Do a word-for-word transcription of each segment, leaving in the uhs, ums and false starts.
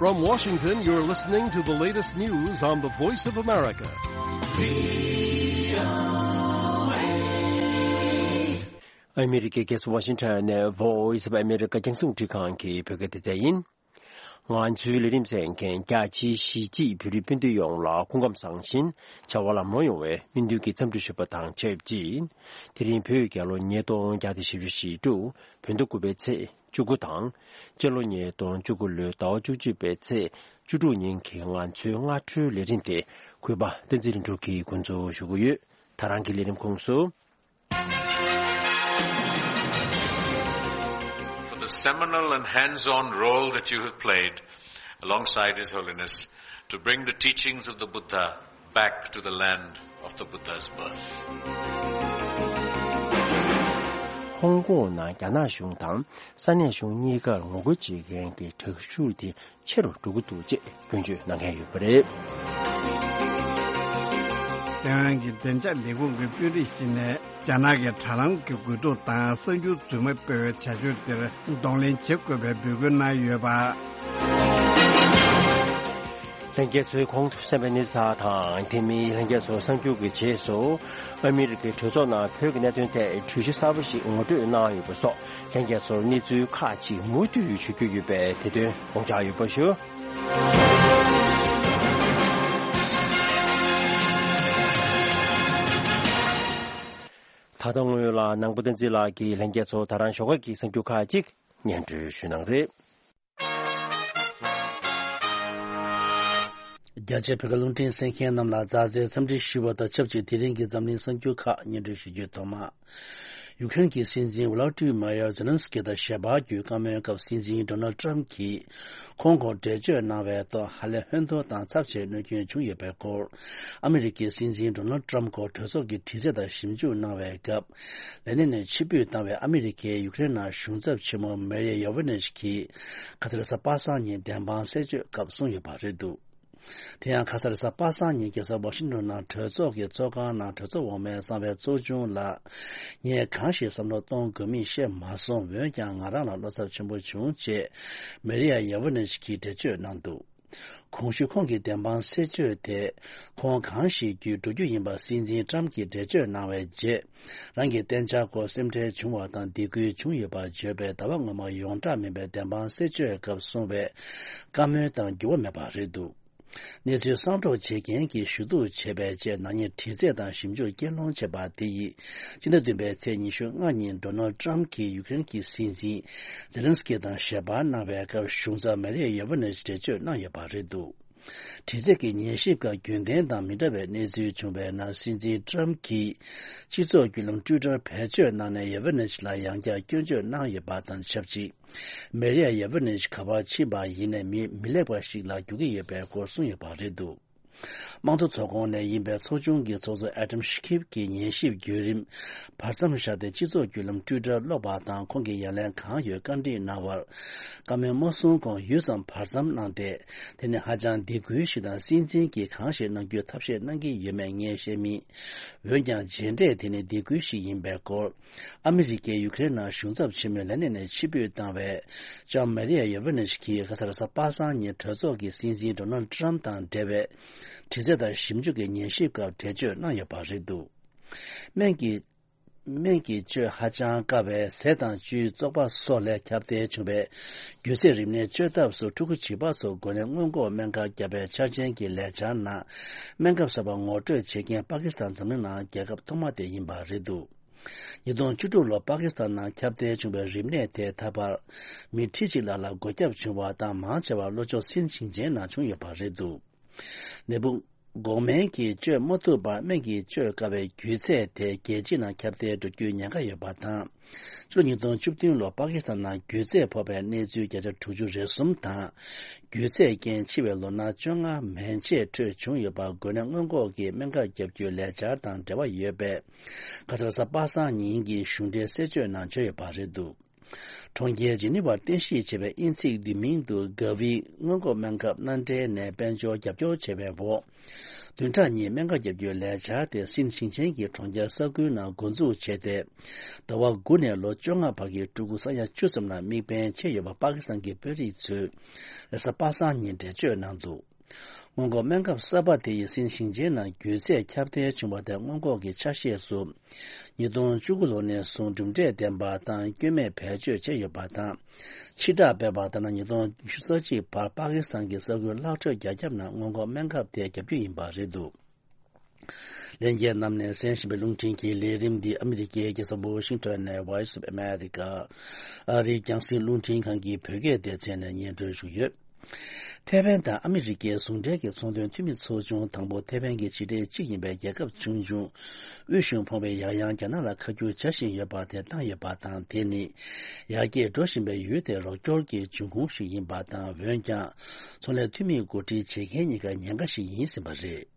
From Washington, you're listening to the latest news on the Voice of America. ཨ་མི་རི་ཀའི་རྒྱལ་ས་ཝ་ཤིང་ཊོན་ནས་Voice of America རྒྱང་སྲིང་རླུང་འཕྲིན་ཁང་གི་བོད་སྐད་སྡེ་ཚན་ཡིན། ང་ཚོའི་ལས་རིམ་གསན་མཁན་རྒྱ་ཆེའི་གཞིས་བྱེས་བོད་རིགས་སྤུན་ཟླ་ཡོངས་ལ་སྐུ་ཁམས་བཟང་ཞིང་བྱ་བ་ལམ་ལྷོང་ཡོང་བའི་སྨོན་འདུན་གྱི་འཚམས་འདྲི་ཞུ་བ་དང་ཆབས་ཅིག་དེ་རིང་བོད་རྒྱལ་ལོ་ཉིས་སྟོང་བརྒྱ་དང་བཞི་བཅུ་ཞེ་དྲུག་བོད་ཟླ་དགུ་པའི་ཚེས་བཅུ་དགུ་དང་། སྤྱི་ལོ་ཉིས་སྟོང་བཅུ་དགུ་ལོའི་ཟླ་བ་བཅུ་གཅིག་པའི་ཚེས་བཅུ་དྲུག་ཉིན་གྱི་ང་ཚོའི་སྔ་དྲོའི་ལས་རིམ་དེ་གུས་པ་བསྟན་འཛིན་ལྷུན་གྲུབ་ཀྱིས་འགོ་འཛུགས་ཞུ་གི་ཡོད། ད་རང་གི་ལས་རིམ་ཁོངས་སུ། For the seminal and hands-on role that you have played alongside His Holiness to bring the teachings of the Buddha back to the land of the Buddha's birth. ཧོང་ཀོང་ནང་རྒྱ་ནག་གཞུང་དང་ས་གནས་གཞུང་གཉིས་ཀར་ངོ་རྒོལ་བྱེད་མཁན་གྱི་དྲག་ཤུགས་དེ་ཆེ་རུ་འགྲོ་གི་འདུག་ཅེས་སྐྱོན་བརྗོད་གནང་མཁན་ཡོད་པ་རེད། ཐེ་ཝན་གྱི་བདེ་འཇགས་ལས་ཁུངས་ཀྱི་དཔོན་རིགས་ཤིག་ནས་རྒྱ་ནག་གི་དྲ་ལམ་གྱི་རྒོལ་རྡུང་དང་གསར་འགྱུར་རྫུན་མ་སྤེལ་བའི་བྱ་སྤྱོད་དེར་གདོང་ལེན་བྱེད་དགོས་པའི་འབོད་སྐུལ་གནང་ཡོད་པ། ལྷན་རྒྱས་ཚོས་གོང་དུ་གསན་པའི་གནས་ཚུལ་དང་དེ་མིན་ལྷན་རྒྱས་ཚོ་གསར་འགྱུར་གྱི་རྗེས་སུ་ཨ་མི་རི་ཀའི་གྲོས་ཚོགས་ནང་བོད་ཀྱི་གནད་དོན་ཐད་གྲོས་གཞི་གསར་པ་ཞིག་ངོ་སྤྲོད་གནང་ཡོད་པ་སོགས་ལྷན་རྒྱས་ཚོར་གནས་ཚུལ་ཁག་ཅིག་མུ་མཐུད་ཞུ་རྒྱུ་ཡོད་པས་དེ་དོན་དགོངས་འཇགས་ཡོད་པ་ཞུ། ད་ལྟ་སྔོན་ལ་ནང་པ་བསྟན་འཛིན་ལགས་ཀྱིས་ལྷན་རྒྱས་ཚོར་ད་རང་ཞོགས་ཀ་གི་གསར་འགྱུར་ཁག་ཅིག་སྙན་སྒྲོན་ཞུ་གནང་རེད། རྒྱ་ཆེ་བོད་ཀྱི་རླུང་འཕྲིན་གསན་མཁན་རྣམས་ལ་མཛའ་བརྩེའི་འཚམས་འདྲི་ཞུ་བ་དང་ཆབས་ཅིག་དེ་རིང་གི་འཛམ་གླིང་གསར་འགྱུར་ཁག་སྙན་སྒྲོན་ཞུ་རྒྱུའི་ཐོག་མ། ཡུ་ཀེ་རེན་གྱི་སྲིད་འཛིན་ཝ་ལ་ཏི་མ་ཡར་ཛེ་ལན་སི་ཀི་དང་ཞལ་པར་བརྒྱུད་བཀའ་མོལ་སྐབས་སྲིད་འཛིན་ཌོ་ནལ་ཏྲམ་གྱིས་ཁོང་སྐོར་འགྲེལ་བརྗོད་གནང་བའི་ཐོག་ཧ་ལས་ཧོན་ཐོར་དང་ཚབས་ཆེའི་གནོད་སྐྱོན་བྱུང་ཡོད་པའི་སྐོར། ཨ་མི་རི་ཀའི་སྲིད་འཛིན་ཌོ་ནལ་ཏྲམ་སྐོར་གྲོས་ཚོགས་ཀྱི་དྲི་རྩད་དང་ཞིབ་འཇུག་གནང་བའི་སྐབས། ལས་གནས་ནས་ཕྱིར་འབུད་བཏང་བའི་ཨ་མི་རི་ཀའི་ཡུ་ཀེ་རེན་ནང་གཞུང་ཚབ་ཆེན་མོ་མེ་རི་ཡ་ཡོ་ཝེ་ནེ་ཆི་གིས་ཁ་ས་རེས་གཟའ་པ་སངས་ཉིན་བདེན་དཔང་གསལ་བརྗོད་སྐབས་གསུངས་ཡོད་པ་རེད་འདུག་དེ་ཡང་ཁ་ས་རེས་གཟའ་པ་སངས་ཉིན་རྒྱལ་ས་ཝ་ཤིང་ཊོན་ནང་གྲོས་ཚོགས་ཀྱི་ཚོགས་ཁང་ནང་གྲོས་ཚོགས་འོག་མའི་གསང་བའི་ཚོགས་ཆུང་ལ། ངས་གང་ཞིག་བསམ་བློ་གཏོང་དགོས་མིན་ཤེས་མ་སོང་། འོན་ཀྱང་ང་རང་ལ་བློ་འཚབ་ཆེན་པོ་བྱུང་ཅེས་མེ་རི་ཡ་ཡ་ཝེ་ནེ་ཆི་གིས་འགྲེལ་བརྗོད་གནང་འདུག་གོང་ཞུས་ཁོང་གི་བདེན་དཔང་གསལ་བརྗོད་དེ། ཁོང་གང་ཞིག་བརྒྱུད་འགྲོ་རྒྱུ་ཡིན་པ་སྲིད་འཛིན་ཏྲམ་གྱིས་འགྲེལ་བརྗོད་གནང་བའི་རྗེས། རང་གི་གཏན་འཇགས་སྐོར་སེམས་ཁྲལ་བྱུང་བ་དང་སྡིགས་སྐུལ་བྱུང་ཡོད་པར་བརྗོད་པའི་ཟླ་བ་སྔོན་མ་ཡོངས་གྲགས་མིན་པའི་བདེན་དཔང་གསལ་བརྗོད་སྐབས་གསུངས་པའི་བཀའ་མོལ་དང་འགྱུར་བ་མེད་པ་རེད་འདུག་གནས་ཚུལ་གསང་སྒྲོག་བྱེད་མཁན་གྱིས་ཞུ་གཏུག་བྱས་པའི་རྗེས་ནག་ཉེས་དྲི་རྩད་དང་ཞིབ་འཇུག་རྐྱེན་སློང་བྱས་པ་དེ་ཡིས་སྤྱི་ཟླ་བདུན་པའི་ཚེས་ཉི་ཤུ་ལྔ་ཉིན་ཌོ་ནལ་ཏྲམ་གྱིས་ཡུ་ཀེ་རེན་གྱི་སྲིད་འཛིན་ཛེ་ལན་སི་ཀི་དང་ཞལ་པར་གནང་བའི་སྐབས་གཞུང་ཚབ་མེ་རི་ཡ་ཡོ་ཝེ་ནེ་ཆི་འགྲེལ་བརྗོད་གནང་ཡོད་པ་རེད་འདུག་དྲི་རྩད་ཀྱི་ཉན་ཞིབ་སྐབས་རྒྱུན་ལྡན་དང་མི་འདྲ་བའི་གནས་ཚུལ་བྱུང་བའི་ནང་སྲིད་འཛིན་ཏྲམ་གྱིས་སྤྱི་ཚོགས་བརྒྱུད་ལམ་ཊུའི་ཊར་བེད་སྤྱོད་གནང་ནས་ཡ་ཝེ་ནེ་ཆི་ལ་ཡང་བསྐྱར་སྐྱོན་བརྗོད་གནང་ཡོད་པ་དང་ཆབས་ཅིག་མེ་རི་ཡ་ཡ་ཝེ་ནེ་ཆི་ག་པར་ཕྱིན་པ་ཡིན་ནའི་མི་མི་ལེགས་པ་ཞིག་ལ་འགྱུར་གྱི་ཡོད་པའི་སྐོར་གསུངས་ཡོད་པ་རེད་འདུག་དམངས་གཙོ་ཚོགས་ཁོངས་ནས་ཡིན་པའི་ཚོགས་ཆུང་གི་ཚོགས་གཙོ་ཨེ་ཌམ་ཤི་ཁིབ་ཀྱིས་ཉན་ཞིབ་བརྒྱུད་རིམ་བར་མཚམས་བཞག་སྟེ་སྤྱི་ཚོགས་བརྒྱུད་ལམ་ཊུའི་ཊར་ཀློག་པ་དང་ཁོང་གིས་ཡ་ལན་གང་ཡོད་བཀའ་འདྲི་གནང་བར། བཀའ་མོལ་མ་གསུང་གོང་ཡུད་ཙམ་བར་མཚམས་གནང་སྟེ། དེ་ནི་ཧ་ཅང་སྡིགས་སྐུལ་ཞིག་དང་སྲིད་འཛིན་གྱིས་གང་ཞིག་གནང་རྒྱུའི་ཐབས་ཤེས་གནང་གི་ཡོད་མེད་ངས་ཤེས་མེད། འོན་ཀྱང་རྗེས་འབྲས་དེ་ནི་སྡིགས་སྐུལ་ཞིག་ཡིན་པའི་སྐོར། ཨ་མི་རི་ཀས་ཡུ་ཀེ་རེན་ནང་གཞུང་ཚབ་ཆེན་མོའི་ལས་གནས་ནས་ཕྱིར་འབུད་བཏང་བའི་ལྕམ་མེ་རི་ཡ་ཡེ་ཝེ་ནེ་ཆི་གིས་ཁ་ས་རེས་གཟའ་པ་སངས་ཉིན་གྲོས་ཚོགས་ཀྱི་སྲིད་འཛིན་ཌོ་ནལ་ཏྲམ་དང་འབྲེལ་བའི་དྲི་རྩད་དང་ཞིབ་འཇུག་གི་ཉན་ཞིབ་སྐབས་འགྲེལ་བརྗོད་གནང་ཡོད་པ་རེད་འདུག་སྨན་གྱི། སྨན་གྱི་བཅོས་ཧ་ཅང་དཀའ་བའི་ཟས་དང་བཅུད་བཙོག་པ་སོགས་ལས་ཁྱབ་གདལ་བྱུང་བའི་རྒྱུ་ཚད་རིམས་ནད་བཅོས་ཐབས་སུ་ཕྲུ་གུ་བྱིས་པ་སོགས་འགོས་ནད་སྔོན་འགོག་སྨན་ཁབ་བརྒྱབ་པའི་འཆར་ཅན་གྱི་ལས་འཆར་ནང་སྨན་ཁབ་གསར་པ་ངོ་སྤྲོད་བྱེད་མཁན་པ་ཀི་སི་ཐན་འཛམ་གླིང་ནང་རྒྱལ་ཁབ་ཐོག་མ་དེ་ཡིན་པ་རེད་འདུག་ཉིས་སྟོང་བཅུ་དྲུག་ལོར་པ་ཀི་སི་ཐན་ནང་ཁྱབ་གདལ་བྱུང་བའི་རིམས་ནད་དེ་ད་བར་མི་ཁྲི་གཅིག་ལྷག་ལ་འགོས་ཁྱབ་བྱུང་བ་དང་མང་ཆེ་བ་ལྷོ་ཕྱོགས་སིན་ཞིང་ཆེན་ནང་བྱུང་ཡོད་པ་རེད་འདུག་ནད་འབུ་འགོག་སྨན་གྱིས་བཅོས་མ་ཐུབ་པར་སྨན་གྱིས་བཅོས་དཀའ་བའི་རྒྱུ་ཚད་དེ་རྒྱལ་སྤྱི་ནང་ཁྱབ་གདལ་འགྲོ་རྒྱུའི་ཉེན་ཁ་ཡོད་པ་དང་། ཕྱི་ལོ་ཉིས་སྟོང་བཅུ་བདུན་ལོར་པ་ཀི་སི་ཐན་ནང་རྒྱུ་ཚད་ཕོག་པའི་གནས་ཚུལ་བརྒྱ་ཆ་དྲུག་ཅུ་རེ་གསུམ་དང་། རྒྱུ་ཚད་རྐྱེན་འཆི་བའི་ལོ་ན་བཅོ་ལྔ་མན་ཆད་འཕྲོད་བྱུང་ཡོད་པ་འགོས་ནད་སྔོན་འགོག་གི་སྨན་ཁབ་བརྒྱབ་རྒྱུའི་ལས་འཆར་དང་འབྲེལ་བ་ཡོད་པས། ཁ་ས་རེས་གཟའ་པ་སངས་ཉིན་གྱི་གཞུང་འབྲེལ་གསལ་བརྗོད་ནང་བརྗོད་ཡོད་པ་རེད་འདུག་གྲོང་ཁྱེར་ཇི་ནི་ཝར་རྟེན་གཞི་བྱས་པའི་དབྱིན་ཚིག་བསྡུས་མིང་དུ་ག་བི་སྔོན་འགོག་སྨན་ཁབ་མནའ་འབྲེལ་ནས་དཔལ་འབྱོར་རྒྱབ་སྐྱོར་བྱས་པའི་འོག་བདུན་ཕྲག་གཉིས་སྨན་ཁབ་བརྒྱབ་རྒྱུའི་ལས་འཆར་དེ་སིན་ཞིང་ཆེན་གྱི་གྲོང་ཁྱེར་ས་ཁུལ་ནང་འགོ་འཛུགས་བྱས་ཏེ། ཟླ་བ་དགུ་ནས་ལོ་བཅོ་ལྔ་བར་གྱི་ཕྲུ་གུ་ས་ཡ་བཅུ་ཙམ་ལ་དམིགས་འབེན་བྱས་ཡོད་པ་པ་ཀི་སི་ཐན་གྱི་དཔོན་རིགས་ཚོས་རེས་གཟའ་པ་སངས་ཉིན་འགྲེལ་བརྗོད་གནང་འདུག་སྔོན་འགོག་སྨན་ཁབ་གསར་པ་དེ་ཡིས་སིན་ཞིང་ཆེན་ནང་རྒྱུད་ཚད་ཁྱབ་གདལ་བྱུང་བ་དེ་སྔོན་འགོག་གི་ཆ་ཤས་སུ། ཉིས་སྟོང་བཅུ་དགུ་ལོ་ནས་བཟུང་གྲུབ་འབྲས་ལྡན་པ་དང་སྐྱོན་མེད་བེད་སྤྱོད་བྱས་ཡོད་པ་དང་། ཕྱིར་བསྒྲགས་སྤེལ་བ་ལྟར་ན། ཉིས་སྟོང་ཉི་ཤུ་རྩ་གཅིག་བར་པ་ཀི་སི་ཐན་གྱི་ས་ཁུལ་ལྷག་འཕྲོས་བརྒྱ་ཁྱབ་ནང་སྔོན་འགོག་སྨན་ཁབ་དེ་བརྒྱབ་རྒྱུ་ཡིན་པ་རེད་འདུག་ལྷན་རྒྱས་རྣམས་ནས་གསན་བཞིན་པའི་རླུང་འཕྲིན་གྱི་ལས་རིམ་འདི་ཨ་མི་རི་ཀའི་རྒྱལ་ས་ཝ་ཤིང་ཊོན་ནས་Voice of America ཨ་རིའི་རྒྱང་སྲིང་རླུང་འཕྲིན་ཁང་གི་བོད་སྐད་སྡེ་ཚན་ནས་སྙན་སྒྲོན་ཞུས་ཡོད། ཐའེ་ཝན་དང་ཨ་མི་རི་ཀའི་ཟུང་འབྲེལ་གྱི་ཚོང་དོན་འཐུས་མི་ཚོགས་ཆུང་དང་པོ་ཐའེ་ཝན་གྱི་ཕྱི་འབྲེལ་གཅིག་ཡིན་པའི་རྒྱལ་ཁབ་ཆུང་ཆུང་དབུས་གཞུང་ཕོངས་པའི་ཡང་ཡང་རྒྱ་ནག་ལ་ཁ་བསྒྱུར་བྱ་བཞིན་ཡོད་པ་དེ་བཏང་ཡོད་པ་དང་། དེ་ནི་ཡར་རྒྱས་འགྲོ་བཞིན་པའི་ཡུལ་དེར་རོགས་སྐྱོར་གྱི་འབྱུང་ཁུངས་ཤིག་ཡིན་པ་དང་། འོན་ཀྱང་ཚོང་ལས་འཐུས་མིའི་འགོ་ཁྲིད་བྱེད་མཁན་གཉིས་ཀ་ཉེན་ཁ་ཞིག་ཡིན་ཟིན་པ་རེད།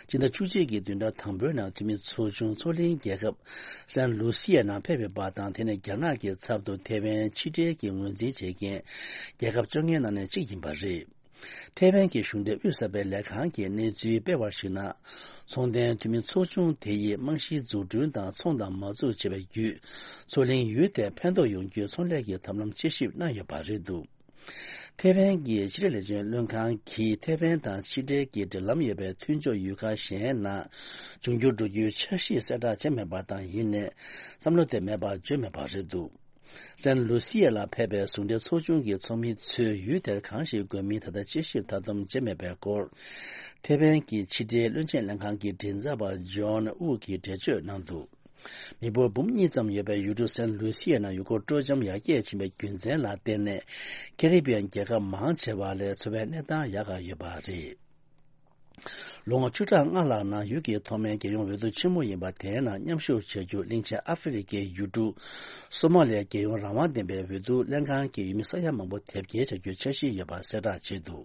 སྤྱི་ཟླ་བཅུ་གཅིག་གི་བདུན་ཕྲག་དང་པོའི་ནང་འཐུས་མི་ཚོགས་ཆུང་མཚོ་གླིང་རྒྱལ་ཁབ་སན་ལུ་སི་ཡའི་ནང་ཕེབས་ཡོད་པ་དང་། དེ་ནི་རྒྱ་ནག་གི་ཚབ་ཏུ་ཐའེ་ཝན་ཕྱི་འབྲེལ་གྱི་ངོས་འཛིན་བྱེད་མཁན་རྒྱལ་ཁབ་བཅོ་ལྔའི་ནང་ནས་གཅིག་ཡིན་པ་རེད། ཐའེ་ཝན་གྱི་གཞུང་འབྲེལ་དབུས་གསར་པའི་ལས་ཁང་གིས་གནས་ཚུལ་སྤེལ་བར་གཞིགས་ན། ཚོང་དོན་འཐུས་མི་ཚོགས་ཆུང་དེ་ཡིས་རྨང་གཞིའི་འཛུགས་སྐྲུན་དང་ཚོང་དང་མ་འཛུགས་བྱས་པའི་བརྒྱུད། མཚོ་གླིང་ཡུལ་དེར་ཕན་ཐོགས་ཡོང་རྒྱུའི་ཚོང་ལས་ཀྱི་ཐབས་ལམ་དཔྱད་ཞིབ་གནང་ཡོད་པ་རེད་འདུག་ཐའེ་ཝན་གྱི་ཕྱི་དྲིལ་ལས་བྱེད་བློན་ཁང་གིས་ཐའེ་ཝན་དང་ཕྱི་འབྲེལ་གྱི་འབྲེལ་ལམ་ཡོད་པའི་མཐུན་ཕྱོགས་ཡུལ་ཁག་གཞན་ནང་འབྱུང་འགྱུར་འགྲོ་རྒྱུའི་འཆར་གཞི་གསལ་བསྒྲགས་བྱས་མེད་པ་དང་། ཡིན་ནའི་བསམ་བློ་དེ་མེད་པ་བརྗོད་མེད་པ་རེད་འདུག་སན་ལུ་སི་ཡ་ལ་ཕེབས་པའི་ཟུང་འབྲེལ་ཚོགས་ཆུང་གི་ཚོགས་མི་ཚོས་ཡུལ་དེར་གང་ཞིག་དགོས་མིན་ད་ལྟ་དཔྱད་ཞིབ་མཐའ་སྡོམ་བྱས་མེད་པའི་སྐོར། ཐའེ་ཝན་གྱི་ཕྱི་དྲིལ་བློན་ཆེན་ལྷན་ཁང་གི་མགྲིན་ཚབ་པ་ཇོན་ཨུ་གིས་འགྲེལ་བརྗོད་གནང་འདུག་མི་འབོར་འབུམ་གཉིས་ཙམ་ཡོད་པའི་ཡུལ་གྲུ་སན་ལུ་སི་ཡ་ནང་ཡུལ་སྐོར་སྤྲོ་འཆམ་ཡར་རྒྱས་ཕྱིན་པའི་རྒྱུ་མཚན་ལ་བརྟེན་ནས། ཀེ་རི་བི་ཡན་རྒྱལ་ཁབ་མང་ཆེ་བ་ལས་འཚོ་བའི་གནས་སྟངས་ཡག་ག་ཡོད་པ་རེད། ལོ་ངོ་བཅུ་ཕྲག་ལྔ་ལྷག་ནང་ཡུལ་གྱི་ཐོག་མའི་རྒྱལ་ཡོངས་འོས་བསྡུ་ཆེན་མོ་ཡིན་པ་དེའི་ནང་མཉམ་ཞུགས་བྱ་རྒྱུ་གླིང་ཆེན་ཨ་ཧྥེ་རི་ཁའི་ཡུལ་གྲུ་སོ་མ་ལིའི་རྒྱལ་ཡོངས་རང་དབང་ལྡན་པའི་འོས་བསྡུ་ལྷན་ཁང་གིས་ཡུལ་མི་ས་ཡ་མང་པོ་དེབ་སྐྱེལ་བྱ་རྒྱུའི་འཆར་གཞི་ཡོད་པ་གསལ་བསྒྲགས་བྱས་འདུག་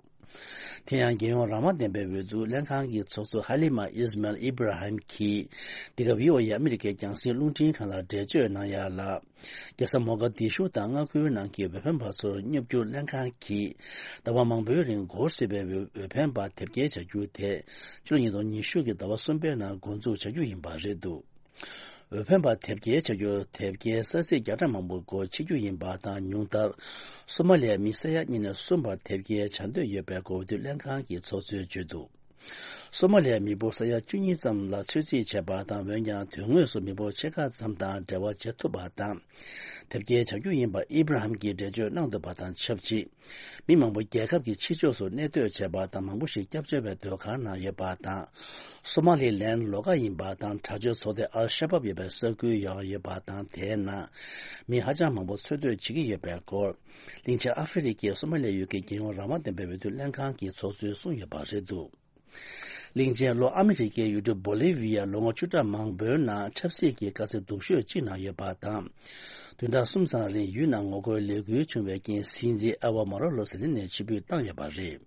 དེ་ཡང་རྒྱལ་ཡོངས་རང་དབང་ལྡན་པའི་འོས་བསྡུ་ལྷན་ཁང་གི་ཚོགས་གཙོ་ཧ་ལི་མ་ཨིས་མལ་ཨི་བྷ་ར་ཧིམ་གྱིས་འདི་ག་བྷི་ཨོ་ཨེ་ཨ་མི་རི་ཀའི་རྒྱང་སྲིང་རླུང་འཕྲིན་ཁང་ལ་འགྲེལ་བརྗོད་གནང་ཡ་ལ། རྒྱལ་ས་མོ་ག་དི་ཤུ་དང་མངའ་ཁུལ་ནང་གི་འོས་འཕེན་པ་ཚོར་སྙོབ་རྒྱུར་ལྷན་ཁང་གིས་ཟླ་བ་མང་པོའི་རིང་འགོར་སྲིད་པའི་འོས་འཕེན་པ་དེབ་སྐྱེལ་བྱ་རྒྱུ་དེ་ཕྱི་ལོ་ཉིས་སྟོང་ཉི་ཤུ་གི་ཟླ་བ་གསུམ་པའི་ནང་འགོ་འཛུགས་བྱ་རྒྱུ་ཡིན་པ་རེད་འདུག་འོས་འཕེན་པ་དེབ་སྐྱེལ་བྱ་རྒྱུར་དེབ་སྐྱེལ་ས་ཚིགས་བརྒྱ་ཕྲག་མང་པོ་སྒོ་ཕྱེ་རྒྱུ་ཡིན་པ་དང་། ཉུང་མཐར་སོ་མ་ལིའི་མི་ས་ཡ་གཉིས་ནས་གསུམ་བར་དེབ་སྐྱེལ་བྱ་འདོད་ཡོད་པའི་འོས་བསྡུ་ལྷན་ཁང་གི་ཚོགས་གཙོས་བརྗོད་འདུག་སོ་མ་ལིའི་མི་འབོར་ས་ཡ་བཅུ་གཉིས་ཙམ་ལ་ཚོད་རྩིས་བྱས་པ་དང་། འོན་ཀྱང་དོན་དངོས་སུ་མི་འབོར་ཕྱེད་ཀ་ཙམ་དང་འབྲེལ་བ་བྱེད་ཐུབ་པ་དང་། དེབ་སྐྱེལ་བྱ་རྒྱུ་ཡིན་པ་ཨི་བྷ་ར་ཧམ་གྱིས་འགྲེལ་བརྗོད་གནང་འདུག་པ་དང་ཆབས་ཅིག་མི་མང་པོ་རྒྱལ་ཁབ་ཀྱི་ཕྱི་ཕྱོགས་སུ་གནས་སྡོད་བྱས་པ་དང་། མང་པོ་ཞིག་སྐྱབས་བཅོལ་བའི་སྡོད་ཁང་ནང་ཡོད་པ་དང་། སོ་མ་ལི་ལན་ལོགས་ཀ་ཡིན་པ་དང་། དྲག་སྤྱོད་ཚོགས་སྡེ་ཨལ་ཤ་བབ་ཡོད་པའི་ས་ཁུལ་ཡང་ཡོད་པ་དང་། དེའི་ནང་མི་ཧ་ཅང་མང་པོ་འཚོ་སྡོད་བྱེད་ཀྱི་ཡོད་པའི་སྐོར། གླིང་ཆེན་ཨ་ཧྥེ་རི་ཁའི་སོ་མ་ལི་ཡུལ་གྱི་རྒྱལ་ཡོངས་རང་དབང་ལྡན་པའི་འོས་བསྡུ་ལྷན་ཁང་གི་ཚོགས་གཙོས་གསུངས་ཡོད་པ་རེད་འདུག་གླིང་ཆེན་ལྷོ་ཨ་མི་རི་ཀའི་ཡུལ་གྲུ་བོ་ལི་ཝི་ཡ་ལོ་ངོ་བཅུ་ཕྲག་མང་པོའི་ནང་ཆབ་སྲིད་ཀྱི་དཀའ་ཚེགས་སྡུག་ཤོས་གཅིག་ནང་ཡོད་པ་དང་། བདུན་ཕྲག་གསུམ་ཙམ་རིང་ཡུལ་ནང་ངོ་རྒོལ་ལས་འགུལ་བྱུང་བའི་རྐྱེན། སྲིད་འཛིན་ཨེ་ཝ་མ་རོ་ལོ་ཟེར་ནས་ཕྱིར་འབུད་བཏང་ཡོད་པ་རེད།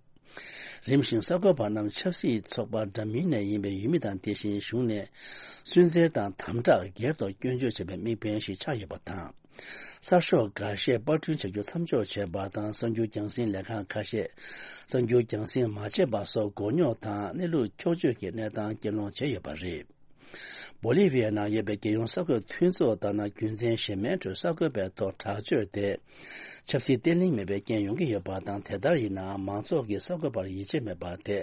རིམ་བཞིན་གསར་འགོད་པ་རྣམས་ཆབ་སྲིད་ཚོགས་པ་འདྲ་མིན་ནས་ཡིན་པའི་ཡུལ་མི་དང་། དེ་བཞིན་གཞུང་ནས་སུན་གཙེར་དང་དམ་དྲག་སྒེར་ཐོག་སྐྱོན་བརྗོད་བྱས་པའི་དམིགས་འབེན་ཞིག་ཆགས་ཡོད་པ་དང་། གསར་ཤོག་འགའ་ཤས་པར་སྐྲུན་བྱ་རྒྱུ་མཚམས་འཇོག་བྱས་པ་དང་། གསར་འགྱུར་རྒྱང་སྲིང་ལས་ཁང་ཁ་ཤས་གསར་འགྱུར་རྒྱང་སྲིང་མ་བྱས་པ་སོགས་མགོ་རྙོག་དང་གནས་ལུགས་འཁྱོག་བརྗོད་ཀྱི་གནས་སྟངས་རྐྱེན་སློང་བྱས་ཡོད་པ་རེད། བོ་ལི་ཝི་ཡའི་ནང་ཡོད་པའི་རྒྱལ་ཡོངས་གསར་འགོད་མཐུན་ཚོགས་ལྟར་ན། རྒྱུ་མཚན་གཞན་མའི་ཁྲོད་གསར་འགོད་པའི་ཐོག་དྲག་སྤྱོད་དེ་ཆབ་སྲིད་བརྟན་ལྷིང་མེད་པའི་རྐྱེན་ཡོང་གི་ཡོད་པ་དང་། དེ་ལྟར་ཡིན་ནའང་མང་ཚོགས་ཀྱིས་གསར་འགོད་པར་ཡིད་ཆེས་མེད་པ་དེ་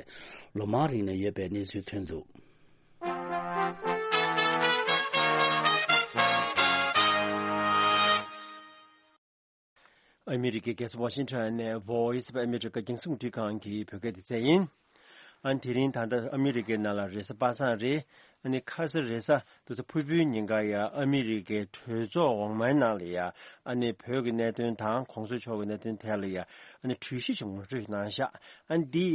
ལོ་མང་རིང་ནས་ཡོད་པའི་གནས་ཚུལ་ཐོན་འདུག་ཨ་མི་རི་ཀའི་རྒྱལ་ས་ཝ་ཤིང་ཊོན་ནས་Voice of America རྒྱང་སྲིང་རླུང་འཕྲིན་ཁང་གི་བོད་སྐད་སྡེ་ཚན་ཡིན། ཨ་ནི་དེ་རིང་ད་ལྟ་ཨ་མི་རི་ཀའི་ནང་ལ་རེས་གཟའ་པ་སངས་རེད། ཨ་ནི་ཁ་སང་རེས་གཟའ་ཏུ་ཚ་ཕུར་བུའི་ཉིན་ཀ་ཡ་ཨ་མི་རི་ཀའི་གྲོས་ཚོགས་འོག་མའི་ནང་ལ་ཡ་ཨ་ནི་བོད་ཀྱི་གནད་དོན་དང་གོང་ས་མཆོག་གི་གནད་དོན་ཐད་ལ་ཡ་ཨ་ནི་གྲོས་གཞི་ཞིག་ངོ་སྤྲོད་གནང་ཤག་ཨ་ནི་འདི་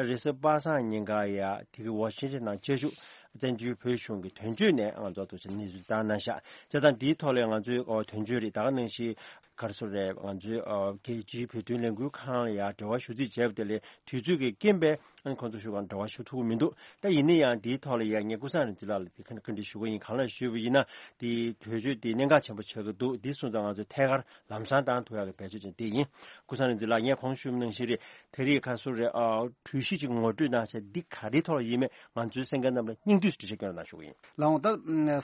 རེས་གཟའ་པ་སངས་ཉིན་ཀ་ཡ་དེ་གི་ཝ་ཤིང་ཊོན་ནང་བཅའ་བཞུགས་ བཙན་བྱོལ་བོད་གཞུང་གི་དོན་གཅོད་ནས་ང་ཚོ་ཐུགས་རྗེ་གནས་ཚུལ་བཏང་གནང་ཤག་བྱས་ཙང་འདིའི་ཐོག་ལ་ང་ཚོའི་དོན་གཅོད་རེད། ད་ག་ནང་བཞིན་ག་རེ་ཟེར་རེད། ང་ཚོའི་རྒྱལ་སྤྱིའི་བོད་དོན་ལས་འགུལ་ཁང་ལ་ཡང་འབྲེལ་བ་ཞུ་རྩིས་བྱས་པ་དེ་ལས་དུས་ཚོད་ཀྱི་རྐྱེན་པས་ཁོང་ཚོ་ཞུ་གང་འབྲེལ་བ་ཞུ་ཐུབ་ཀྱི་མི་འདུག་ད་ཡིན་ན་ཡང་འདིའི་ཐོག་ལ་ཡང་ངས་ཀུན་བཟང་རིག་འཛིན་ལགས་ལ་དེ་ག་འདྲ་ཞུ་གི་ཡིན། གང་ལ་ཞུས་པ་ཡིན་ན་དེའི་གྲོས་ཆོད་དེ་གནད་འགག་ཆེན་པོ་ཆགས་ཀྱི་འདུག་འདི་སོང་ཙང་ང་ཚོས་ཐད་ཀར་ལམ་སང་བཏང་ཐུབ་ཡག་གི་འབད་བརྩོན་བྱས་འདི་ཡིན། ཀུན་བཟང་རིག་འཛིན་ལགས་ངས་གོང་ཞུས་པ་ནང་བཞིན་རེད། དེ་རིང་ཁ་སོ་རེད། ཨ་གྲོས་གཞི་ཅིག་ངོ་སྤྲོད་གནང་བྱས་འདི་ག་རེའི་ཐོག་ལ་ཡིན་མེད་ང་ཚོའི་གསན་མཁན་རྣམས་ལ་སྙིང་བསྡུས་སུ་འགྲེལ་བཤད་སྐྱོན་རོགས་གནང་ཞུ་གི་ཡིན། ལགས་འོང་། ད་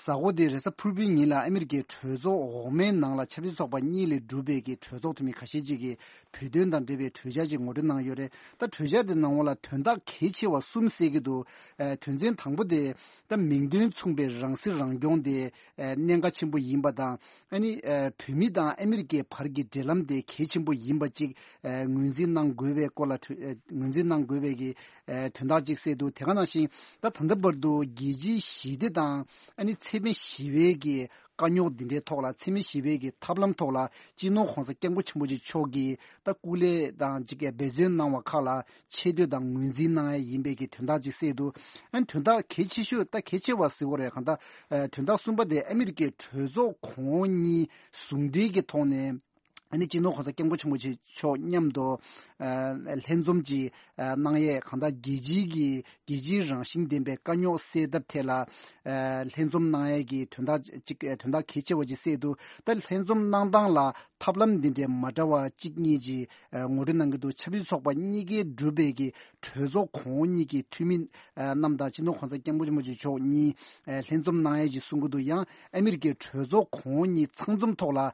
གཟའ་འཁོར་འདིའི་རེས་གཟའ་ཕུར་བུའི་ཉིན་ལ་ཨ་མི་རི་ཀའི་གྲོས་ཚོགས་འོག་མའི་ནང་ལ་ཆབ་སྲིད་ཚོགས་པ་གཉིས་ལས་གྲུབ་པའི་གི་གྲོས་ཚོགས་འཐུས་མི་ཁ་ཤས་ཅིག་གིས་བོད་དོན་དང་འབྲེལ་བའི་གྲོས་འཆར་ཅིག་ངོ་སྤྲོད་གནང་ཡོད་རེད། ད་གྲོས་འཆར་དེ་ནང་ལ་དོན་དག་གལ་ཆེ་བ་གསུམ་གསལ་གྱི་འདུག་ཨ་དོན་ཚན་དང་པོ་དེ་ད་མིང་དོན་མཚུངས་པའི་རང་སྲིད་རང་སྐྱོང་དེ་ཨ་གནད་འགག་ཆེན་པོ་ཡིན་པ་དང་། ཨ་ནི་ཨ་བོད་མི་དང་ཨ་མི་རི་ཀའི་བར་གྱི་འབྲེལ་ལམ་དེ་གལ་ཆེན་པོ་ཡིན་པ་ཅིག་ཨ་ངོས་འཛིན་གནང་དགོས་པའི་སྐོར་ལ་གྲོས་ཨ་ངོས་འཛིན་གནང་དགོས་པའི་གི་ཨ་དོན་དག་ཅིག་གསལ་འདུག་དེ་ག་ནང་བཞིན་ད་ད་ལྟ་བར་དུ་རྒྱལ་སྤྱིའི་ཞི་བདེ་དང་ཨ་ནི་འཚེ་མེད་ཞི་བའི་གི་དཀའ་རྙོག་འདི་འདྲའི་ཐོག་ལ་འཚེ་མེད་ཞི་བའི་གི་ཐབས་ལམ་ཐོག་ལ་སྤྱི་ནོར་གོང་ས་སྐྱབས་མགོན་ཆེན་པོ་མཆོག་གིས་ད་སྐུ་ལས་དང་ཅིག་འབད་བརྩོན་གནང་བ་ཁག་ལ་ཆེ་བསྟོད་དང་ངོས་འཛིན་གནང་ཡ་ཡིན་པའི་གི་དོན་དག་ཅིག་གསལ་འདུག་ཨ་ནི་དོན་དག་གལ་ཆེ་ཤོས་ད་གལ་ཆེ་བ་ཟེར་དགོས་རེད། གང་ལྟར་ཨ་དོན་དག་གསུམ་པ་དེ་ཨ་མི་རི་ཀའི་གྲོས་ཚོགས་གོང་འོག་གཉིས་ཟུང་འབྲེལ་གྱི་ཐོག་ནས་ཨ་ནི་སྤྱི་ནོར་གོང་ས་སྐྱབས་མགོན་ཆེན་པོ་མཆོག་མཉམ་དུ་ཨ་ལྷན་འཛོམས་ཀྱི་ཨ་གནང་ཡས་གང་ལྟར་རྒྱལ་སྤྱིའི་གི་རྒྱལ་སྤྱིའི་རང་བཞིན་ལྡན་པའི་དཀའ་རྙོག་སེལ་ཐབས་ཐད་ལ་ཨ་ལྷན་འཛོམས་གནང་ཡས་ཀྱི་དོན་དག་ཅིག་དོན་དག་གལ་ཆེ་བ་ཅིག་གསལ་འདུག་ད་ལྷན་འཛོམས་གནང་སྟངས་ལ་ཐབས་ལམ་འདི་འདྲའི་མ་འདྲ་བ་གཅིག་གཉིས་ཀྱིས་ཨ་ངོ་སྤྲོད་གནང་གི་འདུག་ཆབ་སྲིད་ཚོགས་པ་གཉིས་ཀའི་གྲུབ་པའི་གི་གྲོས་ཚོགས་གོང་འོག་གཉིས་ཀྱི་འཐུས་མི་ཨ་རྣམས་དང་སྤྱི་ནོར་གོང་ས་སྐྱབས་མགོན་ཆེན་པོ་མཆོག་གཉིས་ཨ་ལྷན་འཛོམས་གནང་ཡས་ཀྱི་གསུང་གི་འདུག་ཡང་ཨ་མི་རི་ཀའི་གྲོས་ཚོགས་གོང་འོག་གཉིས་ཚང་འཛོམས་ཐོག་ལ་ཨ་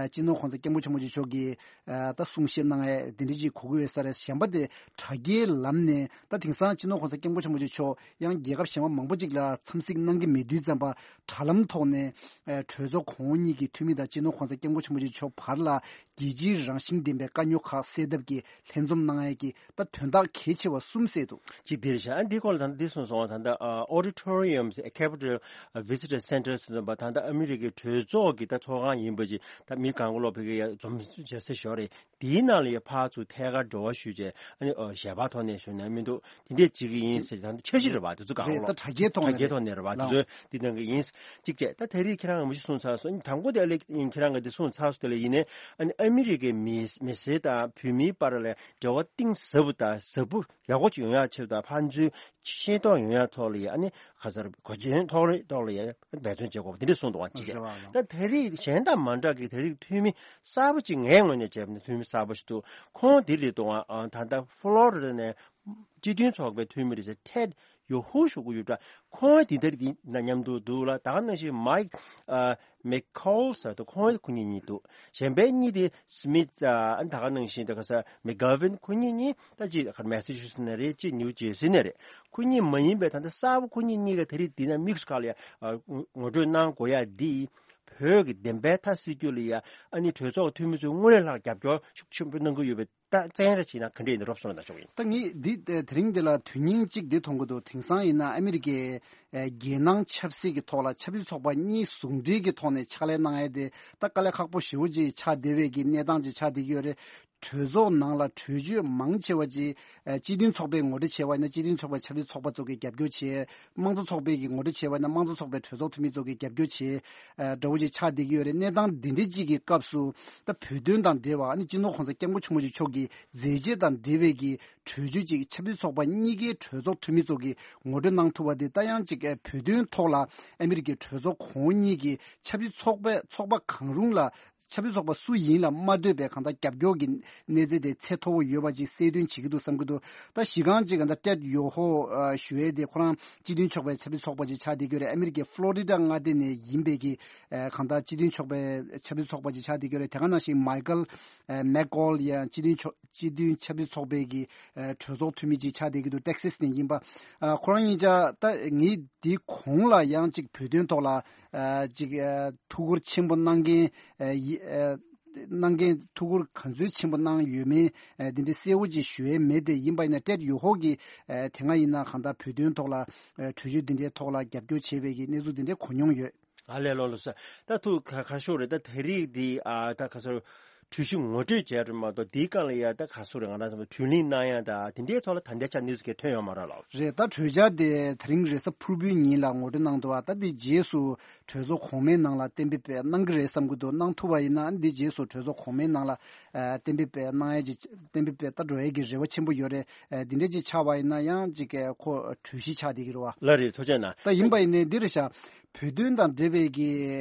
སྤྱི་ནོར་གོང་ས་སྐྱབས་མགོན་ཆེན་པོ་མཆོག་གིས་ཨ་ད་གསུང་བཤད་གནང་ཡས་དེ་འདྲ་ཅིག་གོ་གི་ཡོད་ས་རེད། གཞན་པ་དེ་དྲ་རྒྱའི་ལམ་ནས་ད་དེང་སང་སྤྱི་ནོར་གོང་ས་སྐྱབས་མགོན་ཆེན་པོ་མཆོག་ཡང་རྒྱལ་ཁབ་གཞན་པ་མང་པོ་ཅིག་ལ་འཚམས་གཟིགས་གནང་གི་མེད་དུས་ཙམ་པ་དྲ་ལམ་ཐོག་ནས་ཨ་གྲོས་ཚོགས་གོང་འོག་གཉིས་ཀྱི་འཐུས་མི་དང་སྤྱི་ནོར་གོང་ས་སྐྱབས་མགོན་ཆེན་པོ་མཆོག་བར་ལ་རྒྱལ་སྤྱིའི་རང་བཞིན་ལྡན་པའི་དཀའ་རྙོག་ཁག་སེལ་ཐབས་ཀྱི་ལྷན་འཛོམས་གནང་ཡས་ཀྱི་ད་དོན་དག་གལ་ཆེ་བ་གསུམ་གསལ་འདུག་གཅིག་འདིར་བཞག་ཨ་འདི་སྐོར་ལ་ད་ལྟ་འདི་གསུངས་སོང་བ། ད་ལྟ་ཨ་Auditorium Capitol Visitor Center ཟེར་བ་ད་ལྟ་ཨ་མི་རི་ཀའི་གྲོས་ཚོགས་ཀྱི་ད་ཚོགས་ཁང་ཡིན་པ་ཅིག་ད་མི་གང་ག་ལོག་ཕ་གི་ཡ་འཛོམས་བྱེད་ས་ཞོར་རེད། དེའི་ནང་ལ་ཡ་ཕར་ཚུར་ཐད་ཀར་འབྲེལ་བ་ཞུས་བྱས་ཨ་ནི་ཨ་ཞལ་པར་ཐོག་ནས་ཞུས་ན་མི་འདུག་དེ་འདྲས་བྱེད་ཀྱི་ཡིན་ཟེར། ད་ལྟ་འཆར་གཞི་རེད་བ། དེ་ཚོ་གང་རེད། ག་ལོག་ད་དྲ་རྒྱའི་ཐོག་ནས་དྲ་རྒྱའི་ཐོག་ནས་རེད་བ། དེ་ལགས། ཚོ་འདི་གནང་གི་ཡིན། གཅིག་བྱས་ད་དེ་རིང་ཁྱེད་རང་ངོ་ཤེས་གསུངས་ཚར་སོང་། དང་པོ་དེ་ཨ་ལེ་ཁྱེད་རང་གི་འདི་གསུངས་ཚར་སོང་། དེ་ལ་ཡིན་ནའི་ཨ་ནི་ཨ་མི་རི་ཀའི་མི་མི་སེར་དང་བོད་མིའི་བར་ལ་འབྲེལ་བ་གཏིང་ཟབ་པོ་དང་ཟབ་པོ་ཡག་པོ་ཅིག་ཡོང་ཡག་ཆེད་དུ་དང་ཕན་ཚུན་ཤེས་རྟོགས་ཡོང་ཡག་ཐོག་ལ་ཡ་ཨ་ནི་ག་ཚར་གོ་རྒྱུན་ཐོག་ལ་ཐོག་ལ་ཡ་འབད་བརྩོན་བྱེད་དགོས་པ་དེ་འདྲ་གསུངས་འདུག་བ། གཅིག་བྱས་ད་དེ་རིང་གཞན་དང་མ་འདྲ་གི་དེ་རིང་འཐུས་མི་གསར་པ་ཅིག་ངའི་ངོས་ནས་བྱས་པ་ན་འཐུས་མི་གསར་པ་ཞིག་འདུག་ཁོང་འདི་རེད་འདུག་ཨ་ད་ལྟ་ཕ་ལོ་རི་ཌ་ནས་སྤྱི་མཐུན་ཚོགས་པའི་འཐུས་མི་རེད་ཟེར། Ted Yoho ཞུ་གི་ཡོད་འདྲ། ཁོང་འདི་འདིར་འདི་ན་མཉམ་དུ་འདུག་ལ། ད་ག་ནང་བཞིན་Mike ཨ་McCaul ཟེར་དུ་ཁོང་ཁོ་གཉིས་གཉིས་འདུག་གཞན་པའི་གཉིས་དེ་Smith ཨ་ད་ག་ནང་བཞིན་ད་ག་ས་McGovern ཁོ་གཉིས་གཉིས་ད་ཅི་ཁར་མེ་ས་ཆུ་སེ་ནས་རེད། ཅི་ནིའུ་ཇེ་སི་ནས་རེད། ཁོ་གཉིས་མ་ཡིན་པའི་ད་ལྟ་གསར་པ་ཁོ་གཉིས་གཉིས་ཀ་དེ་རིང་འདི་ན་དམིགས་སུ་བཀར་ལ་ཡ་ཨ་ངོ་སྤྲོད་གནང་དགོས་ཡ་འདི་བོད་ཀྱི་བདེན་པའི་མཐའ་སེལ་རྒྱུ་ལ་ཡ་ཨ་ནི་གྲོས་ཚོགས་འཐུས་མི་ཚོས་དངོས་གནས་ལྷག་རྒྱབ་སྐྱོར་ཤུགས་ཆེན་པོ་གནང་གི་ཡོད་པའི་ད་བཙན་ར་བྱས་ན་ག་འདྲས་ཡིན་རོབ་སོང་ལ་ན་ཆོག་ཡིན། ད་ངས་འདི་དེ་རིང་འདི་ལ་དོན་སྙིང་གཅིག་འདི་མཐོང་གི་འདུག་དེང་སང་ཡིན་ན་ཨ་མི་རི་ཀའི་ཨེ་རྒྱལ་ནང་ཆབ་སྲིད་ཀྱི་ཐོག་ལ་ཆབ་སྲིད་ཚོགས་པ་གཉིས་ཟུང་འབྲེལ་གྱི་ཐོག་ནས་ཕྱག་ལས་གནང་ཡས་དེ་ད་དཀའ་ལས་ཁག་པོ་ཞེ་པོ་ཅིག་ཆགས་བསྡད་པའི་གི་གནས་སྟངས་ཅིག་ཆགས་བསྡད་ཀྱི་ཡོད་རེད། གྲོས་ཚོགས་ནང་ལ་གྲོས་ཆོད་མང་ཆེ་བ་ཅིག་ཨེ་སྤྱི་མཐུན་ཚོགས་པའི་ངོ་སྤྲོད་བྱས་པ་ཡིན་ན་སྤྱི་མཐུན་ཚོགས་པའི་ཆབ་སྲིད་ཚོགས་པ་ཚོ་གིས་རྒྱབ་སྐྱོར་བྱས། དམངས་གཙོ་ཚོགས་པའི་གི་ངོ་སྤྲོད་བྱས་པ་ཡིན་ན་དམངས་གཙོ་ཚོགས་པའི་གྲོས་ཚོགས་འཐུས་མི་ཚོ་གིས་རྒྱབ་སྐྱོར་བྱས། ཨ་འདྲ་བོ་ཅིག་ཆགས་བསྡད་ཀྱི་ཡོད་རེད། གནས་སྟངས་འདི་འདྲ་ཅིག་གི་སྐབས་སུ་ད་བོད་དོན་དང་འབྲེལ་བ་ཨ་ནི་སྤྱི་ནོར་གོང་ས་སྐྱབས་མགོན་ཆེན་པོ་མཆོག་གི་མཛད་རྗེས་དང་འབྲེལ་བའི་གི་གྲོས་ཆོད་ཅིག་ཆབ་སྲིད་ཚོགས་པ་གཉིས་ཀའི་གྲོས་ཚོགས་འཐུས་མི་ཚོ་གིས་ངོ་སྤྲོད་གནང་ཐུབ་པ་འདི་ད་ཡང་ཅིག་ཨ་བོད་དོན་ཐོག་ལ་ཨ་མི་རི་ཀའི་གྲོས་ཚོགས་གོང་འོག་གཉིས་ཀྱི་ཆབ་སྲིད་ཚོགས་པ་ཚོགས་པ་གང་རུང་ལ་ཆབ་སྲིད་ཚོགས་པ་སུ་ཡིན་ལ་མ་ལྟོས་པའི་གང་ལྟར་རྒྱབ་སྐྱོར་གྱི་གནས་ཚད་དེ་ཚད་མཐོ་བོ་ཡོད་པ་ཅིག་གསལ་སྟོན་བྱེད་ཀྱི་འདུག་བསམ་གྱི་འདུག་ད་གཞི་རྐང་ཅིག་གང་ལྟར་Ted Yoho ཞུ་ཡས་དེ་ཁོ་རང་སྤྱི་མཐུན་ཚོགས་པའི་ཆབ་སྲིད་ཚོགས་པ་ཅིག་ཆགས་བསྡད་ཀྱི་ཡོད་རེད། ཨ་མི་རི་ཀའི་ཕ་ལོ་རི་ཌ་མངའ་སྡེ་ནས་ཡིན་པའི་གི་ཨ་གང་ལྟར་སྤྱི་མཐུན་ཚོགས་པའི་ཆབ་སྲིད་ཚོགས་པ་ཅིག་ཆགས་བསྡད་ཀྱི་ཡོད་རེད། དེ་ག་ནང་བཞིན་Michael McCaul ཡང་སྤྱི་མཐུན་ཚོགས་སྤྱི་མཐུན་ཆབ་སྲིད་ཚོགས་པའི་གི་ཨ་གྲོས་ཚོགས་འཐུས་མི་ཅིག་ཆགས་བསྡད་ཀྱི་འདུག Texas ནས་ཡིན་པ། ཨ་ཁོ་རང་གཉིས་ཆ་ད་ངས་འདི་གོང་ལ་ཡང་ཅིག་བོད་དོན་ཐོག་ལ་ཨ་ཅིག་ཨ་ཐུགས་ཁུར་ཆེན་པོ་གནང་མཁན་ཨ་ཡི་ཨ་གནང་མཁན་ཐུགས་ཁུར་ག་ཚོད་ཆེན་པོ་གནང་ཡོད་མེད་ཨ་འདི་འདྲ་གསལ་བོ་ཅིག་ཞུ་ཡས་མེད་དེ། ཡིན་པ་ཡིན་ན་Ted Yoho གིས་ཨ་དེ་སྔ་ཡིན་ན་གང་ལྟར་བོད་དོན་ཐོག་ལ་ཨ་གྲོས་ཆོད་འདི་འདྲའི་ཐོག་ལ་རྒྱབ་སྐྱོར་བྱས་པའི་གི་གནས་ཚུལ་འདི་འདྲ་གོ་མྱོང་ཡོད། ཨ་ལས་ལོ་ལོ་ས། ད་ཐུགས་ཁ་ཁ་ཤོར་རེད། ད་དེ་རིང་འདི་ཨ་ད་ཁ་སོར་ གྲོས་གཞི་ངོ་སྤྲོད་བྱས་རེད་མ་གཏོགས། དེའི་སྒང་ལ་ཡ་ད་ག་སུ་རེད། ང་རང་ཚོ་གྲོས་གླེང་གནང་ཡ་ད་དེ་འདྲའི་ཐོག་ལ་ད་ལྟའི་ཆར་གནས་ཚུལ་གང་ཐོན་ཡོད་མ་རེད་ལགས། རེད། ད་གྲོས་འཆར་དེ་དེ་རིང་རེས་གཟའ་ཕུར་བུའི་ཉིན་ལ་ངོ་སྤྲོད་གནང་འདུག་བ། ད་དེ་རྗེས་སུ་གྲོས་ཚོགས་གོང་མའི་ནང་ལ་གཏན་འབེབས་གནང་གི་རེད་བསམ་གྱི་འདུག་གནང་ཐུབ་པ་ཡིན་ན་འདི་རྗེས་སུ་གྲོས་ཚོགས་གོང་མའི་ནང་ལ་ཨ་གཏན་འབེབས་གནང་ཡ་གི་གཏན་འབེབས་ད་འགྲོ་ཡ་གི་རེ་བ་ཆེན་པོ་ཡོད་རེད། ཨ་འདི་འདྲ་ཅིག་ཆགས་པ་ཡིན་ན་ཡང་ཅིག་གི་ཁོ་གྲོས་གཞི་ཆགས་བསྡད་ཀྱི་རེད་བ། ལགས་རེད། ཐུགས་རྗེ་གནང་། ད་ཡིན་པ་ཡིན་ནའི་འདི་རེད་ཤག་བོད་དོན་དང་འབྲེལ་བའི་གི་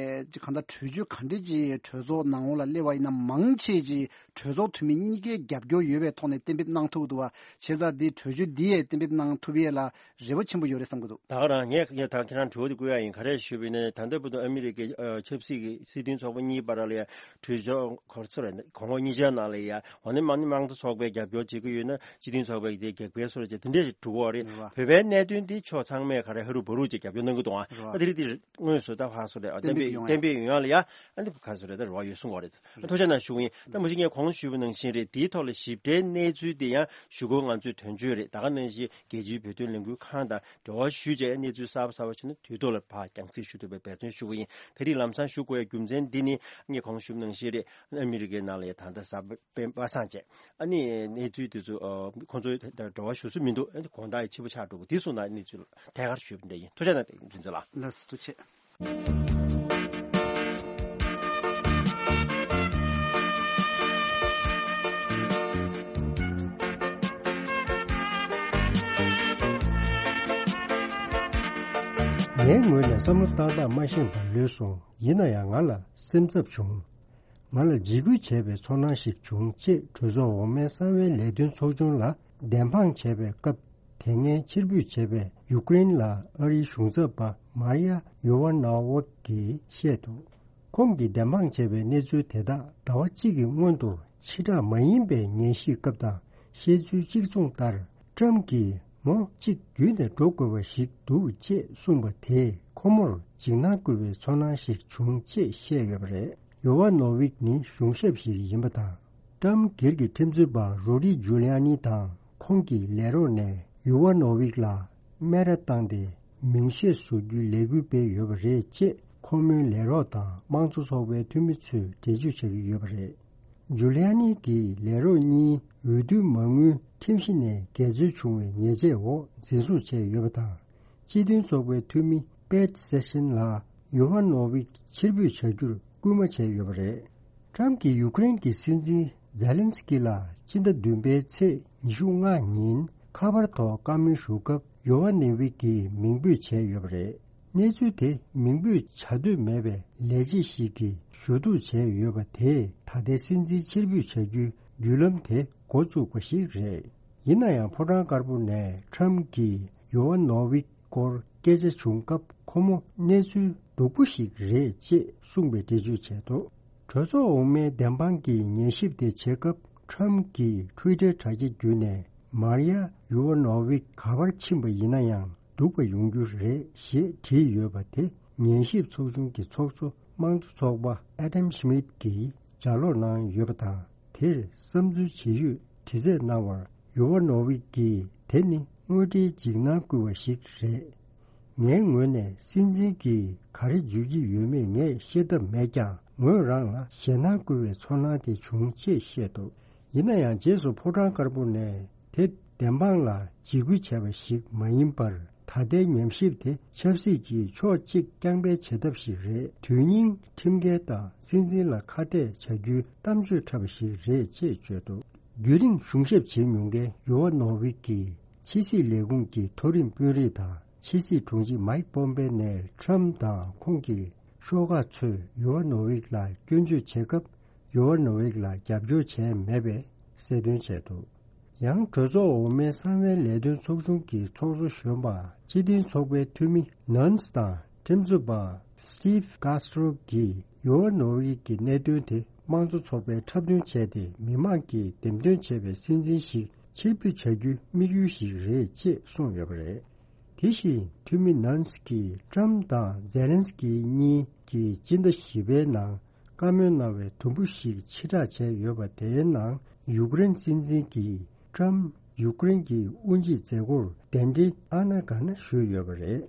ཅིག་གང་ལྟར་གྲོས་ཆོད་ག་འདྲ་ཅིག་གྲོས་ཚོགས་ནང་ལོགས་ལ་སླེབས་པ་ཡིན་ན། མང་ཆེ་ཅིག་གྲོས་ཚོགས་འཐུས་མི་གཉིས་ཀའི་རྒྱབ་སྐྱོར་ཡོད་པའི་ཐོག་ནས་གཏན་འབེབས་གནང་ཐུབ་འདུག་བ། བྱས་ཙང་འདི་གྲོས་ཆོད་འདི་ཡས་གཏན་འབེབས་གནང་ཐུབ་ཡས་ལ་རེ་བ་ཆེན་པོ་ཡོད་རེད་བསམ་གྱི་འདུག་ད་ག་རང་ངས་ད་ཁྱེད་རང་དྲི་བ་དེ་བཀོད་ཡ་ཡིན། ག་རེ་ཞུས་པ་ཡིན་ན། ད་ལྟ་བར་དུ་ཨ་མི་རི་ཀའི་ཨ་ཆབ་སྲིད་ཀྱི་སྲིད་དོན་ཚོགས་པ་གཉིས་བར་ལ་ཡ་གྲོས་ཆོད་གོ་ཚོད་རེད། གོང་འོག་གཉིས་ཆར་ནང་ལ་ཡ་འོ་ན་མང་ནི་མང་གཙོ་ཚོགས་པའི་རྒྱབ་སྐྱོར་བྱེད་ཀྱི་ཡོད་ན། སྤྱི་མཐུན་ཚོགས་པའི་དེ་རྒྱབ་སྐྱོར་སོ་རེད་ཅེས་དེ་འདྲས་འགྲོ་གི་ཡོད་རེད། རེད་བ། བོད་པའི་གནད་དོན་འདི་ཕྱོགས་ཚང་མས་ག་རེ་ཧ་རུ་བ་རུ་ཅིག་རྒྱབ་སྐྱོར་གནང་གི་འདུག་ཨ། རེད་བ། ཨ་དེ་རིགས་དེ་དངོས་སུ་ད་ཕར་སོ་རེད། ཨ་གཏན་འབེབས་གཏན་འབེབས་ཡོང་ཡ་ལ་ཡ་ཨ་འདི་ག་སོ་རེད། ད་རེ་བ་ཡོད་གསུང་གི་རེད། ཐུགས་རྗེ་གནང་ཞུ་གི་ཡིན། ད་མ་གཞི་ངས་གོང་ཞུས་པ་ནང་བཞིན་རེད། དེའི་ཐོག་ལ་ཞིབ་ཕྲའི་གནས་ཚུལ་དེ་ཡང་གཞུག་གུ་ང་ཚོས་དོན་གཅོད་རེད། ད་ག་ནང་བཞིན་རྒྱལ་སྤྱིའི་བོད་དོན་ལས་འགུལ་ཁང་དང་འབྲེལ་བ་ཞུས་བྱས་གནས་ཚུལ་གསར་པ་གསར་པ་བྱུང་ན་དུས་ཐོག་ལ་ཕར་རྒྱང་སྲིང་ཞུ་ཐུབ་པའི་འབད་བརྩོན་ཞུ་གི་ཡིན། དེ་རིང་ལམ་སང་ཞུ་དགོས་ཡ་རྒྱུ་མཚན་འདི་ནི་ངས་གོང་ཞུས་པ་ནང་བཞིན་རེད། ཨ་མི་རི་ཀའི་ནང་ལ་ཡ་ད་ལྟ་གཟའ་སྤེན་པ་སངས་བྱས། ཨ་ནི་གནས་ཚུལ་དེ་ཚོ་ཨ་ཁོང་ཚོའི་ད་འབྲེལ་བ་ཞུ་སྲོལ་མི་འདུག་ཨ་ནི་དགོང་དག་ཡི་ཕྱི་པོ་ཆགས་འགྲོ་གི། དེ་སོང་ན་གནས་ཚུལ་ཐད་ཀར་ཞུས་པ་འདྲ་ཡིན། ཐུགས་རྗེ་གནང་། རྒྱུན་འཛིན་ལགས། ལགས་སོ། ཐུགས་རྗེ་ཆེ། ངའི་ངོས་ནས་བསམ་བློ་བཏང་སྟངས་མ་ཤེས་པ་ལོས་སོང་། ཡིན་ན་ཡང་ང་ལ་སེམས་འཚབ་བྱུང་། ང་ལ་འཇིགས་སྐུལ་བྱས་པའི་ཚོར་སྣང་ཞིག་བྱུང་ཅེས་གྲོས་ཚོགས་འོག་མའི་གསང་བའི་ལས་དོན་ཚོགས་ཆུང་ལ་བདེན་དཔང་བྱས་པའི་སྐབས། དེ་སྔའི་ཕྱིར་འབུད་བྱས་པའི་ཡུཀ་རེན་ལ་ཨ་རིའི་གཞུང་ཚབ་པ་མཱ་རི་ཡ་ཡོ་ཝ་ནོ་ཝིག་གིས་བཤད་འདུག་ཁོང་གིས་བདེན་དཔང་བྱས་པའི་གནས་ཚུལ་དེ་དག་ཟླ་བ་གཅིག་གི་སྔོན་དུ་ཕྱི་བསྒྲགས་མ་ཡིན་པའི་ཉན་ཞིབ་སྐབས་དང་བཤད་ཚུལ་གཅིག་མཚུངས་ལྟར། ཏྲམ་གྱིས་མོ་གཅིག་བརྒྱུད་ནས་འགྲོ་དགོས་པ་ཞིག་འདུག་ཅེས་གསུངས་པ་དེས་ཁོ་མོར་འཇིགས་སྣང་སྐུལ་བའི་ཚོར་སྣང་ཞིག་བྱུང་ཅེས་བཤད་ཡོད་པ་རེད། ཡོ་ཝ་ནོ་ཝིག་ནི་གཞུང་ཞབས་ཤིག་ཡིན་པ་དང་། ཏྲམ་སྒེར་གྱི་ཁྲིམས་རྩོད་པ་རུ་ཌི་ཇུ་ལི་ཨ་ནི་དང་ཁོང་གི་ལས་རོགས་ནས་ཡོ་ཝ་ནོ་ཝིག་ལ་སྨད་ར་བཏང་སྟེ་མིང་ཤས་བཟོ་རྒྱུའི་ལས་འགུལ་སྤེལ་ཡོད་པ་རེད་ཅེས་ཁོ་མོའི་ལས་རོགས་དང་དམངས་གཙོ་ཚོགས་པའི་འཐུས་མི་ཚོས་འགྲེལ་བརྗོད་བྱ་གི་ཡོད་པ་རེད། ཇུ་ལི་ཨ་ནི་གི་ལས་རོགས་གཉིས་འོས་བསྡུ་མ་དངུལ་ཁྲིམས་གཞི་ནས་འགལ་འཛོལ་བྱུང་བའི་ཉེས་ཆད་འོག་འཛིན་བཟུང་བྱས་ཡོད་པ་དང་། སྤྱི་མཐུན་ཚོགས་པའི་འཐུས་མི་པེ་ཊི་སེ་ཤན་ལ་ཡོ་ཧ་ནོ་ཝིག་ཕྱིར་འབུད་བྱ་རྒྱུར་སྐུལ་མ་བྱས་ཡོད་པ་རེད། ཊྲམ་གྱིས་ཡུཀ་རེན་གྱི་སྲིད་འཛིན་ཛེ་ལན་སི་ཀི་ལ་སྤྱི་ཟླ་བདུན་པའི་ཚེས་ཉི་ཤུ་ལྔ་ཉིན་ཁ་པར་ཐོག་བཀའ་མོལ་ཞུ་སྐབས་ཡོ་ཧ་ནོ་ཝིག་གིས་མིང་འབོད་བྱས་ཡོད་པ་རེད། གནས་ཚུལ་དེ་མིང་འབོད་བྱ་འདོད་མེད་པའི་ལས་བྱེད་ཞིག་གིས་ཞུ་གཏུག་བྱས་ཡོད་པ་དེས་ད་ལྟའི་སྲིད་འཛིན་ཕྱིར་འབུད་བྱ་རྒྱུའི་བརྒྱུད་ལམ་དེ་འགོ་བཙུགས་པ་ཞིག་རེད། ཡིན་ན་ཡང་ཕོ་བྲང་དཀར་པོ་ནས་ཊྲམ་གྱིས་ཡོ་ཨ་ནོ་ཝིག་སྐོར་སྐད་ཆ་བྱུང་སྐབས་ཁོ་མོ་གནས་ཚུལ་སྡུག་པོ་ཞིག་རེད་ཅེས་གསུངས་པའི་འགྲེལ་བརྗོད་བྱས་འདུག་གྲོས་ཚོགས་འོག་མའི་བདེན་དཔང་གི་ཉན་ཞིབ་དེ་བྱེད་སྐབས་ཊྲམ་གྱིས་ཊུའི་ཊར་དྲ་རྒྱ་བརྒྱུད་ནས་མཱ་རི་ཡ་ཡོ་ཨ་ནོ་ཝིག་ག་པར་ཕྱིན་པ་ཡིན་ན་ཡང་། སྡུག་པ་ཡོང་རྒྱུ་རེད་ཞེས་བྲིས་ཡོད་པ་དེ་ཉན་ཞིབ་ཚོགས་ཆུང་གི་ཚོགས་གཙོ་དམངས་གཙོ་ཚོགས་པ་ཨ་དམ་ཤི་མིད་ཀྱིས་ལྗགས་ཀློག་གནང་ཡོད་པ་དང་། དེར་བསམ་ཚུལ་ཇི་ཡོད་དྲི་རྩད་གནང་བར་ཡོ་ཝ་ནོ་ཝིག་གིས་དེ་ནི་དངོས་འབྲེལ་འཇིགས་སྣང་སྐུལ་བ་ཞིག་རེད། ངའི་ངོས་ནས་སྲིད་འཛིན་གྱིས་ག་རེ་བརྗོད་ཀྱི་ཡོད་མེད་ངས་ཤེས་ཐབས་མེད་ཀྱང་ངོས་རང་ལ་ཞེད་སྣང་སྐུལ་བའི་ཚོར་སྣང་དེ་བྱུང་ཅེས་བཤད་འདུག་ཡིན་ན་ཡང་རྗེས་སུ་ཕོ་བྲང་དཀར་པོ་ནས་དེ་བདེན་དཔང་ལ་འཇིགས་སྐུལ་བྱས་པ་ཞིག་མ་ཡིན་པར། ད་ལྟའི་ཉམས་ཞིབ་དེ་ཆབ་སྲིད་ཀྱི་ཕྱོགས་གཅིག་རྐྱང་པའི་བྱེད་ཐབས་ཤིག་རེད། དོན་སྙིང་ཁྲིམས་འགལ་དང་སྲིད་འཛིན་ལ་ཁ་གཏད་བྱ་རྒྱུའི་གཏམ་བརྗོད་འཁྲབ་པ་ཞིག་རེད་ཅེས་བརྗོད་འདུག་རྒྱུན་རིང་གཞུང་ཞབས་བྱེད་མྱོང་མཁན་ཡོ་ཨ་ནོ་ཝིག་གིས་ཕྱི་སྲིད་ལས་ཁུངས་ཀྱི་མཐོ་རིམ་དཔོན་རིགས་དང་ཕྱི་སྲིད་དྲུང་ཆེ་མཱིག་པོམ་པེ་ནས་ཊྲམ་དང་ཁོང་གི་ཤོག་ཁག་ཚོས་ཡོ་ཨ་ནོ་ཝིག་ལ་སྐྱོན་བརྗོད་བྱེད་སྐབས། ཡོ་ཨ་ནོ་ཝིག་ལ་རྒྱབ་སྐྱོར་བྱས་མེད་པའི་གསལ་སྟོན་བྱས་འདུག་ཡང་གྲོས་ཚོགས་འོག་མའི་གསང་བའི་ལས་དོན་ཚོགས་ཆུང་གི་ཚོགས་གཙོ་གཞོན་པ་སྤྱི་མཐུན་ཚོགས་པའི་འཐུས་མི་ནན་སི་དང་ཁྲིམས་རྩོད་པ་སི་ཊིབ་ཀཱ་སི་ཊོ་གིས་ཡོ་ཨ་ནོ་ཝིག་གི་གནད་དོན་དེ་དམངས་གཙོ་ཚོགས་པས་འཁྲབ་སྟོན་བྱས་ཏེ་མི་མང་གིས་འདེམས་ཐོན་བྱས་པའི་སྲིད་འཛིན་ཞིག་ཕྱིར་འབུད་བྱ་རྒྱུའི་དམིགས་ཡུལ་ཞིག་རེད་ཅེས་གསུངས་ཡོད་པ་རེད། དེ་བཞིན་འཐུས་མི་ནན་སི་ཀིས་ཀྲམ་དང་ཛེ་ལན་སི་ཀི་གཉིས་ཀྱིས་སྤྱི་ཟླ་བཞི་པའི་ནང་བཀའ་མོལ་གནང་བའི་དུམ་བུ་ཞིག་ཕྱིར་བསྒྲགས་བྱས་ཡོད་པ་དེའི་ནང་ཡུཀ་རེན་སྲིད་འཛིན་གྱིས་ཀྲམ་ཡུཀ་རེན་གྱི་དབུ་འབྱེད་མཛད་སྒོར་གདན་འདྲེན་ཨ་ན་ག་ན་ཞུས་ཡོད་པ་རེད།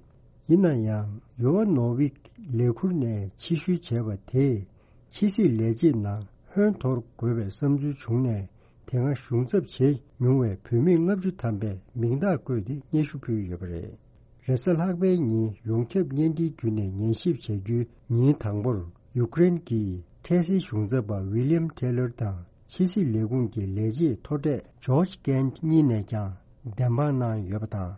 ཡིན་ན་ཡང་ཡོ་ཨ་ནོ་ཝིག་ལས་ཁུར་ནས་ཕྱིར་བཤོལ་བྱས་པ་དེས་ཕྱི་སྲིད་ལས་བྱེད་ནང་ ཧོན་དོར་དགོས་པའི་བསམ་ཚུལ་བྱུང་ནས། དེ་སྔ་གཞུང་ཚབ་བྱས་མྱོང་བའི་བུད་མེད་ལྔ་བཅུ་ཐམ་པས་མིང་རྟགས་བཀོད་དེ་སྙན་ཞུ་ཕུལ་ཡོད་པ་རེད། རེས་གཟའ་ལྷག་པའི་ཉིན་ཡོངས་ཁྱབ་བརྙན་འཕྲིན་བརྒྱུད་ནས་ཉན་ཞིབ་བྱ་རྒྱུའི་ཉིན་དང་པོར། ཡུཀ་རེན་གྱི་འཕྲལ་སེལ་གཞུང་ཚབ་པ་ཝི་ལི་ཡམ་ཐེ་ལར་དང་། ཕྱི་སྲིད་ལས་ཁུངས་ཀྱི་ལས་བྱེད་མཐོ་གྲས་ཇོརྗ་ཀེན་གཉིས་ནས་ཀྱང་བདེན་དཔང་གནང་ཡོད་པ་དང་།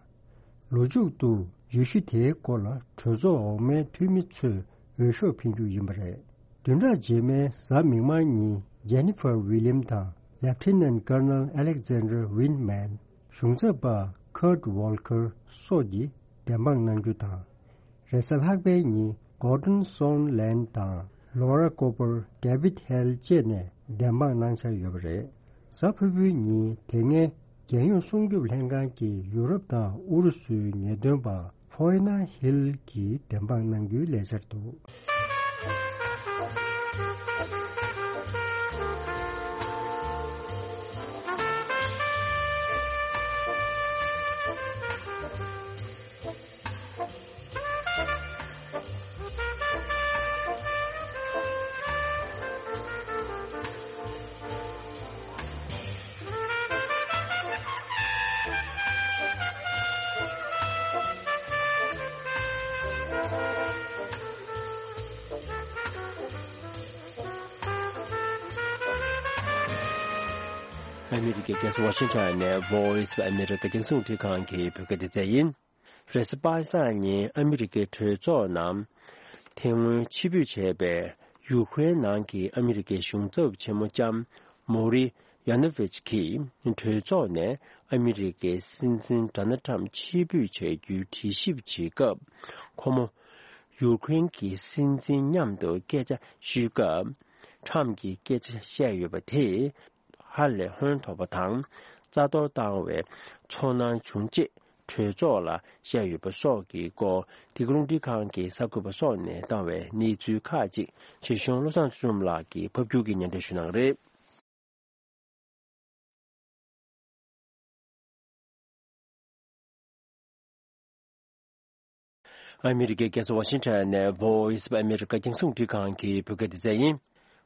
ལོ་མཇུག་ཏུ་བརྗོད་གཞི་དེའི་སྐོར་ལ་གྲོས་ཚོགས་འོག་མའི་འཐུས་མི་ཚོས་འོས་ཤོག་འཕེན་རྒྱུ་ཡིན་པ་རེད། བདུན་ཕྲག་རྗེས་མའི་གཟའ་མིག་དམར་ཉིན་ཇེ་ནི་ཕར་ཝི་ལི་ཡམ་དང་། ལེབ་ཊི་ནན་ཀར་ནལ་ཨ་ལེག་ཛན་ཌར་ཝིན་མན། གཞུང་ཚབ་པ་ཁར་ཊི་ཝོལ་ཀར་སོགས་ཀྱིས་བདེན་དཔང་གནང་རྒྱུ་དང་། རེས་གཟའ་ལྷག་པའི་ཉིན་གོར་ཌོན་སོན་ལན་དང་ལོ་ར་ཀོ་པར། ཌེ་བིད་ཧེལ་བཅས་ནས་བདེན་དཔང་གནང་འཆར་ཡོད་པ་རེད། གཟའ་ཕུར་བུའི་ཉིན་དེ་སྔའི་རྒྱལ་ཡོངས་སྲུང་སྐྱོབ་ལྷན་ཁང་གི་ཡུ་རོབ་དང་ཨུ་རུ་སུའི་ངེས་སྟོན་པ་ཕོའི་ན་ཧིལ་གྱིས་བདེན་དཔང་གནང་རྒྱུའི་ལས་འཆར་འདུག་ཨ་མི་རི་ཀའི་རྒྱལ་ས་ཝ་ཤིང་ཊོན་ནས་Voice of America རྒྱང་སྲིང་རླུང་འཕྲིན་ཁང་གི་བོད་སྐད་སྡེ་ཚན་ཡིན། རེས་གཟའ་པ་སངས་ཉིན་ཨ་མི་རི་ཀའི་གྲོས་ཚོགས་ནང་དེ་སྔོན་ཕྱིར་འབུད་བྱས་པའི་ཡུ་ཁུ་རེན་ནང་གི་ཨ་མི་རི་ཀའི་གཞུང་ཚབ་ཆེན་མོ་ལྕམ་མོ་རི་ཡ་ནོ་ཝིཆ་གིས་གྲོས་ཚོགས་ནས་ཨ་མི་རི་ཀའི་སྲིད་འཛིན་ཌོ་ནལ་ཊམ་ཕྱིར་འབུད་བྱ་རྒྱུའི་དྲི་ཞིབ་བྱེད་སྐབས། ཁོ་མོ་ཡུ་ཁུ་རེན་གྱི་སྲིད་འཛིན་མཉམ་དུ་སྐད་ཆ་ཤོད་སྐབས། ཊམ་གྱིས་སྐད་ཆ་བཤད་ཡོད་པ་དེས་ཧ་ལས་ཧོན་ཐོར་པ་དང་རྩ་གཏོར་བཏང་བའི་ཚོར་སྣང་བྱུང་ཅེས་གྲོས་ཚོགས་ལ་བཤད་ཡོད་པ་སོགས་ཀྱི་སྐོར། འདི་ག་རླུང་འཕྲིན་ཁང་གི་གསར་འགོད་པ་སོགས་ནས་བཏང་བའི་གནས་ཚུལ་ཁག་ཅིག་ཆེད་གཞུང་བློ་བཟང་ཚུལ་ཁྲིམས་ལགས་ཀྱིས་ཕབ་སྒྱུར་གྱིས་སྙན་སྒྲོན་ཞུ་གནང་གི་རེད། ཨ་མི་རི་ཀའི་རྒྱལ་ས་ཝ་ཤིང་ཊོན་ནས་Voice of America རྒྱང་སྲིང་རླུང་འཕྲིན་ཁང་གི་བོད་སྐད་སྡེ་ཚན་ཡིན།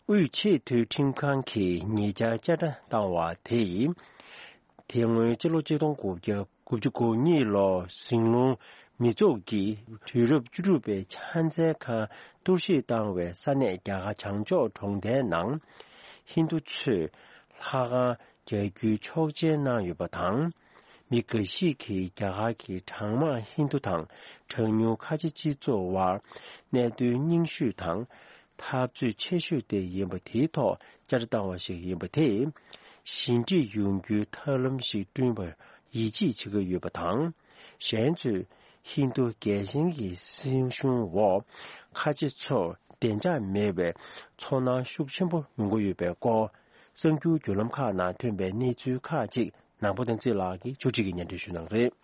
དབུས་ཆེས་མཐོའི་ཁྲིམས་ཁང་གིས་ཉེ་ཆར་བཅད་ཁྲ་བཏང་བ་དེས། དེ་སྔོན་ཕྱི་ལོ་ཆིག་སྟོང་དགུ་བརྒྱ་དགུ་བཅུ་གོ་གཉིས་ལོར་ཟིང་སློང་མི་ཚོགས་ཀྱིས་དུས་རབས་བཅུ་དྲུག་པའི་ཕྱག་འཚལ་ཁང་གཏོར་བཤིག་བཏང་བའི་ས་གནས་རྒྱ་གར་བྱང་ཕྱོགས་གྲོང་རྡལ་ནང་ཧིན་རྡུ་ཚོས་ལྷ་ཁང་རྒྱག་རྒྱུའི་ཆོག་མཆན་གནང་ཡོད་པ་དང་། མི་འགའ་ཞིག་གིས་རྒྱ་གར་གྱི་གྲངས་མང་ཧིན་རྡུ་དང་གྲངས་ཉུང་ཁ་ཆེ་སྤྱི་ཚོགས་དབར་གནད་དོན་རྙིང་ཤོས་དང་འཐབ་རྩོད་ཆེ་ཤོས་དེ་ཡིན་པ་དེའི་ཐོག་བཅད་ཁྲ་བཏང་བ་ཞིག་ཡིན་པ་དེས་ཞི་འགྲིག་ཡོང་རྒྱུའི་ཐབས་ལམ་ཞིག་བསྐྲུན་པར་ཡིད་ཆེས་བྱེད་ཀྱི་ཡོད་པ་དང་། གཞན་ཚོས་ཧིན་རྡུ་རྒྱལ་ཞེན་གྱི་སྲིད་གཞུང་འོག་ཁ་ཆེ་ཚོར་བདེ་འཇགས་མེད་པའི་ཚོར་སྣང་ཤུགས་ཆེན་པོ་ཡོང་གི་ཡོད་པའི་སྐོར། གསར་འགྱུར་བརྒྱུད་ལམ་ཁག་ནང་ཐོན་པའི་གནས་ཚུལ་ཁག་ཅིག་ནང་པ་བསྟན་འཛིན་ལགས་ཀྱིས་ཕྱོགས་སྒྲིག་གིས་སྙན་སྒྲོན་ཞུ་གནང་གི་རེད།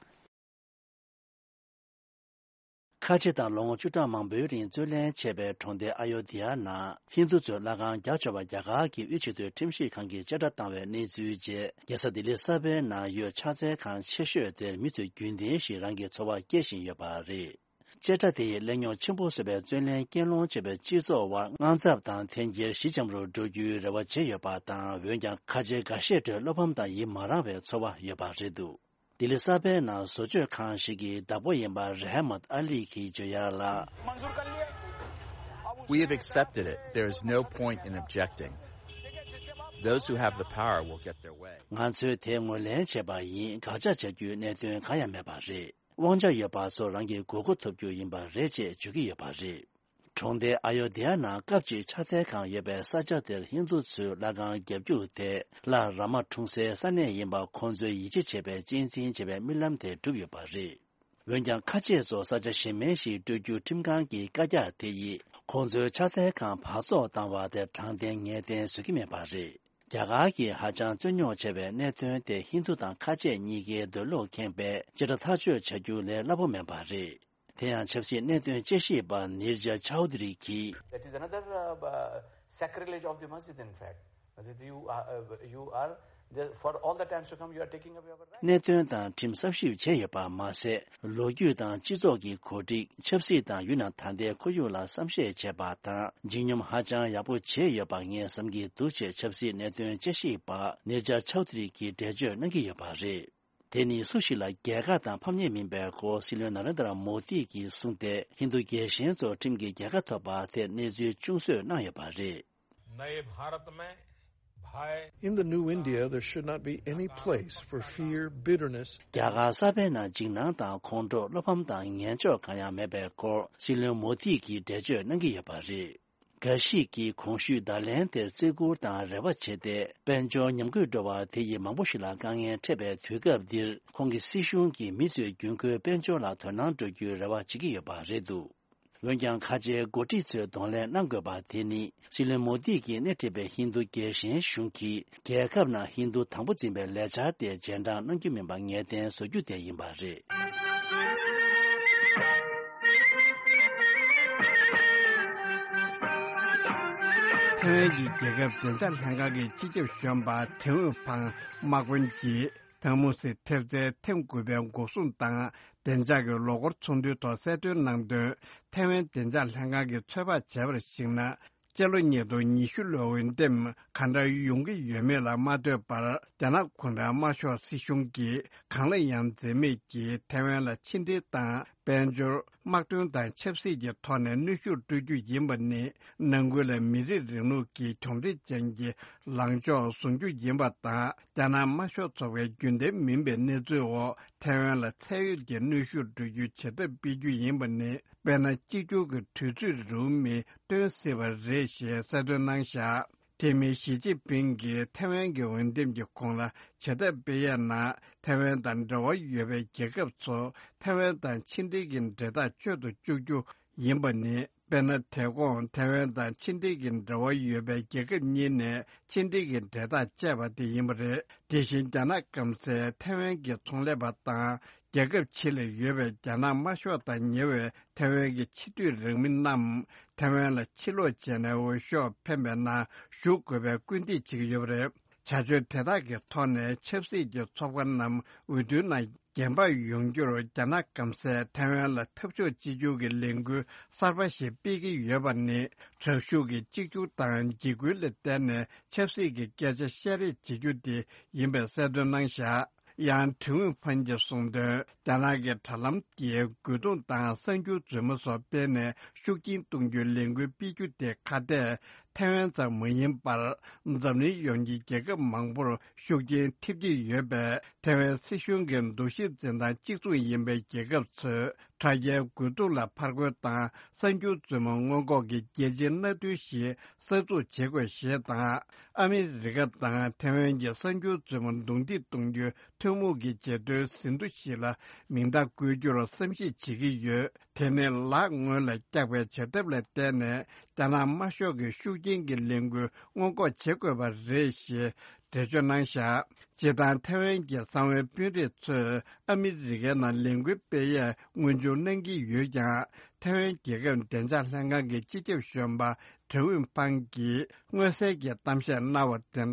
ཁ་ཆེ་དང་ལོ་ངོ་བཅུ་ཕྲག་མང་པོའི་རིང་བཙོན་ལེན་བྱས་པའི་གྲོང་སྡེ་ཨ་ཡོ་དི་ཡ་ནང་ཧིན་རྡུ་ཚོས་ལྷ་ཁང་རྒྱག་ཆོག་པ་རྒྱ་གར་གྱི་དབུས་ཆེས་མཐོའི་ཁྲིམས་ཞིབ་ཁང་གིས་བཅད་ཁྲ་བཏང་བའི་གནས་ཚུལ་རྗེས། རྒྱལ་ས་ལྡི་ལི་གསར་པའི་ནང་ཡོད་ཕྱག་འཚལ་ཁང་ཆེ་ཤོས་དེར་མི་ཚོས་རྒྱུན་ལྡན་བཞིན་རང་གི་ཚོར་བ་སྐྱེ་བཞིན་ཡོད་པ་རེད། བཅད་ཁྲ་དེ་ཡིས་གླེང་རྙོག་ཆེན་པོ་བཟོས་པའི་བཙོན་ལེན་གྱེན་ལོག་བྱས་པའི་སྤྱི་ཚོགས་དབར་དངངས་འཚབ་དང་འཐེན་འཁྱེར་ཞི་འཇམ་རུ་འགྲོ་རྒྱུའི་རེ་བ་བྱས་ཡོད་པ་དང་། འོན་ཀྱང་ཁ་ཆེ་འགའ་ཤས་ཁྲོད་བློ་ཕམ་དང་ཡིད་མ་རངས་པའི་ཚོར་བ་ཡོད་པ་རེད་འདུག་ལྡི་ལི་གསར་པའི་ནང་བཟོ་བཅོས་ཁང་ཞིག་གི་བདག་པོ་ཡིན་པ་རེ་ཧ་མད་ཨ་ལི་གིས་བརྗོད་ཡག་ལ། We have accepted it. There is no point in objecting. Those who have the power will get their way. ང་ཚོས་དེ་ངོས་ལེན་བྱས་པ་ཡིན། དགག་བྱ་བྱ་རྒྱུའི་གནད་དོན་གང་ཡང་མེད་པ་རེད། དབང་ཆ་ཡོད་པ་ཚོ་རང་གི་དགོས་མཁོ་ཐོབ་རྒྱུ་ཡིན་པ་རེད་ཅེས་བརྗོད་ཀྱི་ཡོད་པ་རེད། གྲོང་སྡེ་ཨ་ཡོ་དྷི་ཡ་ནང་སྐབས་གཅིག་ཕྱག་འཚལ་ཁང་ཡོད་པའི་ས་ཆ་དེར་ཧིན་རྡུ་ཚོས་ལྷ་ཁང་བརྒྱབ་རྒྱུ་དེ་ལྷ་རཱ་མ་འཁྲུངས་སའི་ས་གནས་ཡིན་པ་ཁོང་ཚོས་ཡིད་ཆེས་བྱེད་པའི་གཅེས་འཛིན་བྱེད་པའི་རྨི་ལམ་དེ་འགྲུབ་ཡོད་པ་རེད། འོན་ཀྱང་ཁ་ཆེ་ཚོ་ས་ཆ་གཞན་མིན་ཞིག་སྤྲོད་རྒྱུ་ཁྲིམས་ཁང་གི་བཀའ་རྒྱ་དེ་ཡིས་ཁོང་ཚོའི་ཕྱག་འཚལ་ཁང་འཕར་ཚོགས་བཏང་བ་དེ་དྲང་བདེན་ངེས་གཏན་བཟོ་གི་མེད་པ་རེད། རྒྱ་གར་གྱིས་ཧ་ཅང་རྩོད་རྙོག་ཆེ་བའི་གནད་དོན་དེ་ཧིན་རྡུ་དང་ཁ་ཆེ་གཉིས་ཀའི་འདོད་བློ་ཁེངས་པས་བཅད་ཁྲ་ཐག་གཅོད་བྱ་རྒྱུ་ལས་སླ་པོ་མིན་པ་རེད། དེ་ཡང་ཆབ་སྲིད་གནད་དོན་དཔྱད་ཞིབ་པ་ནིར་ཇ་ཆའོ་དི་རི་གིས། That is another, uh, uh, sacrilege of the masjid, in fact. That you are, uh, you are The- for all the times to come, you are taking away our rights. གནད་དོན་དང་ཁྲིམས་གསར་ཞིབ་བྱས་ཡོད་པ་མ་ཟད། ལོ་རྒྱུས་དང་སྤྱི་ཚོགས་ཀྱི་གོ་སྒྲིག་ཆབ་སྲིད་དང་ཡུལ་ནང་ད་ལྟའི་ཁོར་ཡུག་ལ་བསམ་ཤེས་བྱས་པ་དང་། ལྗིད་སྙོམས་ཧ་ཅང་ཡག་པོ་བྱས་ཡོད་པ་ངས་བསམ་གྱི་འདུག་ཅེས་ཆབ་སྲིད་གནད་དོན་དཔྱད་ཞིབ་པ་ནེ་ཇར་ཆའོ་དྷི་རི་གིས་འགྲེལ་བརྗོད་གནང་གི་ཡོད་པ་རེད། དེ་ནི་སུ་ཞིག་ལ་རྒྱལ་ཁ་དང་ཕམ་ཉེས་མིན་པའི་སྐོར་སྲིད་བློན་ན་རེན་དྲ་མོ་དི་གིས་གསུངས་ཏེ། ཧིན་རྡུ་རྒྱལ་ཞེན་ཚོར་ཁྲིམས་ཀྱི་རྒྱལ་ཁ་ཐོབ་པ་དེར་གནས་ཚུལ་ཅུང་ཟད་གནང་ཡོད་པ་རེད། नए भारत में भय In the new India, there should not be any place for fear, bitterness. རྒྱ་གར་གསར་པའི་ནང་འཇིགས་སྣང་དང་ཁོང་ཁྲོ། བློ་ཕམ་དང་ངན་ཕྱོགས་གང་ཡང་མེད་པའི་སྐོར་སྲིད་བློན་མོ་དི་གིས་འགྲེལ་བརྗོད་གནང་གི་ཡོད་པ་རེད། གྷ་ཤི་གིས་གོང་ཞུས་བརྡ་ལན་དེར་བརྩི་བཀུར་དང་རེ་བ་བྱས་ཏེ། དཔལ་འབྱོར་ཉམས་རྒུད་འགྲོ་བ་དེ་ཡིས་མང་པོ་ཞིག་ལ་དཀའ་ངལ་འཕྲད་པའི་དུས་སྐབས་འདིར། ཁོང་གི་སྲིད་གཞུང་གིས་མི་ཚོས་རྒྱུན་མཁོའི་དཔལ་འབྱོར་ལ་དོ་སྣང་སྤྲོད་རྒྱུའི་རེ་བ་བྱེད་ཀྱི་ཡོད་པ་རེད་འདུག་འོན་ཀྱང་། ཁ་ཆེའི་འགོ་ཁྲིད་ཚོས་གདོང་ལེན་གནང་དགོས་པ་དེ་ནི། སྲིད་བློན་མོ་དི་གིས་སྣེ་ཁྲིད་པའི་ཧིན་རྡུ་རྒྱལ་ཞེན་གཞུང་གིས། རྒྱལ་ཁབ་ནང་ཧིན་རྡུ་དང་པོ་འཛིན་པའི་ལས་འཆར་དེ་རྗེས་འབྲང་གནང་རྒྱུ་མིན་པ་ངེས་གཏན་བཟོ་རྒྱུ་དེ་ཡིན་པ་རེད། ཐའེ་ཝན་གྱི་རྒྱལ་ཁབ་བདེ་འཇགས་ལྷན་ཁང་གི་སྤྱི་ཁྱབ་གཞོན་པ་ཁྲེན་ཝུན་ཕང་དམག་དཔོན་གྱིས། ཐང་མུ་སི་ཐེབས་རྩའི་ཐེངས་དགུ་པའི་འགོག་སྲུང་དང་བདེ་འཇགས་ཀྱི་ལོ་འཁོར་ཚོགས་འདུའི་ཐོག་གསལ་སྟོན་གནང་དོན། ཐའེ་ཝན་བདེ་འཇགས་ལྷན་ཁང་གིས་ཚོད་དཔག་བྱས་པར་གཞིགས་ན། སྤྱི་ལོ་ཉིས་སྟོང་ཉི་ཤུ་ལོའི་འོས་འདེམས་ག་འདྲ་ཡོང་གི་ཡོད་མེད་ལ་མ་ལྟོས་པར། རྒྱ་ནག་གུང་ཁྲན་དམར་ཤོག་སྲིད་གཞུང་གིས་གང་ལ་ཡང་འཛེམ་མེད་ཀྱིས་ཐའེ་ཝན་ལ་ཕྱི་འབྲེལ་དང་། དཔལ་འབྱོར། དམག་དོན་དང་ཆབ་སྲིད་ཀྱི་ཐོག་ནས་གནོན་ཤུགས་སྤྲོད་རྒྱུ་ཡིན་པ་ནི། ནང་ཁུལ་ལ་མི་རིགས་རིང་ལུགས་ཀྱི་གྱོང་འཕྲུལ་ཅན་གྱི་ལངས་ཕྱོགས་བཟུང་རྒྱུ་ཡིན་པ་དང་། རྒྱ་ནག་དམར་ཤོག་ཚོགས་པའི་རྒྱུན་ལྡན་མིན་པའི་གནས་ཚུལ་འོག་ཐའེ་ཝན་ལ་ཚད་ཡོད་ཀྱི་གནོན་ཤུགས་སྤྲོད་རྒྱུའི་བྱེད་ཐབས་སྤེལ་རྒྱུ་ཡིན་པ་ནི། དཔེར་ན། གཅིག་གྱུར་གྱི་དུས་ཚོད་རིང་མོ་སྟོན་སྲིད་པ་རེད་ཞེས་གསལ་སྟོན་གནང་བཞག་དེ་མིན། ཞི་ཅིན་ཕིང་གིས་ཐའེ་ཝན་གྱི་འོས་འདེམས་ཀྱི་གོང་ལ་བྱེད་ཐབས་སྤེལ་ཡས་ནང་། ཐའེ་ཝན་དང་འབྲེལ་བ་ཡོད་པའི་རྒྱལ་ཁབ་ཚོ་ཐའེ་ཝན་དང་ཕྱི་འབྲེལ་གྱི་འབྲེལ་ཐག་གཅོད་དུ་བཅུག་རྒྱུ་ཡིན་པ་ནི། དཔེར་ན། དེ་གོང་ཐའེ་ཝན་དང་ཕྱི་འབྲེལ་གྱི་འབྲེལ་བ་ཡོད་པའི་རྒྱལ་ཁབ་གཉིས་ནས་ཕྱི་འབྲེལ་གྱི་འབྲེལ་ཐག་བཅད་པ་དེ་ཡིན་པ་རེད། དེ་བཞིན། རྒྱ་ནག་སྐམ་སའི་ཐའེ་ཝན་གྱི་ཚོང་ལས་པ་དང་། རྒྱལ་ཁབ་ཕྱི་ལ་ཡོད་པའི་རྒྱ་ནག་དམར་ཤོག་དང་ཉེ་བའི་ཐའེ་ཝན་གྱི་ཕྱི་སྡོད་རང་མི་རྣམས་ཐའེ་ཝན་ལ་ཕྱིར་ལོག་བྱས་ནས་འོས་ཤོག་འཕེན་པའི་ནང་ཞུགས་དགོས་པའི་སྐུལ་འདེད་བྱེད་ཀྱི་ཡོད་པ་རེད། བྱ་སྤྱོད་དེ་དག་གི་ཐོག་ནས་ཆབ་སྲིད་ཀྱི་ཚོགས་པ་རྣམས་འོས་བསྡུའི་ནང་འགན་འབག་ཡོང་རྒྱུར། རྒྱ་ནག་སྐམ་སའི་ཐའེ་ཝན་ལ་འཐབ་ཕྱོགས་གཅིག་གྱུར་གྱི་ལས་འགུལ་གསར་པ་ཞིག་སྤེལ་གྱི་ཡོད་པ་ནི། དྲག་ཤུགས་ཀྱི་གཅིག་གྱུར་དང་འཇིགས་སྐུལ་ལ་བརྟེན་ནས་ཆབ་སྲིད་ཀྱི་སྐད་ཆ་བཤད་རེས་བྱེད་རྒྱུ་དེ་ཡིན་པའི་གསལ་སྟོན་གནང་བཞག་ཡང་། ཁྲེན་ཝུན་ཕན་གྱིས་གསུངས་དོན། རྒྱ་ནག་གི་དྲ་ལམ་གྱི་རྒོལ་རྡུང་དང་གསར་འགྱུར་རྫུན་མ་སོགས་སྤེལ་ནས་ཤུགས་རྐྱེན་གཏོང་རྒྱུའི་ལས་འགུལ་སྤེལ་རྒྱུ་དེ་ཁ་གཏད་ཐའེ་ཝན་ཙམ་མ་ཡིན་པར། འཛམ་གླིང་ཡོངས་ཀྱི་རྒྱལ་ཁབ་མང་པོར་ཤུགས་རྐྱེན་ཐེབས་ཀྱི་ཡོད་པས། ཐའེ་ཝན་སྲིད་གཞུང་གི་འདུ་ཤེས་འཛིན་སྟངས་གཅིག་མཚུངས་ཡིན་པའི་རྒྱལ་ཁབ་ཚོས། དྲ་རྒྱའི་རྒོལ་རྡུང་ལ་ཕར་རྒོལ་དང་། གསར་འགྱུར་རྫུན་མ་སྔོན་འགོག་གི་རྒྱལ་སྤྱིའི་མནའ་མཐུན་ཞིག་གསར་འཛུགས་བྱེད་དགོས་ཞེས་དང་། ཨ་མི་རི་ཀ་དང་ཐའེ་ཝན་གྱི་གསར་འགྱུར་རྫུན་མ་རྡུང་རྡེག་གཏོང་རྒྱུའི་ཐུན་མོང་གི་རྗེས་ཟློས་ཟིན་ཐོ་ཞིག་ལ་མིང་རྟགས་བཀོད་རྒྱུར་བསམ་གཞིག་བྱེད་ཀྱི་ཡོད། དེ་ནི་ལག་སྔོན་ལ་བཀྱག་པའི་བྱ་ཐབས་ལ་བརྟེན་ནས། རྒྱ་ནག་དམར་ཤོག་གི་ཤུགས་རྐྱེན་གྱི་ལས་འགུལ་སྔོན་འགོག་བྱེད་དགོས་པ་རེད་ཞེས། འགྲེལ་བརྗོད་གནང་བཞག་སྤྱིར་བཏང་ཐའེ་ཝན་གྱི་གསང་བའི་དཔོན་རིགས་ཚོས་ཨ་མི་རི་ཀའི་ནང་ལས་འགུལ་སྤེལ་ཡས་སྔོན་འཇུག་གནང་གི་ཡོད་ཀྱང་། ཐའེ་ཝན་རྒྱལ་ཁབ་བདེ་འཇགས་ལྷན་ཁང་གི་སྤྱི་ཁྱབ་གཞོན་པ་ཁྲེན་ཝུན་ཕང་གིས་མངོན་གསལ་གྱི་གཏམ་བཤད་གནང་བ་དེ་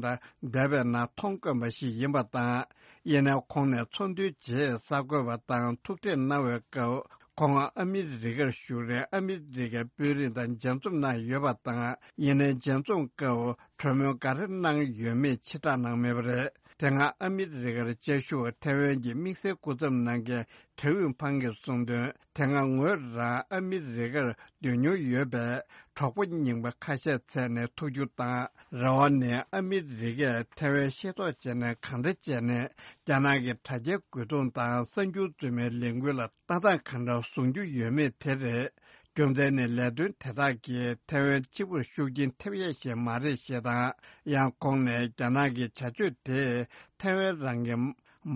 འདྲ་འདས་པའི་ནང་མཐོང་དཀོན་པ་ཞིག་ཡིན་པ་དང་། ཡིན་ནའི་ཁོང་ནས་ཚོགས་འདུའི་རྗེས་གསར་འགོད་པ་དང་ཐུག་འཕྲད་གནང་བའི་སྐབས། ཁོང་ཨ་མི་རི་ཀར་བཞུགས་རིང་ཨ་མི་རི་ཀའི་དཔོན་རིགས་དང་མཇལ་འཛོམས་གནང་ཡོད་པ་དང་། ཡིན་ནའི་མཇལ་འཛོམས་སྐབས་གྲོས་མོལ་ག་རེ་གནང་ཡོད་མེད་ཕྱིར་བསྒྲགས་གནང་མེད་པ་རེད། དེ་སྔ་ཨ་མི་རི་ཀར་བཅའ་བཞུགས་ཐའེ་ཝན་གྱི་དམིགས་བསལ་སྐུ་ཚབ་གནང་མཁན་ཁྲེན་ཝུན་ཕང་གིས་གསུངས་དོན། དེ་སྔ་ངོས་རང་ཨ་མི་རི་ཀར་སྡོད་མྱོང་ཡོད་པས། གྲོགས་པོ་རྙིང་པ་ཁ་ཤས་བཙལ་ནས་ཐུག་རྒྱུ་དང་། རེ་བ་ནི་ཨ་མི་རི་ཀས་ཐའེ་ཝན་ཤེས་རྟོགས་བྱས་ནས་གང་འདྲ་བྱས་ནས་རྒྱ་ནག་གི་དྲ་རྒྱའི་རྒོལ་རྡུང་དང་གསར་འགྱུར་རྫུན་མའི་ལས་འགུལ་ལ་ལྟ་སྟངས་གང་འདྲ་བཟུང་རྒྱུ་ཡོད་མེད་དེ་རེད། རྒྱུ་མཚན་ནི་ལས་དོན་དེ་དག་གིས་ཐའེ་ཝན་གཅིག་པུར་ཤུགས་རྐྱེན་ཐེབས་ཡས་ཤིག་མ་རེད་ཞེས་དང་། ཡང་ཁོང་ནས་རྒྱ་ནག་གི་བྱ་སྤྱོད་དེས་ཐའེ་ཝན་རང་གི་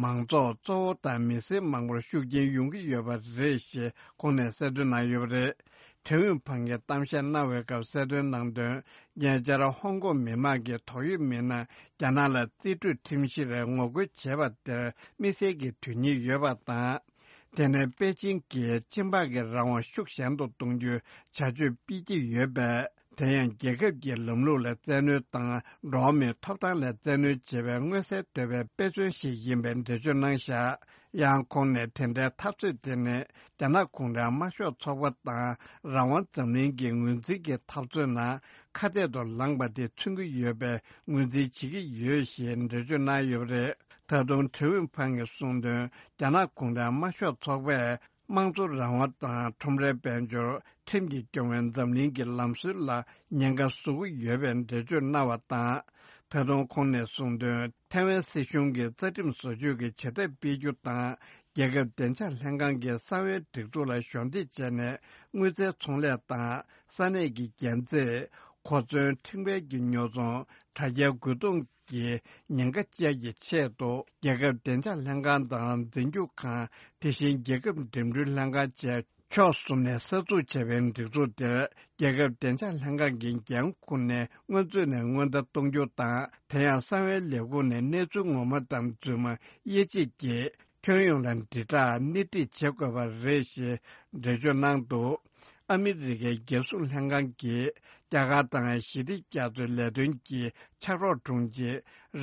མང་ཚོགས་གཙོ་བོ་དང་མི་སེར་མང་པོར་ཤུགས་རྐྱེན་ཡོང་གི་ཡོད་པ་རེད་ཞེས་ཁོང་ནས་གསལ་སྟོན་གནང་ཡོད་པ་རེད། ཁྲེན་ཝུན་ཕང་གིས་གཏམ་བཤད་གནང་བའི་སྐབས་གསལ་སྟོན་གནང་དོན། ཉེ་ཆར་ཧོང་ཀོང་མི་མང་གིས་དོགས་ཡོད་མི་སྣ་རྒྱ་ནག་ལ་རྩིས་སྤྲོད་ཁྲིམས་གཞིར་ངོ་རྒོལ་བྱས་པ་དེར་དམིགས་བསལ་གྱི་དོན་སྙིང་ཡོད་པ་དང་། དེ་ནས་པེ་ཅིང་གིས་སྤྱི་འབངས་ཀྱི་རང་དབང་ཤུགས་ཞན་དུ་གཏོང་རྒྱུའི་བྱ་སྤྱོད་སྤེལ་གྱི་ཡོད་པས། དེ་ཡང་རྒྱལ་ཁབ་ཀྱི་ལམ་ལུགས་ལ་བཙན་གནོན་དང་། འགྲོ་བ་མིའི་ཐོབ་ཐང་ལ་བཙན་གནོན་བྱེད་པའི་མངོན་གསལ་དོད་པའི་དཔེ་མཚོན་ཞིག་ཡིན་པའི་འགྲེལ་བརྗོད་གནང་བཞག་ཡང་ཁོང་ནས་དེ་འདྲའི་འཐབ་རྩོད་དེ་ནི་རྒྱ་ནག་གུང་ཁྲན་དམར་ཤོག་ཚོགས་པ་དང་རང་དབང་འཛམ་གླིང་གི་ངོས་འཛིན་གྱི་འཐབ་རྩོད་ནང་ཁ་གཏད་དུ་ལངས་པ་དེ་མཚོན་གྱི་ཡོད་པའི་ངོས་འཛིན་བྱེད་ཀྱི་ཡོད་ཞེས་འགྲེལ་བརྗོད་གནང་ཡོད་པ་རེད། ད་དུང་ཁྲེན་ཝུན་ཕང་གིས་གསུངས་དོན། རྒྱ་ནག་གུང་ཁྲན་དམར་ཤོག་ཚོགས་པས་དམངས་གཙོ་རང་དབང་དང་ཁྲོམ་རའི་དཔལ་འབྱོར། ཁྲིམས་ཀྱིས་སྐྱོང་བའི་འཛམ་གླིང་གི་ལམ་སྲོལ་ལ་ཉེན་ཁ་བཟོ་གི་ཡོད་པའི་འགྲེལ་བརྗོད་གནང་བ་དང་། ད་དུང་ཁོང་ནས་གསུངས་དོན། ཐའེ་ཝན་སྲིད་གཞུང་གིས་རྩ་ཁྲིམས་བཟོ་བཅོས་ཀྱི་བྱེད་ཐབས་སྤེལ་རྒྱུ་དང་། རྒྱལ་ཁབ་བདེ་འཇགས་ལྷན་ཁང་གི་གསང་བའི་སྒྲིག་འཛུགས་ལ་གཞོགས་འདེགས་བྱས་ནས། དངུལ་རྩའི་ཚོང་ལས་དང་། ས་གནས་ཀྱི་རྒྱན་རྩེད། གོ་མཚོན། ཕྲེང་བའི་གི་ཉོ་ཚོང་། དྲ་རྒྱའི་རྒོལ་རྡུང་གི་ཉེན་ཁ་བཅས་ཀྱི་ཆེད་དུ། རྒྱལ་ཁབ་བདེ་འཇགས་ལྷན་ཁང་དང་། འཛིན་སྐྱོང་ཁང་། དེ་བཞིན་རྒྱལ་ཁབ་འགྲིམ་འགྲུལ་ལྷན་ཁང་བཅས། ཕྱོགས་གསུམ་ནས་གསར་འཛུགས་བྱས་པའི་སྒྲིག་འཛུགས་དེར། རྒྱལ་ཁབ་བདེ་འཇགས་ལྷན་ཁང་གི་འགན་འཁུར་ནས། སྔོན་ཚུད་ནས་སྔོན་བརྡ་གཏོང་རྒྱུ་དང་། དེ་ཡང་གསང་བའི་ལས་ཁུངས་ནས་གནས་ཚུལ་ངོ་མ་དང་རྫུན་མ་དབྱེ་འབྱེད་ཀྱིས། ཁྱོན་ཡོངས་ལ་དྲིལ་བསྒྲགས་སྣེ་ཁྲིད་བྱེད་དགོས་པ་རེད་ཞེས་འགྲེལ་བརྗོད་གནང་འདུག་ཨ་མི་རི་ཀའི་རྒྱལ་སྲུང་ལྷན་ཁང་གིས། རྒྱ་གར་དང་ཞི་བདེ་རྒྱ་མཚོའི་ལས་དོན་གྱི་ཕྱག་རོགས་དྲུང་ཆེ་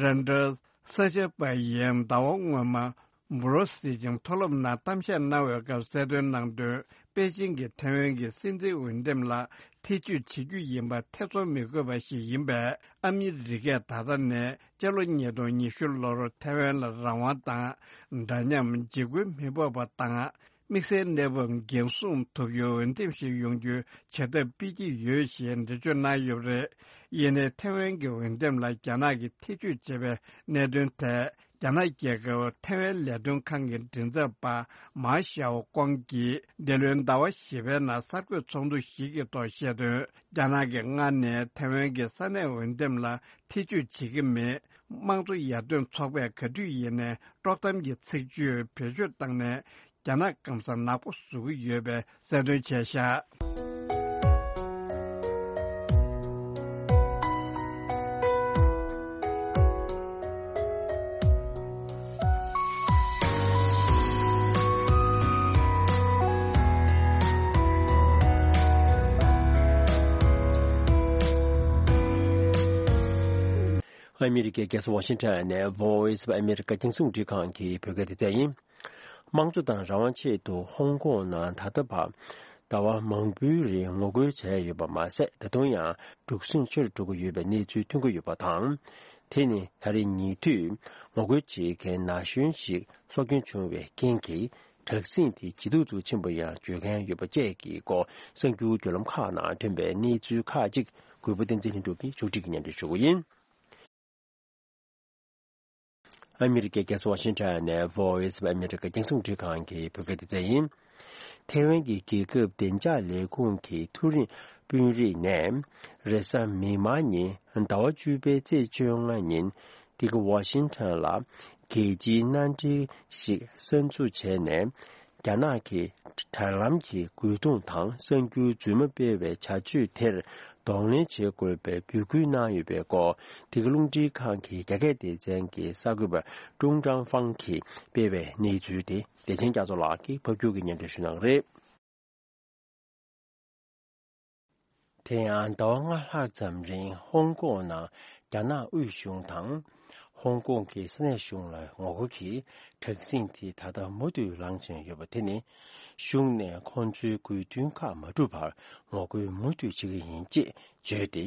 རན་ཏྲ་ས་ཆ་པ་ཡིས་ཟླ་བ་སྔོན་མ། འབུ་རོ་སིལ་ཅིང་མཐོ་སློབ་ནང་གཏམ་བཤད་གནང་བའི་སྐབས་གསལ་སྟོན་གནང་དོན། པེ་ཅིང་གིས་ཐའེ་ཝན་གྱི་སྲིད་འཛིན་འོས་འདེམས་ལ་ཐེ་བྱུས་བྱེད་རྒྱུ་ཡིན་པ་ཐེ་ཚོམ་མི་དགོས་པ་ཞིག་ཡིན་པས། ཨ་མི་རི་ཀས་ད་ལྟ་ནས་སྤྱི་ལོ་ཉིས་སྟོང་ཉི་ཤུ་ལོར་ཐའེ་ཝན་ལ་རང་དབང་དང་། འདྲ་མཉམ། འཇིགས་སྐུལ་མི་ཕོག་པ་དང་། དམིགས་བསལ་གནས་བབ་འགན་སྲུང་ཐུབ་ཡུལ་འོས་འདེམས་ཤིག་ཡོང་རྒྱུའི་བྱ་ཐབས་སྤེལ་གྱི་ཡོད་ཞེས་འགྲེལ་བརྗོད་གནང་ཡོད་པ་རེད། ཡིན་ནའི་ཐའེ་ཝན་གྱི་འོས་འདེམས་ལ་རྒྱ་ནག་གིས་ཐེ་བྱུས་བྱས་པའི་གནད་དོན་ཐད། རྒྱ་ནག་རྒྱལ་ཁབ་ཐའེ་ཝན་ལས་དོན་ཁང་གི་མགྲིན་ཚབ་པ་མཱ་ཞའོ་ཀོང་གིས། འདི་ལོའི་ཟླ་བ་བཞི་པའི་ནང་གསར་འགོད་ཚོགས་འདུ་ཞིག་གི་ཐོག་བཤད་དོན། རྒྱ་ནག་གིས་སྔར་ནས་ཐའེ་ཝན་གྱི་ས་གནས་འོས་འདེམས་ལ་ཐེ་བྱུས་བྱེད་ཀྱི་མེད། དམངས་གཙོ་ཡར་ཐོན་ཚོགས་པས་ག་དུས་ཡིན་ནའི་དཀྲོག་གཏམ་གྱི་ཚིག་བརྗོད་བེད་སྤྱོད་བཏང་ནས། རྒྱ་ནག་སྐམ་ས་ནག་པོ་བཟོ་གི་ཡོད་པའི་གསལ་སྟོན་བྱས་ཤག་ཨ་མི་རི་ཀའི་རྒྱལ་ས་ཝ་ཤིང་ཊོན་ནས་Voice of America རྒྱང་སྲིང་རླུང་འཕྲིན་ཁང་གི་བོད་སྐད་སྡེ་ཚན་ཡིན། དམངས་གཙོ་དང་རང་དབང་ཆེད་དུ་ཧོང་ཀོང་ནང་ད་ལྟ་བར་ཟླ་བ་མང་པོའི་རིང་ངོ་རྒོལ་བྱས་ཡོད་པ་མ་ཟད། ད་དུང་ཡང་འཁྲུག་ཟིང་ཆེ་རུ་འགྲོ་གི་ཡོད་པའི་གནས་ཚུལ་ཐོན་གྱི་ཡོད་པ་དང་། དེ་ནི་ད་རེས་ཉེ་དུས་ངོ་རྒོལ་བྱེད་མཁན་ན་གཞོན་ཞིག་སྲོག་སྐྱོན་བྱུང་བའི་རྐྱེན་གྱིས། དྲག་ཟིང་དེ་ཇེ་སྡུག་ཏུ་ཕྱིན་པ་ཡང་བརྗོད་མཁན་ཡོད་པ་བཅས་ཀྱི་སྐོར། གསར་འགྱུར་བརྒྱུད་ལམ་ཁག་ནང་ཐོན་པའི་གནས་ཚུལ་ཁག་ཅིག་གུས་པ་བསྟན་འཛིན་ལྷུན་གྲུབ་ཀྱིས་ཕྱོགས་སྒྲིག་གིས་སྙན་སྒྲོན་ཞུ་གི་ཡིན། ཨ་མི་རི་ཀའི་རྒྱལ་ས་ཝ་ཤིང་ཊོན་ནས་Voice of America རྒྱང་སྲིང་རླུང་འཕྲིན་ཁང་གི་བོད་སྐད་སྡེ་ཚན་ཡིན། ཐའེ་ཝན་གྱི་རྒྱལ་ཁབ་བདེ་འཇགས་ལས་ཁུངས་ཀྱི་མཐོ་རིམ་དཔོན་རིགས་ནས། རེས་གཟའ་མིག་དམར་ཉིན་ཟླ་བ་བཅུ་པའི་ཚེས་བཅོ་ལྔ་ཉིན། འདི་ག་ཝ་ཤིང་ཊོན་ལ་རྒྱལ་སྤྱིའི་མནའ་འབྲེལ་ཞིག་གསར་འཛུགས་བྱས་ནས། རྒྱ་ནག་གིས་དྲ་ལམ་གྱི་རྒོལ་རྡུང་དང་གསར་འགྱུར་རྫུན་མ་སྤེལ་བའི་བྱ་སྤྱོད་དེར་གདོང་ལེན་བྱེད་དགོས་པའི་འབོད་སྐུལ་གནང་ཡོད་པའི་སྐོར། འདི་ག་རླུང་འཕྲིན་ཁང་གི་རྒྱ་སྐད་སྡེ་ཚན་གྱི་གསར་འགོད་པ་ཀྲུང་ཀྲང་ཧྥང་གིས་སྤེལ་བའི་གནས་ཚུལ་དེ། བདེ་ཆེན་རྒྱ་མཚོ་ལགས་ཀྱིས་ཕབ་སྒྱུར་གྱིས་སྙན་སྒྲོན་ཞུ་གནང་གི་རེད། དེ་ཡང་ཟླ་བ་ལྔ་ལྷག་ཙམ་རིང་ཧོང་ཀོང་ནང་རྒྱ་ནག་དབུས་གཞུང་དང་། ཧོང་ཀོང་གི་ས་གནས་གཞུང་ལ་ངོ་རྒོལ་གྱི་དྲག་ཟིང་དེ་ད་ལྟ་མུ་མཐུད་ལངས་བཞིན་ཡོད་པ་དེ་ནི། གཞུང་ནས་ཁོང་ཚོའི་དགོས་འདུན་ཁག་མ་འགྲུབ་བར་ངོ་རྒོལ་མུ་མཐུད་བྱེད་ཀྱི་ཡིན་ཅེས་བརྗོད་དེ།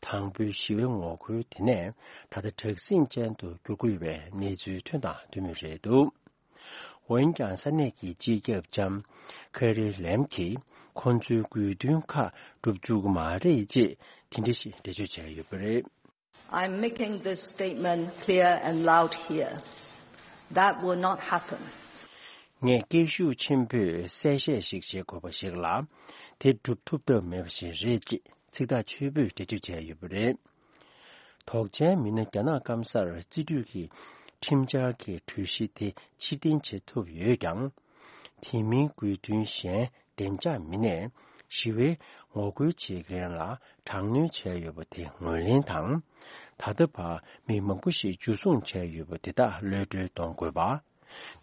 དང་པོའི་ཞི་བའི་ངོ་རྒོལ་དེ་ནས་ད་ལྟ་དྲག་ཟིང་ཅན་དུ་འགྱུར་གྱི་ཡོད་པའི་གནས་ཚུལ་ཐོན་དང་ཐོན་མུས་རེད་འདུག་འོན་ཀྱང་ས་གནས་ཀྱི་སྤྱི་ཁྱབ་ལྕམ་ཁེ་རི་ལེམ་གྱིས་ཁོང་ཚོའི་དགོས་འདུན་ཁག་འགྲུབ་བཅུག་གི་མ་རེད་ཅེས་དེ་འདྲ་ཞིག་འགྲེལ་བརྗོད་བྱས་ཡོད་པ་རེད། I'm making this statement clear and loud here. That will not happen. ངས་སྐད་ཤུགས་ཆེན་པོས་གསལ་བཤད་ཞིག་བྱེད་དགོས་པ་ཞིག་ལ། དེ་འགྲུབ་ཐུབ་ཐབས་མེད་པ་ཞིག་རེད་ཅེས་ཚིག་ཐག་ཆོད་པོས་འགྲེལ་བརྗོད་བྱས་ཡོད་པ་རེད། དོགས་ཅན་མི་སྣ་རྒྱ་ནག་སྐམ་སར་རྩིས་སྤྲོད་ཀྱི་ཁྲིམས་འཆར་གྱི་གྲོས་གཞི་དེ་ཕྱིར་འཐེན་བྱེད་ཐུབ་ཡོད་ཀྱང་། དེ་མིན་དགོས་འདུན་གཞན་བདེ་འཇགས་མི་སྣས་ཞི་བའི་ངོ་རྒོལ་བྱེད་མཁན་ལ་དྲག་གནོན་བྱས་ཡོད་པ་དེ་ངོས་ལེན་དང་། ད་ལྟ་བར་མི་མང་པོ་ཞིག་འཇུ་བཟུང་བྱས་ཡོད་པ་དེ་དག་གློད་གྲོལ་གཏོང་དགོས་པ།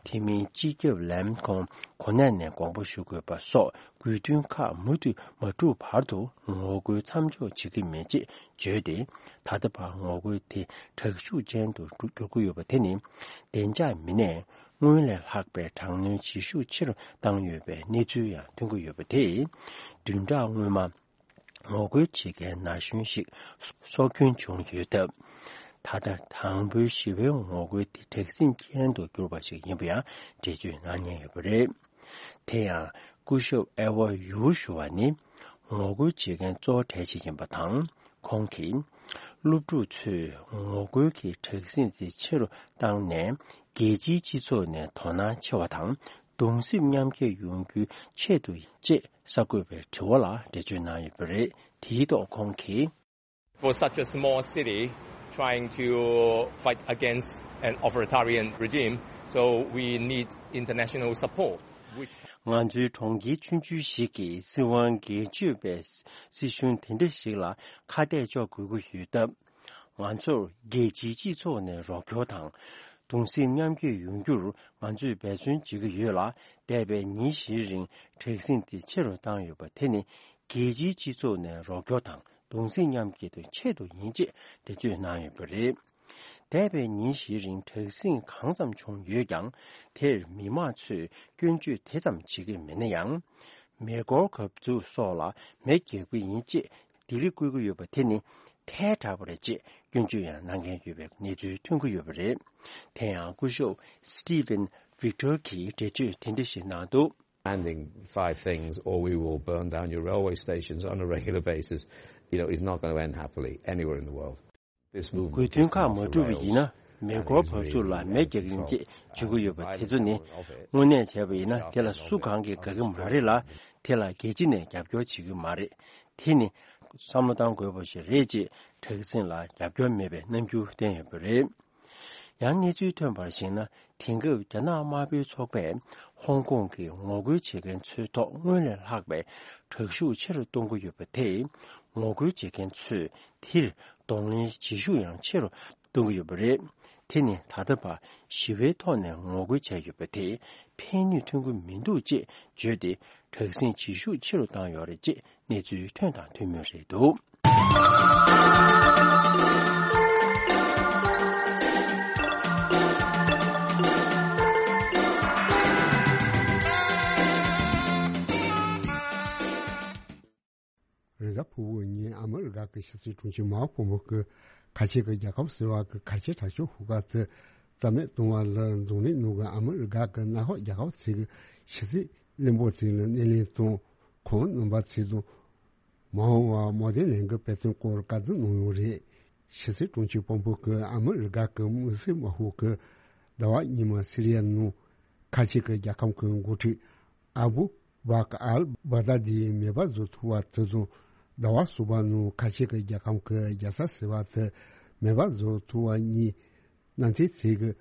དེ་མིན་སྤྱི་ཁྱབ་ལེམ་ཁོང་གོ་གནས་ནས་དགོངས་པ་ཞུ་དགོས་པ་སོགས་དགོས་འདུན་ཁག་མུ་མཐུད་མ་གྲུབ་བར་དུ་ངོ་རྒོལ་མཚམས་འཇོག་བྱེད་ཀྱི་མེད་ཅེས་བརྗོད་དེ། ད་ལྟ་བར་ངོ་རྒོལ་དེ་དྲག་ཤུགས་ཅན་དུ་འགྱུར་གྱི་ཡོད་པ་དེ་ནི། བདེ་འཇགས་མི་སྣས་སྔོན་ལས་ལྷག་པའི་དྲག་གནོན་བྱེད་ཤུགས་ཆེ་རུ་བཏང་ཡོད་པའི་གནས་ཚུལ་ཡང་ཐོན་གྱི་ཡོད་པ་དེས། བདུན་ཕྲག་སྔོན་མ། ངོ་རྒོལ་བྱེད་མཁན་ན་གཞོན་ཞིག་སྲོག་སྐྱོན་བྱུང་ཡོད་སྟབས། ད་ལྟ་དང་པོའི་ཞི་བའི་ངོ་རྒོལ་དེ་དྲག་ཟིང་ཅན་དུ་གྱུར་པ་ཞིག་ཡིན་པ་ཡང་འགྲེལ་བརྗོད་གནང་མཁན་ཡོད་པ་རེད། དེ་ཡང་སྐུ་ཞབས་ཨེ་ཝ་ཡུའུ་ཞུ་བ་ནི་ངོ་རྒོལ་བྱེད་མཁན་གཙོ་བོ་གྲས་ཤིག་ཡིན་པ་དང་། ཁོང་གིས་སློབ་ཕྲུག་ཚོས་ངོ་རྒོལ་གྱི་དྲག་ཟིང་དེ་ཆེ་རུ་བཏང་ནས། རྒྱལ་སྤྱིའི་སྤྱི་ཚོགས་ནས་དོ་སྣང་ཆེ་བ་དང་གདུང་སེམས་མཉམ་སྐྱེད་ཡོང་རྒྱུའི་ཆེད་དུ་ཡིན་ཅེས་གསར་འགོད་པའི་དྲི་བ་ལ་འགྲེལ་བརྗོད་གནང་ཡོད་པ་རེད། དེའི་ཐོག་ཁོང་གིས། For such a small city trying to fight against an authoritarian regime, so we need international support, which ང་ཚོའི་གྲོང་ཁྱེར་ཆུང་ཆུང་ཞིག་གིས་སྲིད་དབང་སྒེར་གཅོད་པའི་སྲིད་གཞུང་དེ་འདྲ་ཞིག་ལ་ཁ་གཏད་གཅོག་དགོས་ཀྱི་ཡོད་སྟབས། ང་ཚོར་རྒྱལ་སྤྱིའི་སྤྱི་ཚོགས་ནས་རོགས་སྐྱོར་དང་། གདུང་སེམས་མཉམ་སྐྱེད་ཡོང་རྒྱུར་ང་ཚོས་འབད་བརྩོན་བྱེད་ཀྱི་ཡོད་ལ། འདས་པའི་ཉིན་བཞིའི་རིང་དྲག་ཟིང་དེ་ཆེ་རུ་བཏང་ཡོད་པ་དེ་ནི་རྒྱལ་སྤྱིའི་སྤྱི་ཚོགས་ནས་རོགས་སྐྱོར་དང་གདུང་སེམས་མཉམ་སྐྱེད་དང་ཆེད་དུ་ཡིན་ཅེས་འགྲེལ་བརྗོད་གནང་ཡོད་པ་རེད། འདས་པའི་ཉིན་བཞིའི་རིང་དྲག་ཟིང་གང་ཙམ་བྱུང་ཡོད་ཀྱང་། དེར་མི་མང་ཚོས་སྐྱོན་བརྗོད་དེ་ཙམ་བྱེད་ཀྱི་མེད་ན་ཡང་། མེ་འཁོར་གབ་ཚུགས་སོགས་ལ་མེ་བརྒྱབ་ཀྱི་ཡིན་ཅེས་ལྡི་ལི་བསྐུལ་གྱི་ཡོད་པ་དེ་ནི་ཐལ་དྲགས་པ་རེད་ཅེས་སྐྱོན་བརྗོད་ཡང་གནང་མཁན་ཡོད་པའི་གནས་ཚུལ་ཐོན་གྱི་ཡོད་པ་རེད། དེ་ཡང་སྐུ་ཞབས་Stephen Victor གྱིས་འགྲེལ་བརྗོད་དེ་འདྲ་ཞིག་གནང་འདུག Demanding five things, or we will burn down your railway stations on a regular basis, you know, is not going to end happily anywhere in the world. དགོས་འདུན་ཁག་མ་འགྲུབ་པ་ཡིན་ན། མེ་འཁོར་བབས་ཚུགས་ལ་མེ་རྒྱག་གི་ཡིན་ཅེས་བརྗོད་ཀྱི་ཡོད་པ་དེ་ཚོ་ནི། དངོས་གནས་བྱས་པ་ཡིན་ན་དེ་ལ་སུ་གང་གིས་དགའ་གི་མ་རེད་ལ། དེ་ལ་རྒྱལ་སྤྱི་ནས་རྒྱབ་སྐྱོར་བྱེད་ཀྱི་མ་རེད། དེ་ནི་བསམ་བློ་བཏང་དགོས་པ་ཞིག་རེད་ཅེས་དྲག་ཟིང་ལ་རྒྱབ་སྐྱོར་མེད་པའི་རྣམ་འགྱུར་བསྟན་ཡོད་པ་རེད། ཡང་གནས་ཚུལ་ཐོན་པར་གཞིགས་ན། དེང་སྐབས་རྒྱ་ནག་དམར་པོའི་ཚོགས་པས་ཧོང་ཀོང་གི་ངོ་རྒོལ་བྱེད་མཁན་ཚོའི་ཐོག་སྔོན་ལས་ལྷག་པའི་དྲག་ཤུགས་ཆེ་རུ་གཏོང་གི་ཡོད་པ་དེས། ངོ་རྒོལ་བྱེད་མཁན་ཚོས་དེར་གདོང་ལེན་བྱེད་ཤུགས་ཡང་ཆེ་རུ་གཏོང་གི་ཡོད་པ་རེད། དེ་ནི་ད་ལྟ་བར་ཞི་བའི་ཐོག་ནས་ངོ་རྒོལ་བྱས་ཡོད་པ་དེས་ཕན་ནུས་ཐོན་གྱི་མི་འདུག་ཅེས་བརྗོད་དེ། དྲག་ཟིང་བྱེད་ཤུགས་ཆེ་རུ་བཏང་ཡོད་རེད་ཅེས་གནས་ཚུལ་ཐོན་དང་ཐོན་མུས་རེད་འདུག་རེས་གཟའ་ཕུར་བུ་ཉིན་ཨ་མི་རི་ཀ་གི་ཕྱི་སྲིད་དྲུང་ཆེ་མཱིག་པོམ་པེ་ཡོ་གིས་ཁ་ཆེ་གི་རྒྱལ་ཁབ་ཟེར་བ་གི་གལ་ཆེ་དྲག་ཤོས་ཤོག་ཁག་དེ་རྩ་མེད་གཏོང་བ་ལ་འཛམ་གླིང་ནང་གི་ཨ་མི་རི་ཀ་གི་མནའ་འཁོར་རྒྱལ་ཁབ་ཚོའི་ཕྱི་སྲིད་བློན་པོ་ཚོ་ལ་སྣེ་ལེན་དང་། ཁོང་རྣམ་པ་ཚོ་དང་མ་འོངས་པར་མོ་དེ་ལན་གྱི་འབད་བརྩོན་སྐོར་བཀའ་བསྡུར་གནང་ཡོད་རེད། ཕྱི་སྲིད་དྲུང་ཆེ་པོམ་པེ་ཡོ་གིས་ཨ་མི་རི་ཀ་གི་དམིགས་བསལ་དམག་དཔུང་གིས་ཟླ་བ་སྔོན་མ་སི་རི་ཡ་ནང་ཁ་ཆེ་གི་རྒྱལ་ཁབ་ཀྱི་འགོ་ཁྲིད་ཨ་བུ་བྷ་ཀ་ཨལ་བྷག་དཱ་དིའི་མེ་འབར་བཟོ་ཐུབ་པ་དེ་དང་། ཟླ་བ་གསུམ་པ་ནང་ཁ་ཆེ་གི་རྒྱལ་ཁབ་ཀྱི་རྒྱལ་ས་ཟེར་བ་དེ་མེ་འབར་བཟོ་ཐུབ་པ་གཉིས་གནམ་ཐེལ་ཚོའི་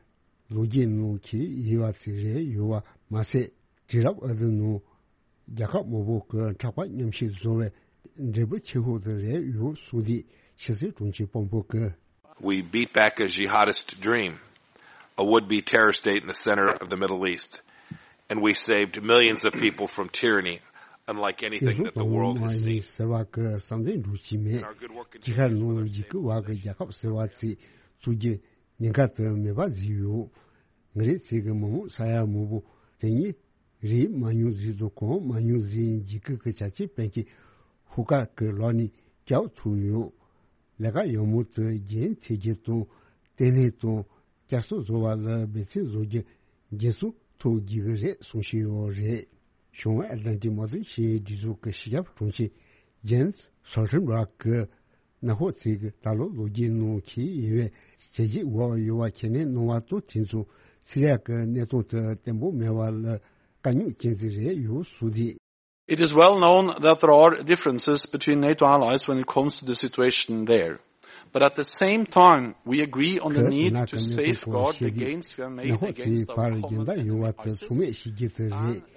ལོ་རྒྱུས་ནང་གི་ཡིན་པ་ཞིག་རེད་ཡོད་པ་མ་ཟད། དུས་རབས་འདིའི་ནང་རྒྱལ་ཁབ་མང་པོ་གི་མཁྲེགས་པ་མཉམ་གཤིབ་བཟོ་བའི་འབྲས་བུ་ཆེ་ཤོས་དེ་རེད་ཡོད་གསུངས་ཏེ། ཕྱི་སྲིད་དྲུང་ཆེ་པོམ་པེ་ཡོ་གིས། We beat back a jihadist dream, a would-be terror state in the center of the Middle East, and we saved millions of people from tyranny, unlike དེ་anything ཚོ་that the ཕོ་མོ་world has མ་ཡིན་seen. ཟེར་བ་གི་བསམ་གཏན་འགྲུབ་ཀྱི་མེད། And our good work དེ་གར་continues for ནང་them འཇིགས་སྐུལ་བ་གི་རྒྱལ་ཁབ་ཟེར་བ་ཚོའི་བཙུགས་རྒྱུ་ཉེན་ཁ་དེ་མེད་པ་བཟོས་ཡོད། ང་རང་ཚོའི་མི་མང་ས་ཡ་མང་པོ་དེ་ཉིད་རིག་མ་མྱོང་ཟིག་དང་གོ་མ་མྱོང་ཟིག་འཇིགས་སྐུལ་གྱི་བྱ་སྤྱོད་སྤེལ་མཁན་ཤོག་ཁག་གི་ལག་ནས་སྐྱོབ་ཐུབ་ཡོད། ལས་ཀ་ཡག་མོ་དེ་རྒྱུན་མཐུད་རྒྱུ་དང་། བརྟན་ལྷིང་དང་བསྐྱར་གསོ་བཟོ་བ་ལ་འབད་བརྩོན་བཟོ་རྒྱུ་འགན་སྲུང་ཐོག་རྒྱག་གི་རེད་གསུང་བཞིན་ཡོད་རེད། བྱང་ཨེ་ལན་ཊིག་དམག་དོན་ཞི་བའི་སྒྲིག་འཛུགས་ཀྱི་སྤྱི་ཁྱབ་དྲུང་ཆེ་ཇེན་སི་སོལ་ཊན་བྷར་གྱིས། མནའ་འཁོར་ཚོས་ད་ལོ་ལོ་རྒྱུས་ནང་གི་ཡིན་པའི་བྱས་རྗེས་འོག་ཡོད་པ་ཁས་ལེན་གནང་བ་དང་། དེ་ཚོ་སི་རི་ཡ་གི་གནས་སྟངས་དེ་བརྟན་པོ་མེད་པ་ལ་དཀའ་རྙོག་ཅན་ཞིག་རེད་ཡོད་གསུངས་ཏེ། It is well known that there are differences between NATO allies when it comes to the situation there. But at the same time, we agree on the need to safeguard the gains we have made against our common enemy, ISIS, and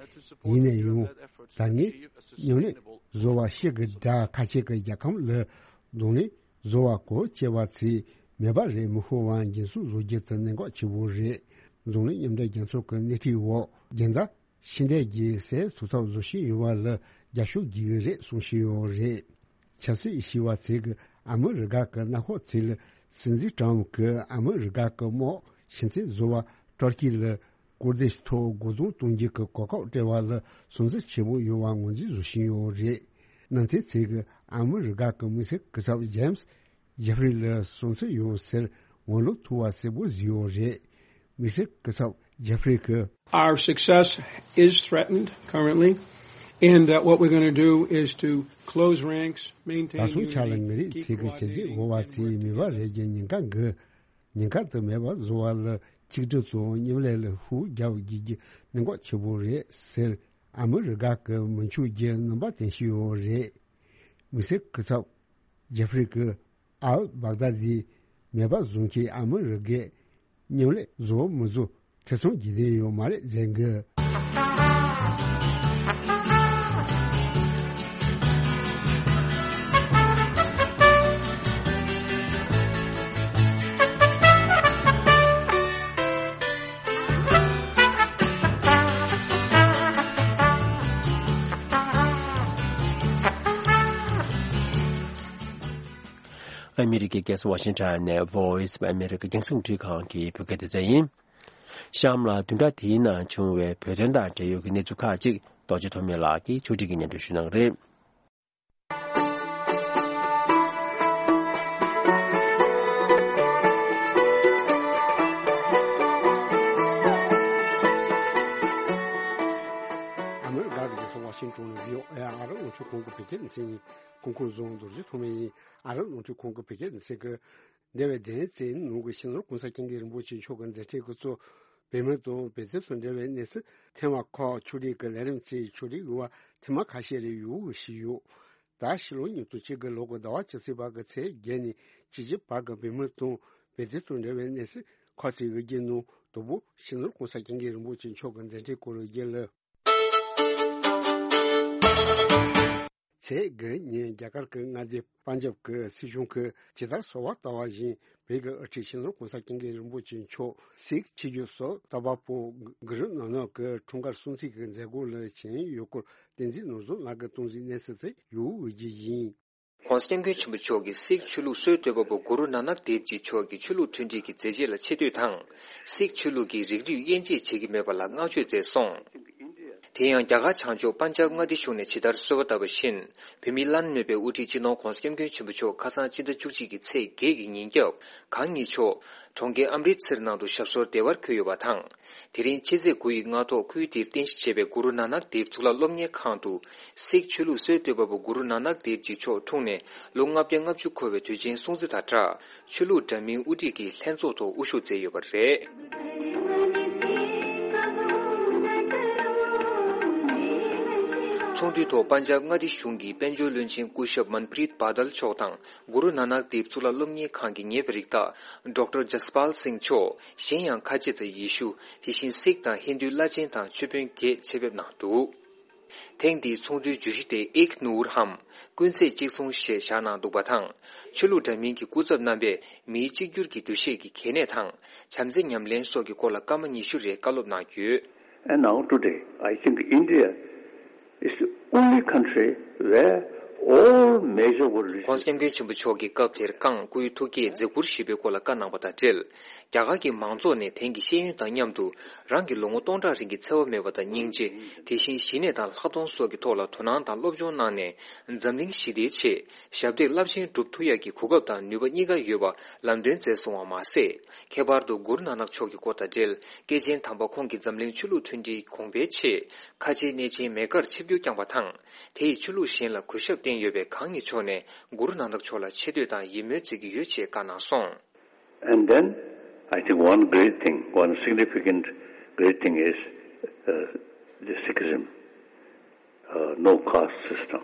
to support them in their effort to achieve a sustainable solution. ཡིན་ན་ཡང་ད་ངས་མཉམ་ལས་བཟོ་བ་ཤེས་ཀྱི་འདྲ། ཁ་ཆེ་གི་རྒྱལ་ཁམས་ལ་གདོང་ལེན་བཟོ་བ་གོ་ཆེ་བ་ཚོས་མེད་པ་རེད་མི་ཤོར་བ་འགན་སྲུང་བཟོ་རྒྱུ་དེ་གནད་འགག་ཆེ་བོ་རེད། འཛམ་གླིང་མཉམ་འབྲེལ་རྒྱལ་ཚོགས་ཀྱི་སྣེ་ཁྲིད་འོག་རྒྱལ་དར་ཕྱི་འབྲེལ་གྱི་སའི་ཐོབ་ཐང་བཟོ་བཞིན་ཡོད་པ་ལ་རྒྱབ་སྐྱོར་བགྱི་གི་རེད་གསུངས་བཞིན་ཡོད་རེད། ཆབ་སྲིད་ཞི་བ་ཚེ་གིས་ཨ་མི་རི་ཀ་གི་གནམ་འཁོར་ཚེ་ལ་སྲིད་འཛིན་ཀྲམ་གྱིས་ཨ་མི་རི་ཀ་གི་དམག་ཕྱི་འཐེན་བཟོ་བ་ཏུར་ཀི་ལ་ཀུར་ཌིཤ་ཐོག་རྒོལ་རྡུང་གཏོང་རྒྱུ་གི་གོ་སྐབས་སྤྲད་པ་ལ་སུན་གཙེར་ཆེན་པོ་ཡོད་པ་ངོས་འཛིན་བཟོ་བཞིན་ཡོད་རེད། ནང་བསྟན་ཚིག་གིས་ཨ་མི་རི་ཀ་གི་དམིགས་བསལ་སྐུ་ཚབ་ཇེམ་སི་ཇེ་ཧྥི་རི་ལ་སུན་གཙེར་ཡོད་ཟེར་ངོ་ལོག་ཐུབ་པ་གསལ་པོ་བཟོས་ཡོད་རེད། དམིགས་བསལ་སྐུ་ཚབ་ཇེ་ཧྥི་རི་གིས། Our success is threatened currently, and uh, what we're going to do is to close ranks, maintain ད་སོང་ཆ་ལ་ངེད་རིགས་ཚིག་གི་བྱས་རྗེས་འགོ་བ་ཚེ་མེད་པ་རེད་ཀྱི་ཉེན་ཁ་འགི། ཉེན་ཁ་དེ་མེད་པ་བཟོ་བ་ལ་གཅིག་སྒྲིལ་དང་མཉམ་ལས་ལ་ཤུགས་རྒྱག་དགོས་ཀྱི་གནད་འགག་ཆེ་པོ་རེད་ཟེར། ཨ་མི་རི་ཀ་གི་མི་ཆོས་ཀྱི་རྣམ་པ་བསྟན་བཞིན་ཡོད་རེད། དམིགས་བསལ་སྐུ་ཚབ་ཇེ་ཧྥི་རི་གིས་ཨལ་བྷག་དཱ་དི་མེད་པ་བཟོ་མཁན་ཨ་མི་རི་ཀས་མཉམ་ལས་བཟོ་མི་བཟོ་ཐེ་ཚོམ་གྱི་གནས་ཡོད་མ་རེད་ཟེར་གི། ཨ་མི་རི་ཀའི་རྒྱལ་ས་ཝ་ཤིང་ཊོན་ནས་Voice of America རྒྱང་སྲིང་རླུང་འཕྲིན་ཁང་གི་བོད་སྐད་སྡེ་ཚན་ཡིན། གཤམ་ལ་བདུན་ཕྲག་འདིའི་ནང་བྱུང་བའི་བོད་དོན་དང་འབྲེལ་ཡོད་ཀྱི་གནས་ཚུལ་ཁག་ཅིག་རྡོ་རྗེ་ཐོགས་མེད་ལགས་ཀྱིས་ཕྱོགས་སྒྲིག་གིས་སྙན་སྒྲོན་ཞུ་གནང་གི་རེད། ཨ་མི་རི་ཀ་གི་རྒྱལ་ས་ཝ་ཤིང་ཊོན་ནས་བྷི་ཨོ་ཨེ་ཨ་རིའི་རླུང་འཕྲིན་ཁང་གི་བོད་སྐད་སྡེ་ཚན་ཡིན། གོང་བཀུར་བཟང་རྡོ་རྗེ་ཐོགས་མེད་ཡིན། ཨ་རིའི་རླུང་འཕྲིན་ཁང་གི་བོད་སྐད་སྡེ་ཚན་གྱིས། འདས་པའི་བདུན་ཕྲག་གཅིག་ནང་གི་སྤྱི་ནོར་གོང་ས་སྐྱབས་མགོན་རིན་པོ་ཆེ་མཆོག་གི་མཛད་འཕྲིན་འགོ་གཙོ་བོད་མི་དང་བོད་དོན་དང་འབྲེལ་བའི་གནས་ཚུལ་ཐེངས་མ་ཁག་ཕྱོགས་སྒྲིག་གི་ལས་རིམ་གྱི་ཕྱོགས་སྒྲིག་དབུ་བ་ཐེངས་མ་ཁ་ཤས་རེ་ཡོང་གི་ཞུས་ཡོད། ད་ཕྱི་ལོ་ཉིས་སྟོང་བཅུ་དགུ་ལོ་གི་ཟླ་བ་བཅུ་གཅིག་པ་གི་ཚེས་བརྒྱད་ནས་བཅུ་གཅིག་བར་གྱི་བོད་མི་དང་བོད་དོན་དང་འབྲེལ་བའི་གནས་ཚུལ་ཁག་ཅིག་གི་རྒྱུན་ནང་དང་པོ་སྤྱི་ནོར་གོང་ས་སྐྱབས་མགོན་རིན་པོ་ཆེ་མཆོག་གི་མཛད་འཕྲིན་སྐོར་གྱི་རྒྱུན་ལ། ཚེས་དགུ་ཉིན་རྒྱ་གར་གྱི་མངའ་སྡེ་པན་ཇབ་ཀྱི་སྲིད་གཞུང་གིས་ཇི་ལྟར་གསོལ་བ་བཏབ་པ་བཞིན་བོད་ཀྱི་དབུ་ཁྲིད་སྤྱི་ནོར་གོང་ས་སྐྱབས་མགོན་རིན་པོ་ཆེ་མཆོག་སིག་ཆོས་བརྒྱུད་སྲོལ་བཏབ་པ་པོ་གུ་རུ་ནཱ་ནག་གི་འཁྲུངས་སྐར་སྲུང་བརྩི་གི་མཛད་སྒོ་ལ་བྱོན་ཡོད་སྐོར་བསྟན་འཛིན་ནོར་བཟང་ལགས་ཀྱིས་གཏམ་གཟིགས་གནང་ཚུལ་དེ་ཡོང་ཡོད་ཀྱི་ཡིན། གོང་ས་སྐྱབས་མགོན་ཆེན་པོ་མཆོག་གིས་སིག་ཆོས་ལུགས་སྲོལ་གཏོད་པ་པོ་གུ་རུ་ནཱ་ནག་དེབ་ཇི་མཆོག་གི་ཆོས་ལུགས་མཐུན་སྒྲིལ་གྱི་མཛད་རྗེས་ལ་ཆེ་བསྟོད་དང་། སིག་ཆོས་ལུགས་ཀྱིས་རིགས་རུས་དབྱེ་འབྱེད་བྱེད་ཀྱི་མེད་པ་ལ་བསྔགས་བརྗོད་མཛད་སོང་། དེ་ཡང་རྒྱ་གར་བྱང་ཕྱོགས་པན་ཇབ་མངའ་སྡེ་གཞུང་ནས་ཇི་ལྟར་གསོལ་བ་བཏབ་པ་བཞིན། བོད་མིའི་བླ་ན་མེད་པའི་དབུ་ཁྲིད་སྤྱི་ནོར་གོང་ས་སྐྱབས་མགོན་ཆེན་པོ་མཆོག་ཁ་སང་སྤྱི་ཟླ་བཅུ་གཅིག་གི་ཚེས་བརྒྱད་ཀྱི་ཉིན་རྒྱབ་གང་ཉིད་མཆོག་གྲོང་ཁྱེར་ཨམ་རིད་སིར་ནང་དུ་ཞབས་སོར་བདེ་བར་འཁོད་ཡོད་པ་དང་། དེ་རིང་ཕྱི་ཚེས་དགུ་ཡི་སྔ་ཐོག་ཁུལ་དེར་རྟེན་གཞི་བྱས་པའི་གུ་རུ་ནཱ་ནག་དེབ་གཙུག་ལག་སློབ་གཉེར་ཁང་དུ། སིག་ཆོས་ལུགས་སྲོལ་གཏོད་པ་པོ་གུ་རུ་ནཱ་ནག་དེབ་ཇི་མཆོག་འཁྲུངས་ནས་ལོ་ལྔ་བརྒྱ་ལྔ་བཅུ་འཁོར་བའི་དུས་ཆེན་སྲུང་བརྩི་དང་སྦྲགས། ཆོས་ལུགས་འདྲ་མིན་དབུ་ཁྲིད་ཀྱིས་ལྷན་ཚོགས་ཐོག་དབུ་བཞུགས་མཛད་ཡོད་པ་རེད། ཚོགས་འདུའི་ཐོག་པན་ཇབ་མངའ་སྡེ་གཞུང་གི་དཔལ་འབྱོར་བློན་ཆེན་སྐུ་ཞབས་མན་པྲིད་བྷ་དལ་མཆོག་དང་། གུ་རུ་ནཱ་ནག་དེབ་གཙུག་ལག་སློབ་གཉེར་ཁང་གི་ངེས་པར་རིགས་བདག་ཌོག་ཊར་ཇ་སི་པཱལ་སིང་མཆོག་གཞན་ཡང་ཁ་ཆེ་དང་ཡེ་ཤུ། དེ་བཞིན་སིག་དང་ཧིན་དུའི་བླ་ཆེན་དང་ཆོས་དཔོན་བརྒྱད་ཆེད་ཕེབས་གནང་འདུག་ཐེངས་འདིའི་ཚོགས་འདུའི་བརྗོད་གཞི་དེ་ཨིག་ནུར་ཧམ། ཀུན་ཚེས་གཅིག་མཚུངས་ཞེས་བཞག་གནང་འདུག་པ་དང་། ཆོས་ལུགས་འདྲ་མིན་གྱི་སྐུ་ཚབ་རྣམ་པས་མིའི་གཅིག་གྱུར་གྱི་འདུ་ཤེས་ཀྱི་གལ་གནད་དང་། བྱམས་བརྩེ་ཉམས་ལེན་སོགས་ཀྱི་སྐོར་ལ་སྐར་མ་ཉི་ཤུ་རེ་བཀའ་སློབ་གནང་ཡོད། And now today, I think India is the only country where all major world leaders གོང་ས་སྐྱབས་མགོན་ཆེན་པོ་མཆོག་གིས་སྐབས་དེར་ཀང་སྐུའི་ཐུགས་བསྐྱེད་མཛད་ཁུར་ཞུས་པའི་སྐོར་ལ་བཀའ་གནང་བ་དང་འབྲེལ། རྒྱ་གར་གྱི་མང་ཚོགས་ནས་དེང་གི་ཤེས་ཡོན་དང་མཉམ་དུ་རང་གི་ལོ་ངོ་སྟོང་ཕྲག་རིང་གི་འཚེ་བ་མེད་པ་དང་སྙིང་རྗེ། དེ་བཞིན་ཞི་གནས་དང་ལྷག་མཐོང་སོགས་ཀྱི་ཐོག་ལ་དོ་སྣང་དང་སློབ་སྦྱོང་གནང་ནས་འཛམ་གླིང་ཞི་བདེའི་ཆེད་ཞབས་འདེགས་རླབས་ཆེན་སྒྲུབ་ཐུབ་ཡག་གི་གོ་སྐབས་དང་ནུས་པ་གཉིས་ཀ་ཡོད་པ་ལམ་སྟོན་མཛད་སོང་བ་མ་ཟད། ཁྱད་པར་དུ་གུ་རུ་ནཱ་ནག་མཆོག་གི་སྐོར་དང་འབྲེལ་སྐྱེས་ཆེན་དམ་པ་ཁོང་གིས་འཛམ་གླིང་ཆོས་ལུགས་མཐུན་སྒྲིལ་གོང་འཕེལ་ཆེད་ཁ་ཆེའི་གནས་ཆེན་མེ་ཀར་ཆིབས་བསྒྱུར་བསྐྱངས་པ་དང་། དེ་ཡིས་ཆོས་ལུགས་གཞན་ལ་གུས་ཞབས་བསྟན་ཡོད་པས་གང་ཉིད་མཆོག་ནས་གུ་རུ་ནཱ་ནག་མཆོག་ལ་ཆེ་བསྟོད་དང་ཡིད་སྨོན་མཛད་ཀྱི་ཡོད་ཅེས་བཀའ་གནང་སོང་། And then, I think one great thing, one significant great thing is uh, the Sikhism, uh, no caste system.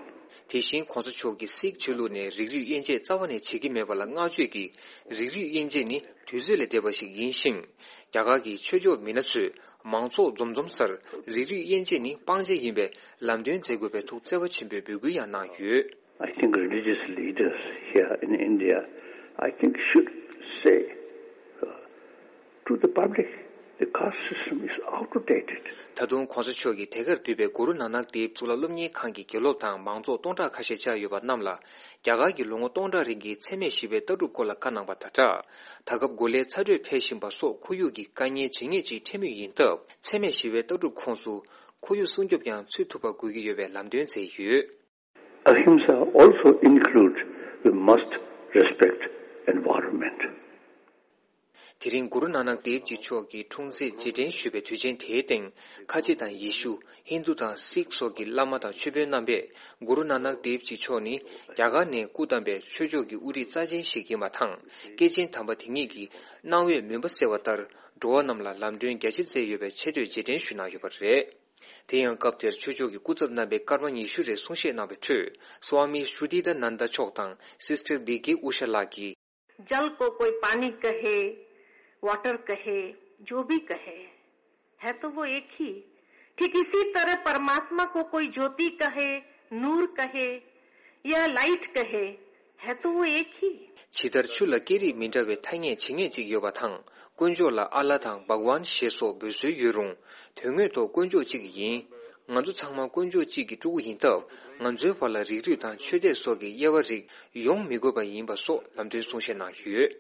དེ་བཞིན་གོང་ས་མཆོག་གིས་སིག་ཆོས་ལུགས་ནས་རིགས་རུས་དབྱེ་འབྱེད་རྩ་བ་ནས་བྱེད་ཀྱི་མེད་པ་ལ་བསྔགས་བརྗོད་ཀྱིས། རིགས་རུས་དབྱེ་འབྱེད་ནི་དུས་ཚོད་ལས་འདས་པ་ཞིག་ཡིན་ཞིང་། རྒྱ་གར་གྱི་ཆོས་ཕྱོགས་མི་སྣ་ཚོས་མང་ཚོགས་འཛོམས་འཛོམས་སར་རིགས་རུས་དབྱེ་འབྱེད་ནི་སྤང་བྱ་ཡིན་པས་ལམ་སྟོན་མཛད་དགོས་པའི་ཐུགས་བརྩེ་བ་ཆེན་པོས་འབོད་སྐུལ་ཡང་གནང་ཡོད། I think religious leaders here in India, I think, should say uh, to the public, The caste system is outdated. ད་དུང་གོང་ས་མཆོག་གིས་དེ་གར་འདུས་པའི་གུ་རུ་ནཱ་ནག་དེབ་གཙུག་ལག་སློབ་གཉེར་ཁང་གི་དགེ་སློབ་དང་མང་ཚོགས་སྟོང་ཕྲག་ཁ་ཤས་བཅར་ཡོད་པ་རྣམས་ལ། རྒྱ་གར་གྱི་ལོ་ངོ་སྟོང་ཕྲག་རིང་གི་འཚེ་མེད་ཞི་བའི་ལྟ་གྲུབ་སྐོར་ལ་བཀའ་གནང་པ་དང་སྦྲགས། ད་སྐབས་གོ་ལའི་ཚ་དྲོད་འཕེལ་བཞིན་པ་སོགས་ཁོར་ཡུག་གི་དཀའ་ངལ་ཇེ་ངེས་ཅིག་འཕྲད་མུས་ཡིན་སྟབས། འཚེ་མེད་ཞི་བའི་ལྟ་གྲུབ་ཁོངས་སུ་ཁོར་ཡུག་སྲུང་སྐྱོབ་ཀྱང་ཚུད་ཐུབ་པ་དགོས་ཀྱི་ཡོད་པའི་ལམ་སྟོན་མཛད་ཡོད། Ahimsa also includes we must respect environment. དེ་རིང་གུ་རུ་ནཱ་ནག་དེབ་ཇི་མཆོག་གི་འཁྲུངས་ཚེས་རྗེས་དྲན་ཞུས་པའི་དུས་ཆེན་དེའི་སྟེང་། ཁ་ཆེ་དང་ཡེ་ཤུ། ཧིན་དུ་དང་སིག་སོགས་ཀྱི་བླ་མ་དང་ཆོས་དཔོན་རྣམ་པས་གུ་རུ་ནཱ་ནག་དེབ་ཇི་མཆོག་ནི་རྒྱ་གར་ནས་སྐུ་བལྟམས་པའི་ཆོས་ཕྱོགས་ཀྱི་དབུ་ཁྲིད་རྩ་ཆེན་ཞིག་ཡིན་པ་དང་། སྐྱེས་ཆེན་དམ་པ་དེ་ཉིད་ཀྱི་གནང་བའི་མུན་པ་སེལ་བ་ལྟར། འགྲོ་བ་རྣམས་ལ་ལམ་སྟོན་རྒྱ་ཆེ་མཛད་ཡོད་པའི་ཆེ་བསྟོད་རྗེས་དྲན་ཞུས་གནང་ཡོད་པ་རེད། དེ་ཡང་སྐབས་དེར་ཆོས་ཕྱོགས་ཀྱི་སྐུ་ཚབ་རྣམ་པས་སྐར་མ་ཉི་ཤུ་རེ་གསུང་བཤད་གནང་བའི་ཁྲོད། སྭ་མི་ཤྲུ་ཏི་ད་ནན་ད་མཆོག་དང་སིས་ཊར་བི་ཀེ་ཨུ་ཤ་ལགས་ཀྱིས། जल को कोई पानी कहे, वाटर कहे, जो भी कहे, है तो वो एक ही। ठीक इसी तरह परमात्मा को कोई ज्योति कहे, नूर कहे या लाइट कहे, है तो वो एक ही। ཇི་ལྟར་ཆུ་ལ་སྐད་རིགས་མི་འདྲ་བའི་ཐ་སྙད་ཇི་སྙེད་ཅིག་ཡོད་པ་དང་། དཀོན་མཆོག་ལ་ཨ་ལ་དང་བྷག་ཝཱན་ཞེས་སོགས་འབོད་སྲོལ་ཡོད་རུང་། དོན་དངོས་ཐོག་དཀོན་མཆོག་གཅིག་ཡིན། ང་ཚོ་ཚང་མ་དཀོན་མཆོག་གཅིག་གི་ཕྲུ་གུ་ཡིན་སྟབས། ང་ཚོའི་བར་ལ་རིགས་རུས་དང་ཆོས་དད་སོགས་ཀྱི་དབྱེ་བ་རིགས་ཡོང་མི་དགོས་པ་ཡིན་པ་སོགས་ལམ་སྟོན་གསུང་བཤད་གནང་ཡོད།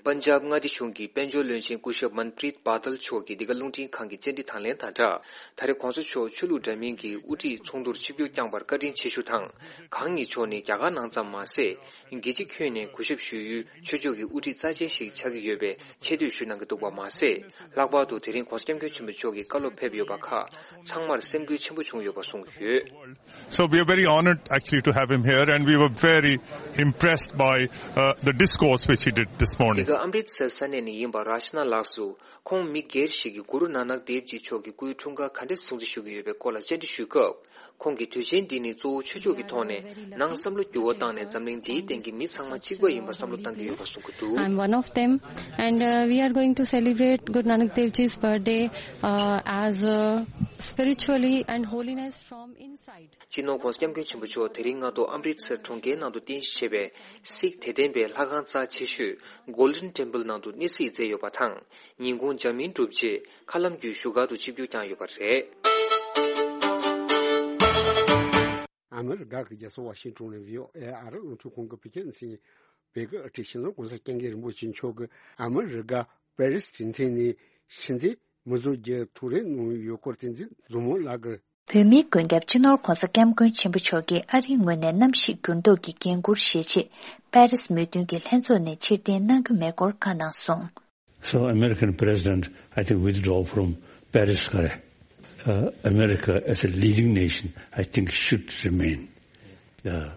པན་ཇབ་མངའ་སྡེ་གཞུང་གི་དཔལ་འབྱོར་བློན་ཆེན་སྐུ་ཞབས་མན་པྲིད་པ་ཏལ་མཆོག་གིས་འདི་ག་རླུང་འཕྲིན་ཁང་གི་བཅར་འདྲི་དང་ལེན་དང་སྦྲགས། ད་རེས་གོང་ས་མཆོག་ཆོས་ལུགས་འདྲ་མིན་གྱི་དབུ་ཁྲིད་ཚོགས་འདུར་ཆིབས་བསྒྱུར་བསྐྱངས་པར་བཀའ་དྲིན་ཆེ་ཞུ་དང་། གང་ཉིད་མཆོག་ནི་རྒྱ་གར་ནང་ཙམ་མ་ཟད། རྒྱལ་སྤྱི་ཁྱོན་ནས་གུས་ཞབས་ཞུ་ཡུལ་ཆོས་ཕྱོགས་ཀྱི་དབུ་ཁྲིད་རྩ་ཆེན་ཞིག་ཆགས་ཀྱི་ཡོད་པའི་ཆེ་བསྟོད་ཞུ་གནང་གི་འདུག་པ་མ་ཟད། ལྷག་པར་དུ་དེ་རིང་གོང་ས་སྐྱབས་མགོན་ཆེན་པོ་མཆོག་གི་བཀའ་སློབ་ཕེབས་ཡོད་པ་ཁག་ཚང་མར་སེམས་འགུལ་ཆེན་པོ་བྱུང་ཡོད་པ་གསུངས་ཡོད། So we are very honored actually to have him here, and we were very impressed by uh, the discourse which he did this འདི་morning. ག་ཨམ་རིད་སར་ས་གནས་ནས་ཡིན་པ་ར་ཤ་ན་ལགས་སུ། ཁོང་མི་སྒེར་ཞིག་གིས་གུ་རུ་ནཱ་ནག་དེབ་ཇི་མཆོག་གི་སྐུའི་འཁྲུངས་སྐར་ག་འདྲ་སྲུང་བརྩི་ཞུ་གི་ཡོད་པའི་སྐོར་ལ་བཅར་འདྲི་ཞུས་སྐབས། ཁོང་གིས་དུས་ཆེན་འདི་ནི་གཙོ་བོ་ཆོས་ཕྱོགས་ཀྱི་ཐོག་ནས་ནང་བསམ་བློ་འགྱུར་བ་བཏང་ནས་འཛམ་གླིང་འདིའི་སྟེང་གི་མི་ཚང་མ་གཅིག་པ་ཡིན་པ་བསམ་བློ་བཏང་གི་ཡོད་པ་གསུང་གི་འདུག I'm one of them, and uh, we are going to celebrate Guru Nanak Dev Ji's birthday uh, as uh, spiritually and holiness from inside. སྤྱི་ནོར་༧གོང་ས་༧སྐྱབས་མགོན་ཆེན་པོ་མཆོག་དེ་རིང་སྔ་དྲོ་ཨམ་རིད་སར་གྲོང་ཁྱེར་ནང་དུ་རྟེན་གཞི་བྱས་པའི་སིག་དད་ལྡན་པའི་ལྷ་ཁང་རྩ་ཆེ་ཤོས་Golden Temple ནང་དུ་གནས་གཟིགས་མཛད་ཡོད་པ་དང་། ཉིན་གུང་འཇར་མན་གྲུབ་རྗེས་མཁའ་ལམ་བརྒྱུད་བཞུགས་སྒར་དུ་ཆིབས་བསྒྱུར་བསྐྱངས་ཡོད་པ་རེད། ཨ་མི་རི་ཀ་གི་རྒྱལ་ས་ཝ་ཤིང་ཏོན་ནས་བྷི་ཨོ་ཨེ་ཨ་རི་རླུང་འཕྲིན་ཁང་གི་བོད་སྐད་སྡེ་ཚན་བོད་སྐད་ཨ་ཁྲིད་ཕྱི་ནང་གོང་ས་སྐྱབས་མགོན་རིན་པོ་ཆེ་མཆོག་གིས་ཨ་མི་རི་ཀ་པེ་རིས་གྲོང་ཁྱེར་ནས་ཕྱི་འཐེན་མི་ཚོགས་ཀྱི་ཐུགས་རེ་གནང་ཡོད་སྐོར་བསྟན་འཛིན་མཛོ་མོ་ལགས་ཀྱིས། བོད་མིའི་མགོན་སྐྱབས་སྤྱི་ནོར་༧གོང་ས་༧སྐྱབས་མགོན་ཆེན་པོ་མཆོག་གིས་ཨ་རིའི་ངོས་ནས་གནམ་གཤིས་འགྱུར་ལྡོག་གི་འགན་འཁུར་བཞེས་ཆེད་པེ་རིས་མོས་མཐུན་གྱི་ལྷན་ཚོགས་ནས་ཕྱིར་འཐེན་གནང་རྒྱུ་མེད་སྐོར་བཀའ་གནང་སོང་། So American president, I think, withdraw from Paris. Uh, America as a leading nation, I think, should remain. Uh,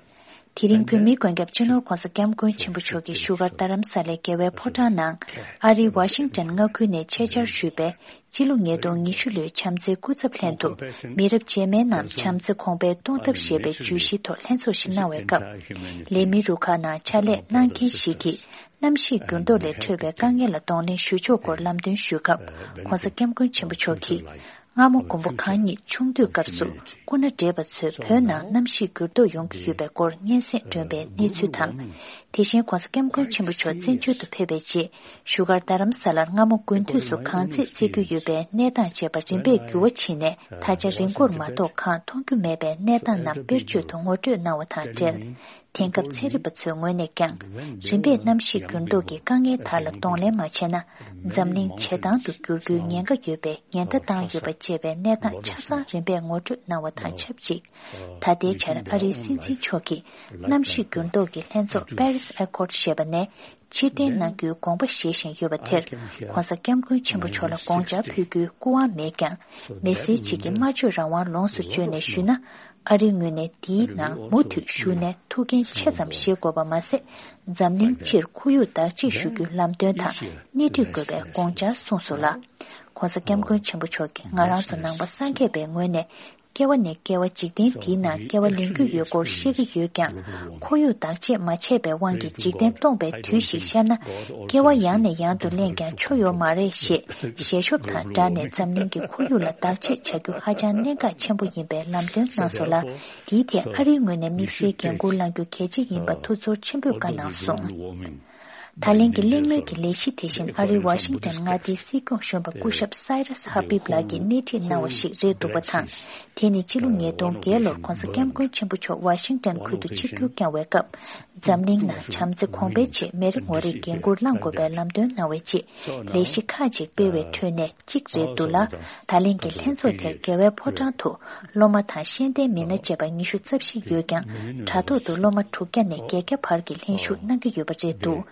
དེ་རིང་བོད་མིའི་མགོན་སྐྱབས་སྤྱི་ནོར་༧གོང་ས་༧སྐྱབས་མགོན་ཆེན་པོ་མཆོག་གིས་བཞུགས་སྒར་རྡ་རམ་ས་ལའི་རྒྱལ་བའི་ཕོ་བྲང་ནང་ཨ་རིའི་ཝ་ཤིང་ཊོན་མངའ་ཁུལ་ནས་ཆེད་བཅར་ཞུས་པའི་སྤྱི་ལོ་ཉིས་སྟོང་ཉི་ཤུ་ལོའི་བྱམས་བརྩེའི་སྐུ་ཚབ་ལྷན་དུ་མི་རབས་རྗེས་མའི་ནང་བྱམས་བརྩེ་གོང་འཕེལ་གཏོང་ཐབས་ཞེས་པའི་བརྗོད་གཞིའི་ཐོག་ལྷན་ཚོགས་ཤིག་གནང་བའི་སྐབས། ལས་མི་རུ་ཁག་ནང་ཕྱག་ལས་གནང་མཁན་ཞིག་གིས་གནམ་གཤིས་འགྱུར་ལྡོག་ལས་འཕྲོས་པའི་དཀའ་ངལ་ལ་གདོང་ལེན་ཞུ་ཕྱོགས་སྐོར་ལམ་སྟོན་ཞུས་སྐབས། ༧གོང་ས་༧སྐྱབས་མགོན་ཆེན་པོ་མཆོག་གིས། སྔ་མོ་མགོན་པོ་གང་ཉིད་ཆུང་དུས་སྐབས་སུ་སྐུ་ན་བགྲེས་པ་ཚོས་བོད་ནང་གནམ་གཤིས་འགྱུར་ལྡོག་ཡོང་གི་ཡོད་པའི་སྐོར་སྙན་སེང་སྒྲོན་པའི་གནས་ཚུལ་དང་། དེ་བཞིན་༧གོང་ས་༧སྐྱབས་མགོན་ཆེན་པོ་མཆོག་བཙན་བྱོལ་དུ་ཕེབས་པའི་རྗེས་བཞུགས་སྒར་རྡ་རམ་ས་ལར་སྔ་མོ་དགུན་དུས་སུ་གངས་ཚད་བརྩི་རྒྱུ་ཡོད་པའི་གནས་སྟངས་བཅས་པ་རིམ་པས་འགྱུར་བ་ཕྱིན་ནས་ད་ཆ་རི་མགོར་མ་གཏོགས་གངས་མཐོང་རྒྱུ་མེད་པའི་གནས་སྟངས་རྣམས་དཔེར་བརྗོད་དུ་ངོ་སྤྲོད་གནང་བ་དང་འབྲེལ། དེང་སྐབས་ཚན་རིག་པ་ཚོའི་ངོས་ནས་ཀྱང་རིམ་པས་གནམ་གཤིས་འགྱུར་ལྡོག་གི་དཀའ་ངལ་དག་ལ་གདོང་ལེན་མ་བྱས་ན་འཛམ་གླིང་ཇེ་དྭངས་དུ་འགྱུར་རྒྱུའི་ཉེན་ཁ་ཡོད་པའི་ཉེན་བརྡ་བཏང་ཡོད་པ་བཅས་པའི་གནས་སྟངས་ཆ་ཚང་རིམ་པས་ངོ་སྤྲོད་གནང་བ་དང་ཆབས་ཅིག་ད་ལྟའི་ཆར་ཨ་རིའི་སྲིད་འཛིན་མཆོག་གིས་གནམ་གཤིས་འགྱུར་ལྡོག་གི་ལྷན་ཚོགས་པེ་རིས་ཨེ་ཀོར་ཞེས་པ་ནས་ཕྱིར་འཐེན་གནང་རྒྱུའི་དགོངས་པ་བཞེས་བཞིན་ཡོད་པ་དེར་༧གོང་ས་༧སྐྱབས་མགོན་ཆེན་པོ་མཆོག་ལ་དགོངས་འཆར་ཕུལ་རྒྱུའི་སྐུ་དབང་མེད་ཀྱང་། མི་སེར་ཅིག་གིས་སྨྲ་བརྗོད་རང་དབང་ལོངས་སུ་སྤྱོད་ནས་ཞུས་ན། ཨ་རིའི་ངོས་ནས་འདིའི་ནང་མུ་མཐུད་ཞུགས་ནས་ཐུགས་འགན་ཆེ་ཙམ་བཞེས་དགོས་པ་མ་ཟད། འཛམ་གླིང་སྤྱིར་ཁོར་ཡུག་བདག་གཅེས་ཞུ་རྒྱུའི་ལམ་སྟོན་དང་སྣེ་ཁྲིད་དགོས་པའི་དགོངས་འཆར་གསུངས་སོང་ལ། ༧གོང་ས་༧སྐྱབས་མགོན་ཆེན་པོ་མཆོག་གིས་ང་རང་ཚོ་ནང་པ་སངས་རྒྱས་པའི་ངོས་ནས་སྐྱེ་བ་ནས་སྐྱེ་བ་འཇིག་རྟེན་འདིའི་ནང་སྐྱེ་བ་ལེན་རྒྱུ་ཡོད་སྐོར་བཤད་ཀྱི་ཡོད་ཀྱང་། ཁོར་ཡུག་བདག་གཅེས་མ་བྱས་པའི་དབང་གིས་འཇིག་རྟེན་སྟོངས་པའི་དུས་ཤིག་ཤར་ན། སྐྱེ་བ་ཡང་ནས་ཡང་དུ་ལེན་ཀྱང་ཆོ་ཡོད་མ་རེད་ཞེས་ཞལ་ཤོབ་དང་སྦྲགས་ནས་འཛམ་གླིང་གི་ཁོར་ཡུག་ལ་བདག་གཅེས་བྱ་རྒྱུ་ཧ་ཅང་གནད་འགག་ཆེན་པོ་ཡིན་པའི་ལམ་སྟོན་གནང་སོང་ལ། དེའི་ཐད་ཨ་རིའི་ངོས་ནས་དམིགས་བསལ་འགན་འཁུར་བླང་རྒྱུ་གལ་ཆེ་ཡིན་པ་ཐུགས་ཚོར་ཆེན་པོས་བཀའ་གནང་སོང་། ད་ལན་གྱི་གླེང་མོལ་གྱི་ལས་གཞི་དེ་བཞིན་ཨ་རིའི་ཝ་ཤིང་ཊོན་མངའ་སྡེའི་སྲིད་སྐྱོང་གཞོན་པ་སྐུ་ཞབས་སའི་རས་ཧ་པིབ་ལགས་ཀྱིས་སྣེ་ཁྲིད་གནང་བ་ཞིག་རེད་འདུག་པ་དང་། དེ་ནི་ཕྱི་ལོ་ཉིས་སྟོང་བརྒྱད་ལོར་༧གོང་ས་༧སྐྱབས་མགོན་ཆེན་པོ་མཆོག་ཝ་ཤིང་ཊོན་ཁུལ་དུ་ཆིབས་བསྒྱུར་བསྐྱངས་བའི་སྐབས། འཛམ་གླིང་ནང་བྱམས་བརྩེ་གོང་འཕེལ་ཆེད་མི་རེ་ངོ་རེས་འགན་འཁུར་བླངས་དགོས་པའི་ལམ་སྟོན་གནང་བའི་རྗེས། ལས་གཞི་ཁག་ཅིག་སྤེལ་བའི་ཁྲོད་ནས་གཅིག་རེད་འདུག་ལ། ད་ལན་གྱི་ལྷན་ཚོགས་དེར་རྒྱལ་བའི་ཕོ་བྲང་དུ་སློབ་མ་དང་ཤེས་ལྡན་མི་སྣ་བཅས་པ་ཉི་ཤུ་རྩ་བཞི་ཡོད་ཀྱང་། དྲ་ཐོག་ཏུ་སློབ་མ་དྲུག་བརྒྱ་ནས་བརྒྱད་བརྒྱ་བར་གྱི་ལྷན་ཞུགས་གནང་གི་ཡོད་པ་རེད་འདུག།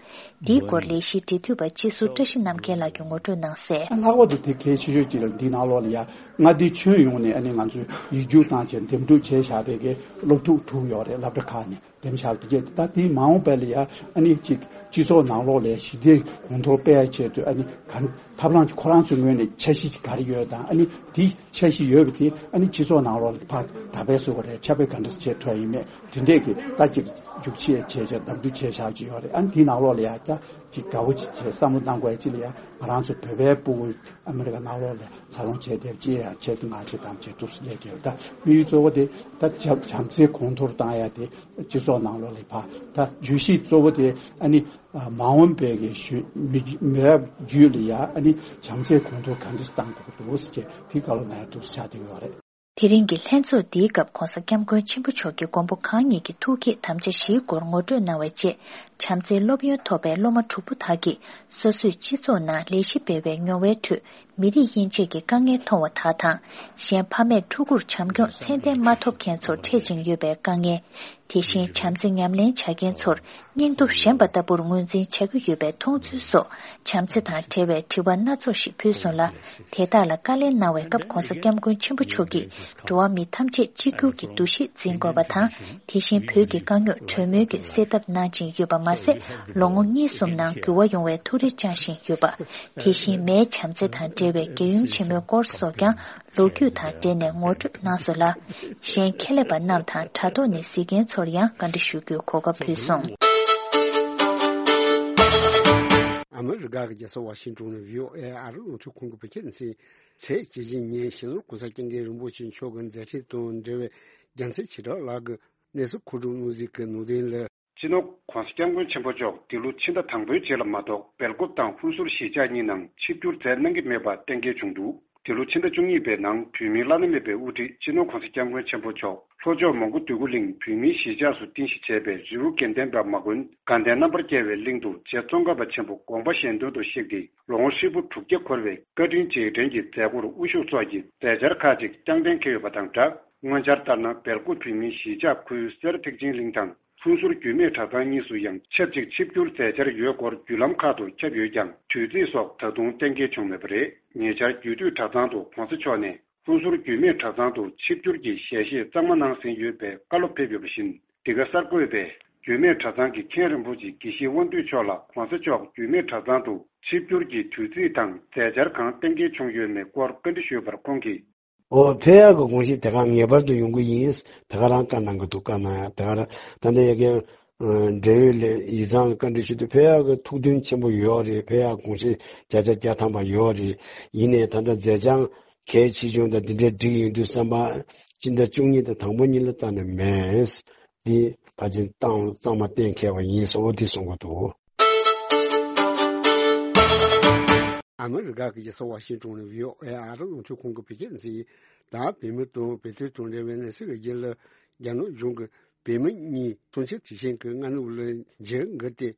འདིའི་སྐོར་ལས་གཞིའི་འབྲེལ་མཐུད་པ་སྤྱི་ཟུར་བཀྲ་ཤིས་རྣམ་རྒྱལ་ལགས་ཀྱིས་ངོ་སྤྲོད་གནང་གསལ། ལྷག་པར་དུ་དེ་གལ་ཆེ་ཤོས་གཅིག་ལ་འདི་ནང་ལོགས་ལ་ཡ་མངའ་སྡེ་ཁྱོན་ཡོངས་ནས་ཨ་ནི་ང་ཚོས་ཡིག་རྒྱུགས་བཏང་བྱས་འདེམས་སྒྲུག་བྱས་བཞག་པའི་གི་སློབ་ཕྲུག་དྲུག་ཡོད་རེད། སློབ་གྲྭ་ཁག་ནས་འདེམས་བཞག་དེ་གས་ད་དེའི་མ་འོངས་པ་ལ་ཡ་ཨ་ནི་གཅིག་སྤྱི་ཚོགས་ནང་ལོགས་ལ་ཞི་བདེ་གོང་མཐོར་སྤེལ་ཡ་ཆེད་དུ་ཨ་ནི་ག་ཐབས་ལམ་གཅིག་ཁོ་རང་ཚོའི་ངོས་ནས་འཆར་གཞི་གཅིག་ག་རེ་ཡོད་དང་ཨ་ནི་དེ་འཆར་གཞི་ཡོད་པ་དེ་ཨ་ནི་སྤྱི་ཚོགས་ནང་ལོགས་ལ་ཕར་དར་སྤེལ་བཟོ་བ་རེད། ཁྱབ་སྤེལ་ག་འདྲ་བྱེད་ཐུབ་ཡ་ཡིན་མེད་དེ་འདྲས་ཀྱི་ད་ཅིག་རྒྱུགས་ཆེ་བྱས་བྱས་འདེམས་སྒྲུག་བྱས་བཞག་ཅིག་ཡོད་རེད། ཨ་ནི་དེའི་ནང་ལོགས་ལ་ཡ་ད་ཅིག་དགའ་བོ་ཅིག་བྱས་བསམ་བློ་གཏང་དགོས་ཡ་ཅིག་ལ་ཡ་ང་རང་ཚོ་བོད་པའི་སྤུ་གུ་ཨ་མི་རི་ཀ་ནང་ལོགས་ལ་འཚར་ལོངས་བྱས་ཏེ་ཅི་ཡ་ཆེད་དུ་ང་ཆེད་དམ་བྱེད་ཐུབ་སུ་ལས་ཀྱི་ཡོད། ད་དམིགས་ཡུལ་གཙོ་བོ་དེ་ད་བྱམས་བྱམས་བརྩེ་གོང་མཐོར་བཏང་ཡ་དེ་སྤྱི་ཚོགས་ནང་ལོགས་ལ་ཕར་ད་བརྗོད་གཞི་གཙོ་བོ་དེ་ཨ་ནི་མ་འོངས་པའི་གི་ཞུ་མི་མི་རབས་རྒྱུད་ལ་ཡ་ཨ་ནི་བྱམས་བརྩེ་གོང་མཐོར་ག་འདྲ་བཏང་དགོས་འདུག་ཟེར་གྱི་དེ་ག་ལོ་ནས་འདུག་ཆགས་བསྡད་ཡོད་རེད། དེ་རིང་གི་ལྷན་ཚོགས་འདིའི་སྐབས་༧གོང་ས་༧སྐྱབས་མགོན་ཆེན་པོ་མཆོག་གིས་མགོན་པོ་གང་ཉིད་ཀྱི་ཐུགས་བསྐྱེད་དམ་བཅའ་བཞིའི་སྐོར་ངོ་སྤྲོད་གནང་བའི་རྗེས། བྱམས་བརྩེའི་སློབ་ཡོན་ཐོབ་པའི་སློབ་མ་དྲུག་པོ་དག་གིས་སོ་སོའི་སྤྱི་ཚོགས་ནང་ལས་གཞི་སྤེལ་བའི་མྱོང་བའི་ཁྲོད་མི་རིགས་དབྱེ་འབྱེད་ཀྱི་དཀའ་ངལ་མཐོང་བ་དག་དང་། གཞན་ཕ་མས་ཕྲུ་གུར་བྱམས་སྐྱོང་ཚད་ལྡན་མ་ཐོབ་མཁན་ཚོར་འཕྲད་ཅིང་ཡོད་པའི་དཀའ་ངལ། དེ་བཞིན་བྱམས་བརྩེ་ཉམས་ལེན་བྱ་མཁན་ཚོར་སྙིང་སྟོབས་ཞན་པ་ལྟ་བུར་ངོས་འཛིན་བྱ་གི་ཡོད་པའི་མཐོང་ཚུལ་སོགས་བྱམས་བརྩེ་དང་འབྲེལ་བའི་དྲི་བ་སྣ་ཚོགས་ཤིག་ཕུལ་སོང་ལ། དེ་དག་ལ་བཀའ་ལན་གནང་བའི་སྐབས་༧གོང་ས་༧སྐྱབས་མགོན་ཆེན་པོ་མཆོག་གིས་འགྲོ་བ་མི་ཐམས་ཅད་གཅིག་གྱུར་གྱི་འདུ་ཤེས་འཛིན་དགོས་པ་དང་། དེ་བཞིན་བོད་ཀྱི་དཀའ་རྙོག་གྲོས་མོལ་གྱིས་སེལ་ཐབས་གནང་བཞིན་ཡོད་པ་མ་ཟད། ལོ་ངོ་གཉིས་གསུམ་ནང་འགྱུར་བ་ཡོང་བའི་ཐུགས་རེ་བཅངས་བཞིན་ཡོད་པ། དེ་བཞིན་མའི་བྱམས་བརྩེ་དང་འབྲེལ་བའི་རྒྱལ་ཡུམ་ཆེན་མོའི་སྐོར་སོགས་ཀྱང་ལོ་རྒྱུས་དང་འབྲེལ་ནས་ངོ་སྤྲོད་གནང་སོང་ལ། གཞན་ཁྱད་ལས་པ་རྣམས་དང་དྲ་ཐོག་ནས་གཟིགས་མཁན་ཚོར་ཡང་བཀའ་འདྲི་ཞུ་རྒྱུའི་གོ་སྐབས་ཕུལ་སོང་། ཨ་མི་རི་ཀ་གི་རྒྱལ་ས་ཝ་ཤིང་ཏོན་ནས་བྷི་ཨོ་ཨེ་ཨ་རི་རླུང་འཕྲིན་ཁང་གི་བོད་སྐད་སྡེ་ཚན་གྱི་དྲ་ལམ་ཉན་ཞིང་། ལོ་༧གོང་ས་༧སྐྱབས་མགོན་རིན་པོ་ཆེ་མཆོག་གི་མཛད་འཕྲིན་དང་འབྲེལ་བའི་རྒྱལ་མཚན་ཆོས་གྲགས་ལགས་ཀྱིས་གནས་ཚུལ་མཁོ་སྒྲུབ་གནང་གཟིགས་ཀྱི་ནང་དོན་ལ། སྤྱི་ནོར་༧གོང་ས་༧སྐྱབས་མགོན་ཆེན་པོ་མཆོག་འདི་ལོ་ཕྱི་ཟླ་དང་པོའི་རྗེས་ལ་མ་གཏོགས་སྦེལ་ཀོབ་དང་ཧུན་སུར་གཞིས་ཆགས་གཉིས་ནང་ཆིབས་བསྒྱུར་མཛད་གནང་གི་མེད་པ་གཏན་འཁེལ་བྱུང་འདུག། འདི་ལོ་ཕྱི་ཟླ་བཅུ་གཉིས་པའི་ནང་བོད་མིའི་བླ་ན་མེད་པའི་དབུ་ཁྲིད་སྤྱི་ནོར་༧གོང་ས་༧སྐྱབས་མགོན་ཆེན་པོ་མཆོག་ལྷོ་ཕྱོགས་མོན་གྷོ་འདོད་རྒུ་གླིང་བོད་མིའི་གཞིས་ཆགས་སུ་རྟེན་གཞི་བྱས་པའི་རི་བོ་དགེ་ལྡན་པ་མ་དགོན་དགའ་ལྡན་རྣམ་པར་རྒྱལ་བའི་གླིང་དུ་རྗེ་ཙོང་ཁ་པ་ཆེན་པོ་དགོངས་པ་གཞན་དོན་དུ་གཤེགས་ཏེ་ལོ་ངོ་ཧྲིལ་པོ་དྲུག་བརྒྱ་འཁོར་བའི་བཀའ་དྲིན་རྗེས་དྲན་གྱི་མཛད་སྒོར་དབུ་བཞུགས་སོགས་ཀྱི་མཛད་འཆར་ཁག་ཅིག་བསྐྱངས་གཏན་འཁེལ་ཡོད་པ་དང་སྦྲགས། སྔོན་འཆར་ལྟར་ན་སྦེལ་ཀོབ་བོད་མིའི་གཞིས་ཆགས་ཁུལ་སེར་ཐེག་ཆེན་གླིང་དང་ཧུན་སུར་རྒྱུད་སྨད་གྲྭ་ཚང་གཉིས་སུ་ཡང་ཆབས་ཅིག་ཆིབས་བསྒྱུར་མཛད་འཆར་ཡོད་སྐོར་བརྒྱུད་ལམ་ཁག་ཏུ་ཁྱབ་ཡོད་ཀྱང་དུས་ཚིགས་སོགས་ད་དུང་གཏན་འཁེལ་བྱུང་མེད་པ་རེད། ཉེ་ཆར་རྒྱུད་སྟོད་གྲྭ་ཚང་དུ་༧གོང་ས་མཆོག་ནས་ཧུན་སུར་རྒྱུད་སྨད་གྲྭ་ཚང་དུ་ཆིབས་བསྒྱུར་གྱི་ཞལ་བཞེས་གཙང་མ་གནང་ཟིན་ཡོད་པའི་བཀའ་སློབ་ཕེབས་ཡོད་པ་བཞིན། འདི་ག་གསར་འགོད་པས་རྒྱུད་སྨད་གྲྭ་ཚང་གི་མཁན་རིན་པོ་ཆེ་དགེ་བཤེས་དབང་འདུས་མཆོག་ལ་༧གོང་ས་མཆོག་རྒྱུད་སྨད་གྲྭ་ཚང་དུ་ཆིབས་བསྒྱུར་གྱི་དུས་ཚིགས་དང་མཛད་འཆར་གང་གཏན་འཁེལ་བྱུང་ཡོད་མེད་སྐོར་བཀའ་འདྲི་ཞུས་པར་ཁོང་གིས། ཨོ་ཕེབས་ཡག་གི་དགོངས་གཞི་དེ་ག་ངེས་པར་དུ་ཡོང་གི་ཡིན། དེ་ག་རང་བཀའ་གནང་གི་འདུག། བཀའ་གནང་ཡག་དེ་ག་རང་ད་ལྟ་ཡ་གི་འབྲེལ་ཡོད་ལས་ཡིག་ཚང་ལ་བཀའ་འདྲི་ཞུས་དུས་ཕེབས་ཡག་གི་ཐུགས་འདུན་ཆེན་པོ་ཡོད་རེད། ཕེབས་ཡག་དགོངས་གཞི་བརྒྱ་ཆ་བརྒྱ་ཐམ་པ་ཡོད་རེད། ཡིན་ནའི་ད་ལྟ་མཛད་བྱང་གལ་ཆེ་ཆུང་དང་འདི་འདྲའི་སྒྲིག་ཡོང་དུས་བསམ་པ་སྤྱི་ཟླ་བཅུ་གཉིས་དང་དང་པོ་གཉིས་ལ་རྩ་ནས་མེད། འདི་ཕལ་ཆེར་གཙང་གཙང་མ་གཏན་འཁེལ་བ་ཡིན་སོགས་འདི་གསུང་གི་འདུག། ཨ་མི་རི་ཀ་གི་རྒྱལ་ས་ཝ་ཤིང་ཏོན་ནས་བྷི་ཨོ་ཨེ་ཨ་རི་རླུང་འཕྲིན་ཁང་གི་བོད་སྐད་སྡེ་ཚན་ཡིན། ད་བོད་མི་དང་བོད་དོན་དང་འབྲེལ་བའི་གནས་ཚུལ་གྱི་རྒྱུན་ལ། རྒྱ་ནག་གཞུང་གིས་བོད་མི་གཉིས་གསུམ་ཆ་དེ་བཞིན་གྱི་སྔ་ནུབ་ལ་འཇིགས་འགུལ་ཏེ་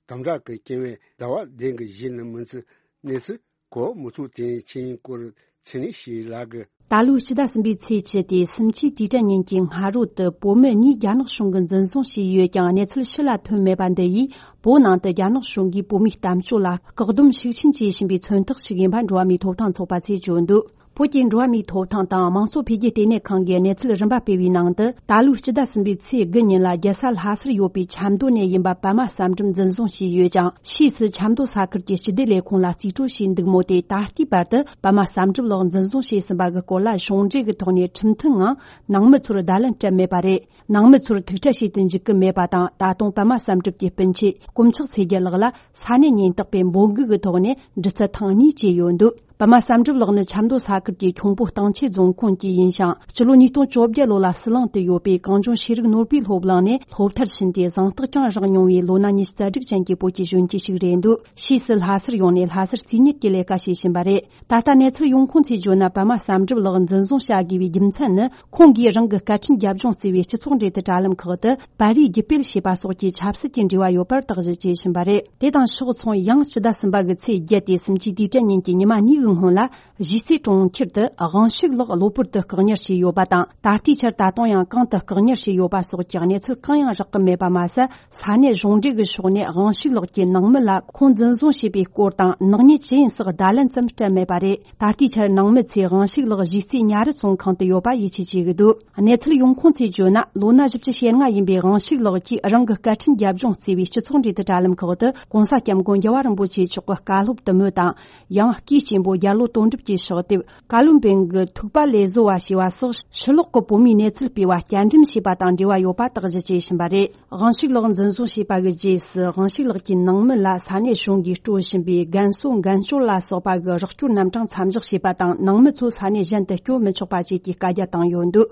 དམ་དྲག་གི་རྐྱེན་བས་ཟླ་བ་བདུན་གྱི་གཞི་ནས་མི་ཚེ་གནས་ཚུལ་གོ་མི་ཐུབ་དེ་ཕྱིན་སྐོར་ཚེ་ནི་ཞིག་ལ་གི། ད་ལོའི་སྤྱི་ཟླ་གསུམ་པའི་ཚེས་བཅུ་སྟེ་སུམ་ཅུའི་དུས་དྲན་ཉིན་གྱི་སྔ་དྲོ་དུ་བོད་མི་གཉིས་རྒྱ་ནག་གཞུང་གིས་འཛིན་བཟུང་བྱས་ཡོད་ཀྱང་གནས་ཚུལ་ཕྱི་ལ་ཐོན་མེད་པ་འདི་ཡིས་བོད་ནང་དུ་རྒྱ་ནག་གཞུང་གིས་བོད་མིའི་གཏམ་སྤྱོད་ལ་བཀག་སྡོམ་ཤུགས་ཆེན་བྱེད་བཞིན་པའི་མཚོན་རྟགས་ཤིག་ཡིན་པ་འགྲོ་བ་མིའི་ཐོབ་ཐང་ཚོགས་པ་ཚོས་བརྗོད་འདུག། བོད་ཀྱི་འགྲོ་བ་མིའི་ཐོབ་ཐང་དང་དམངས་གཙོ་འཕེལ་རྒྱས་ལྟེ་གནས་ཁང་གིས་གནས་ཚུལ་རིམ་པ་སྤེལ་བའི་ནང་དུ། ད་ལོའི་སྤྱི་ཟླ་གསུམ་པའི་ཚེས་དགུ་ཉིན་ལ་རྒྱལ་ས་ལྷ་སར་ཡོད་པའི་ཆབ་མདོ་ནས་ཡིན་པ་པདྨ་བསམ་གྲུབ་འཛིན་བཟུང་བྱས་ཡོད་ཅིང་། ཕྱིས་སུ་ཆབ་མདོ་ས་ཁུལ་གྱི་སྤྱི་བདེ་ལས་ཁུངས་ལ་རྩིས་སྤྲོད་བྱས་འདུག་མོད། དེ་ད་ལྟའི་བར་དུ་པདྨ་བསམ་གྲུབ་ལགས་འཛིན་བཟུང་བྱས་ཟིན་པ་གི་སྐོར་ལ་གཞུང་འབྲེལ་གྱི་ཐོག་ནས་ཁྲིམས་མཐུན་ངང་ནང་མི་ཚོར་བརྡ་ལན་སྤྲད་མེད་པ་རེད། ནང་མི་ཚོར་ཐུག་འཕྲད་བྱེད་དུ་འཇུག་གི་མེད་པ་དང་། ད་དུང་པདྨ་བསམ་གྲུབ་ཀྱི་སྤུན་མཆེད་དཀོན་མཆོག་ཚེ་རྒྱལ་ལགས་ལ་ས་གནས་ཉེན་རྟོག་པས་འབོད་འགུག་གི་ཐོག་ནས་འདྲི་རྩད་ཐེངས་གཉིས་བྱས་ཡོད་འདུག། པདྨ་བསམ་གྲུབ་ལགས་ནི་ཆབ་མདོ་ས་ཁུལ་གྱི་ཁྱུང་པོ་སྟེང་ཆེན་རྫོང་ཁོངས་ཀྱི་ཡིན་ཞིང་། སྤྱི་ལོ་ཉིས་སྟོང་བཅོ་བརྒྱད་ལོ་ལ་ཟི་ལིང་དུ་ཡོད་པའི་གངས་ལྗོངས་ཤེས་རིག་ནོར་བུའི་སློབ་གླིང་ནས་སློབ་མཐར་ཕྱིན་ཏེ་གཟེངས་རྟགས་ཀྱང་བཞག་མྱོང་བའི་ལོ་ན་ཉི་ཤུ་རྩ་དྲུག་ཅན་གྱི་བོད་ཀྱི་གཞོན་སྐྱེས་ཤིག་རེད་འདུག་ཕྱིས་སུ་ལྷ་སར་ཡོང་ནས་ལྷ་སར་རྩིས་གཉེར་གྱི་ལས་ཀ་བྱེད་བཞིན་པ་རེད། ད་ལྟ་གནས་ཚུལ་ཡོང་ཁུངས་ཚོས་བརྗོད་ན། པདྨ་བསམ་གྲུབ་ལགས་འཛིན་བཟུང་བྱ་དགོས་པའི་རྒྱུ་མཚན་ནི། ཁོང་གིས་རང་གི་སྐད་འཕྲིན་རྒྱབ་ལྗོངས་བརྩི་བའི་སྤྱི་ཚོགས་འབྲེལ་མཐུད་དྲ་ལམ་ཁག་ཏུ་པར་རིས་བརྒྱུད་སྤེལ་བྱས་པ་སོགས་ཀྱི་ཆབ་སྲིད་ཀྱི་འབྲེལ་བ་ཡོད་པར་དག་གཞི་བྱས་བཞིན་པ་རེད། དེ་དང་ཕྱོགས་མཚུངས། ཡང་སྤྱི་ཟླ་གསུམ་པ་གི་ཚེས་བརྒྱད་དེ་སུམ་ཅུའི་དུས་དྲན་ཉིན་གྱི་ཉི་མ་གཉིས་ཀྱི་སྔོན་ལ། གཞིས་རྩེ་གྲོང་ཁྱེར་དུ་དབང་ཕྱུག་ལགས་གློ་བུར་དུ་བཀག་ཉར་བྱས་ཡོད་པ་དང་། ད་ལྟའི་ཆར་ད་དུང་ཡང་གང་དུ་བཀག་ཉར་བྱས་ཡོད་པ་སོགས་ཀྱི་གནས་ཚུལ་གང་ཡང་རག་གི་མེད་པ་མ་ཟད། ས་གནས་གཞུང་འབྲེལ་གྱི་ཕྱོགས་ནས་དབང་ཕྱུག་ལགས་ཀྱི་ནང་མི་ལ་ཁོང་འཛིན་བཟུང་བྱས་པའི་སྐོར་དང་། ནག་ཉེས་ཇི་ཡིན་སོགས་བརྡ་ལན་ཙམ་སྤྲད་མེད་པ་རེད། ད་ལྟའི་ཆར་ནང་མི་ཚོས་དབང་ཕྱུག་ལགས་གཞིས་རྩེ་ཉ་རི་བཙོན་ཁང་དུ་ཡོད་པ་ཡིད་ཆེས་བྱེད་ཀྱི་འདུག་གནས་ཚུལ་ཡོང་ཁུངས་ཚོས་བརྗོད་ན། ལོ་ན་བཞི་བཅུ་ཞེ་ལྔ་ཡིན་པའི་དབང་ཕྱུག་ལགས་ཀྱིས་རང་གི་སྐད་འཕྲིན་རྒྱབ་ལྗོངས་བརྩི་བའི་སྤྱི་ཚོགས་འབྲེལ་མཐུད་དྲ་ལམ་ཁག་ཏུ་༸གོང་ས་༸སྐྱབས་མགོན་རྒྱལ་བ་རིན་པོ་ཆེ་མཆོག་གི་བཀའ་སློབ་དུ་མོ་དང་། ཡང་སྐུའི་གཅེན་པོ་རྒྱལ་ལོ་དོན་གྲུབ་ཀྱི་ཕྱག་དེབ། བཀའ་བློན་སྦན་གྱི་ཐུག་པ་ལས་བཟོ་བ་ཞེས་པ་སོགས་ཕྱི་ལོགས་ཀྱི་བོད་མིའི་གནས་ཚུལ་སྤེལ་བ་བསྐྱར་འགྲེམས་བྱས་པ་དང་འབྲེལ་བ་ཡོད་པ་དག་གཞི་བྱས་བཞིན་པ་རེད། དབང་ཕྱུག་ལགས་འཛིན་བཟུང་བྱས་པ་གི་རྗེས་སུ། དབང་ཕྱུག་ལགས་ཀྱི་ནང་མི་ལ་ས་གནས་གཞུང་གིས་སྤྲོད་བཞིན་པའི་རྒན་གསོ་འགན་སྐྱོར་ལ་སོགས་པ་གི་རོགས་སྐྱོར་རྣམ་གྲངས་མཚམས་འཇོག་བྱས་པ་དང་། ནང་མི་ཚོ་ས་གནས་གཞན་དུ་སྐྱོད་མི་ཆོག་པ་བཅས་ཀྱི་བཀའ་རྒྱ་བཏང་ཡོད་འདུག་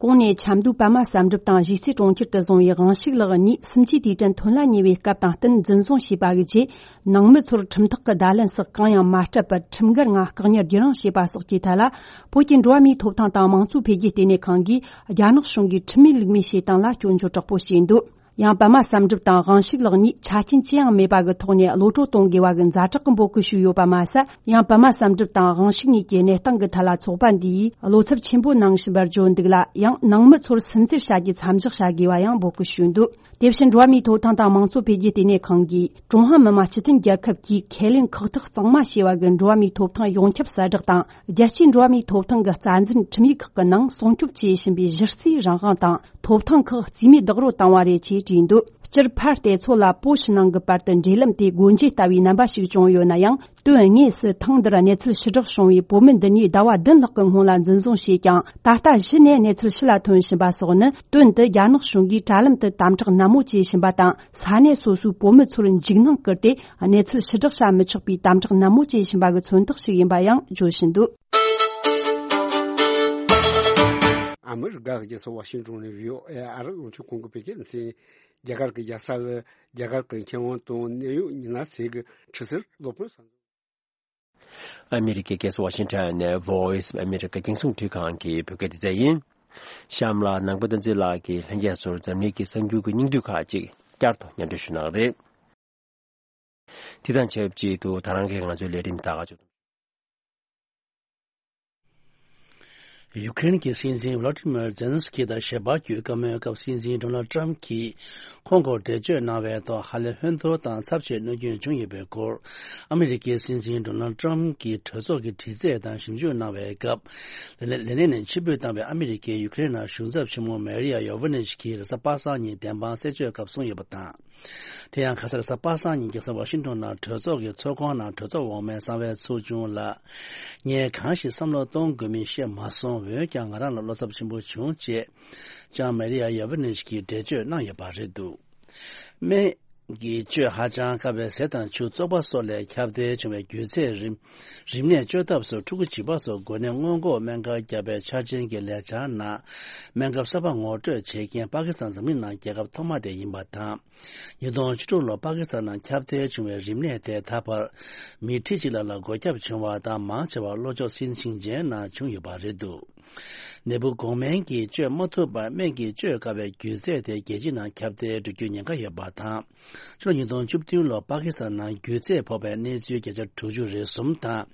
གོང་ནས་ཆབ་མདོའི་པདྨ་བསམ་གྲུབ་དང་གཞིས་རྩེ་གྲོང་ཁྱེར་དུ་བཟུང་བའི་དབང་ཕྱུག་ལགས་གཉིས་སུམ་ཅུའི་དུས་དྲན་ཐོན་ལ་ཉེ་བའི་སྐབས་དང་བསྟུན་འཛིན་བཟུང་བྱས་པ་གི་རྗེས། ནང་མི་ཚོར་ཁྲིམས་ཐག་གི་བརྡ་ལན་སོགས་གང་ཡང་མ་སྤྲད་པར། ཁྲིམས་འགལ་ངང་བཀག་ཉར་བརྒྱུད་རིམ་བྱས་པ་སོགས་ཀྱི་ཐད་ལ། བོད་ཀྱི་འགྲོ་བ་མིའི་ཐོབ་ཐང་དང་མང་གཙོ་འཕེལ་རྒྱས་ལྟེ་གནས་ཁང་གིས་རྒྱ་ནག་གཞུང་གིས་ཁྲིམས་མེད་ལུགས་མེད་བྱེད་སྟངས་ལ་སྐྱོན་བརྗོད་དྲག་པོ་བྱས་འདུག་ཡང་པདྨ་བསམ་གྲུབ་དང་དབང་ཕྱུག་ལགས་གཉིས་ཆ་རྐྱེན་ཅི་ཡང་མེད་པ་གི་ཐོག་ནས་གློད་གྲོལ་གཏོང་དགོས་པ་གི་ཛ་དྲག་གི་འབོད་སྐུལ་ཞུས་ཡོད་པ་མ་ཟད། ཡང་པདྨ་བསམ་གྲུབ་དང་དབང་ཕྱུག་གཉིས་ཀྱི་གནས་སྟངས་ཀྱི་ཐད་ལ་ཚོགས་པ་འདིས་བློ་འཚབ་ཆེན་པོ་གནང་བཞིན་པར་བརྗོད་འདུག་ལ། ཡང་ནང་མི་ཚོར་སུན་གཙེར་བྱ་རྒྱུ་མཚམས་འཇོག་བྱ་དགོས་པ་ཡང་འབོད་སྐུལ་ཞུས་འདུག་དེ་བཞིན་འགྲོ་བ་མིའི་ཐོབ་ཐང་དང་མང་གཙོ་འཕེལ་རྒྱས་ལྟེ་གནས་ཁང་གིས་ཀྲུང་ཧྭ་མི་དམངས་སྤྱི་མཐུན་རྒྱལ་ཁབ་ཀྱིས་ཁས་ལེན་ཁག་ཐེག་གཙང་མ་བྱས་པ་གི་འགྲོ་བ་མིའི་ཐོབ་ཐང་ཡོངས་ཁྱབ་གསལ་བསྒྲགས་དང་། རྒྱལ་སྤྱིའི་འགྲོ་བ་མིའི་ཐོབ་ཐང་གི་རྩ་འཛིན་ཁྲིམས་ཡིག་ཁག་གི་ནང་སྲུང་སྐྱོབ་བྱེད་བཞིན་པའི་གཞི་རྩའི་རང་དབང་དང་ཐོབ་ཐང་ཁག་རྩིས་མེད་རྡོག་རོལ་བཏང་བ་རེད་ཅེས་བྲིས་འདུག་སྤྱིར་ཕར་བལྟས་ཚོ་ལ་བོད་ཕྱི་ནང་གི་བར་དུ་འབྲེལ་ལམ་དེ་སྒོ་འབྱེད་ལྟ་བུའི་རྣམ་པ་ཞིག་བྱུང་ཡོད་ན་ཡང་། དོན་དངོས་སུ་ཐེངས་འདིར་གནས་ཚུལ་ཕྱིར་བསྒྲགས་བྱུང་བའི་བོད་མི་འདི་གཉིས་ཟླ་བ་བདུན་ལྷག་གི་སྔོན་ལ་འཛིན་བཟུང་བྱས་ཀྱང་། ད་ལྟ་གཞི་ནས་གནས་ཚུལ་ཕྱི་ལ་ཐོན་བཞིན་པ་སོགས་ནི། དོན་དུ་རྒྱ་ནག་གཞུང་གིས་དྲ་ལམ་དུ་དམ་དྲག་ནན་མོ་བྱེད་བཞིན་པ་དང་། ས་གནས་སོ་སོའི་བོད་མི་ཚོར་འཇིགས་སྣང་བསྐུལ་ཏེ། གནས་ཚུལ་ཕྱིར་བསྒྲགས་བྱ་མི་ཆོག་པའི་དམ་དྲག་ནན་མོ་བྱེད་བཞིན་པ་གི་མཚོན་རྟགས་ཤིག་ཡིན་པ་ཡང་བརྗོད་བཞིན་འདུག་ཨ་མི་རི་ཀ་གི་རྒྱལ་ས་ཝ་ཤིང་ཏོན་ནས་བྷི་ཨོ་ཨེ་ཨ་རི་རླུང་འཕྲིན་ཁང་གི་བོད་སྐད་སྡེ་ཚན། རྒྱ་གར་གྱི་རྒྱལ་ས་ལ་རྒྱ་གར་གྱི་མཁས་དབང་དང་གནད་ཡོད་མི་སྣ་ཚོས་ཀྱི་ཁྲི་སིར་སློབ་དཔོན་ས་མཚམས། ཨ་མི་རི་ཀའི་རྒྱལ་ས་ཝ་ཤིང་ཊོན་ནས་Voice of America་རྒྱང་སྲིང་འཕྲིན་ཁང་གི་བོད་སྐད་སྡེ་ཚན་ཡིན། གཤམ་ལ་ནང་པ་བསྟན་འཛིན་ལགས་ཀྱིས་ལྷན་རྒྱས་ཚོར་འཛམ་གླིང་གི་གསར་འགྱུར་གྱི་སྙིང་བསྡུས་ཁག་ཅིག་བསྐྱར་དུ་སྙན་སྒྲོན་ཞུ་གནང་རེད། དེ་དང་ཆབས་ཅིག་ཏུ་ད་རང་གིས་ང་ཚོའི་ལས་རིམ་ད་ག་ཅིག་ཡུ་ཀེ་རེན་གྱི་སྲིད་འཛིན་ཝ་ལ་ཏི་མིར་ཛེ་ལན་སི་ཀི་དང་ཞལ་པར་བརྒྱུད་བཀའ་མོལ་སྐབས། སྲིད་འཛིན་ཌོ་ནལ་ཏྲམ་གྱིས་ཁོང་སྐོར་འགྲེལ་བརྗོད་གནང་བའི་ཐོག་ཧ་ལས་ཧོན་ཐོར་དང་ཚབས་ཆེའི་གནོད་སྐྱོན་བྱུང་ཡོད་པའི་སྐོར། ཨ་མི་རི་ཀའི་སྲིད་འཛིན་ཌོ་ནལ་ཏྲམ་གྱིས་གྲོས་ཚོགས་ཀྱི་དྲི་རྩད་དང་ཞིབ་འཇུག་གནང་བའི་སྐབས། ལས་ལས་གནས་ནས་ཕྱིར་འབུད་བཏང་བའི་ཨ་མི་རི་ཀས་ཡུ་ཀེ་རེན་ནང་གཞུང་ཚབ་ཆེན་མོ་མེ་རི་ཡ་ཡོ་ཝེ་ནེ་ཆི་གིས་རེས་གཟའ་པ་སངས་ཉིན་བདེན་དཔང་གསལ་བརྗོད་སྐབས་གསུངས་ཡོད་པ་དང་། དེ་ཡང་ཁ་སང་རེས་གཟའ་པ་སངས་ཉིན་རྒྱལ་ས་ཝ་ཤིང་ཏོན་ནང་གྲོས་ཚོགས་ཀྱི་ཚོགས་ཁང་ནང་གྲོས་ཚོགས་འོག་མའི་གསང་བའི་ཚོགས་ཆུང་ལ། ངས་གང་ཞིག་བསམ་བློ་གཏོང་དགོས་མིན་ཤེས་མ་སོང་། འོན་ཀྱང་ང་རང་ལ་བློ་འཚབ་ཆེན་པོ་བྱུང་ཅེས་ཀྱང་མེ་རི་ཡ་ཡ་ཝེ་ནེ་ཆི་གིས་འགྲེལ་བརྗོད་གནང་ཡོད་པ་རེད་འདུག་སྨན་གྱི་བཅོས་ཧ་ཅང་དཀའ་བའི་ཟས་དང་ཆུ། བཙོག་པ་སོགས་ལས་ཁྱབ་གདལ་བྱུང་བའི་རྒྱུ་ཚད། རིམས་རིམས་ནད་བཅོས་ཐབས་སུ་ཕྲུ་གུ་བྱིས་པ་སོགས་འགོས་ནད་སྔོན་འགོག་སྨན་ཁབ་བརྒྱབ་པའི་འཆར་ཅན་གྱི་ལས་འཆར་ནང་སྨན་ཁབ་གསར་པ་ངོ་སྤྲོད་བྱེད་མཁན་པ་ཀི་སི་ཐན་འཛམ་གླིང་ནང་རྒྱལ་ཁབ་ཐོག་མ་དེ་ཡིན་པ་དང་། ཉིས་སྟོང་བཅུ་དྲུག་ལོར་པ་ཀི་སི་ཐན་ནང་ཁྱབ་གདལ་བྱུང་བའི་རིམས་ནད་དེ་ད་བར་མི་ཁྲི་གཅིག་ལྷག་ལ་འགོས་ཁྱབ་བྱུང་བ་དང་། མང་ཆེ་བ་ལྷོ་ཕྱོགས་སིན་ཞིང་ཆེན་ནང་བྱུང་ཡོད་པ་རེད་འདུག་ནད་འབུ་འགོག་སྨན་གྱིས་བཅོས་མ་ཐུབ་པར་སྨན་གྱིས་བཅོས་དཀའ་བའི་རྒྱུ་ཚད་དེ་རྒྱལ་སྤྱི་ནང་ཁྱབ་གདལ་འགྲོ་རྒྱུའི་ཉེན་ཁ་ཡོད་པ་དང་། ཕྱི་ལོ་ཉིས་སྟོང་བཅུ་བདུན་ལོར་པ་ཀི་སི་ཐན་ནང་རྒྱུ་ཚད་ཕོག་པའི་གནས་ཚུལ་བརྒྱ་ཆ་དྲུག་ཅུ་རེ་གསུམ་དང་།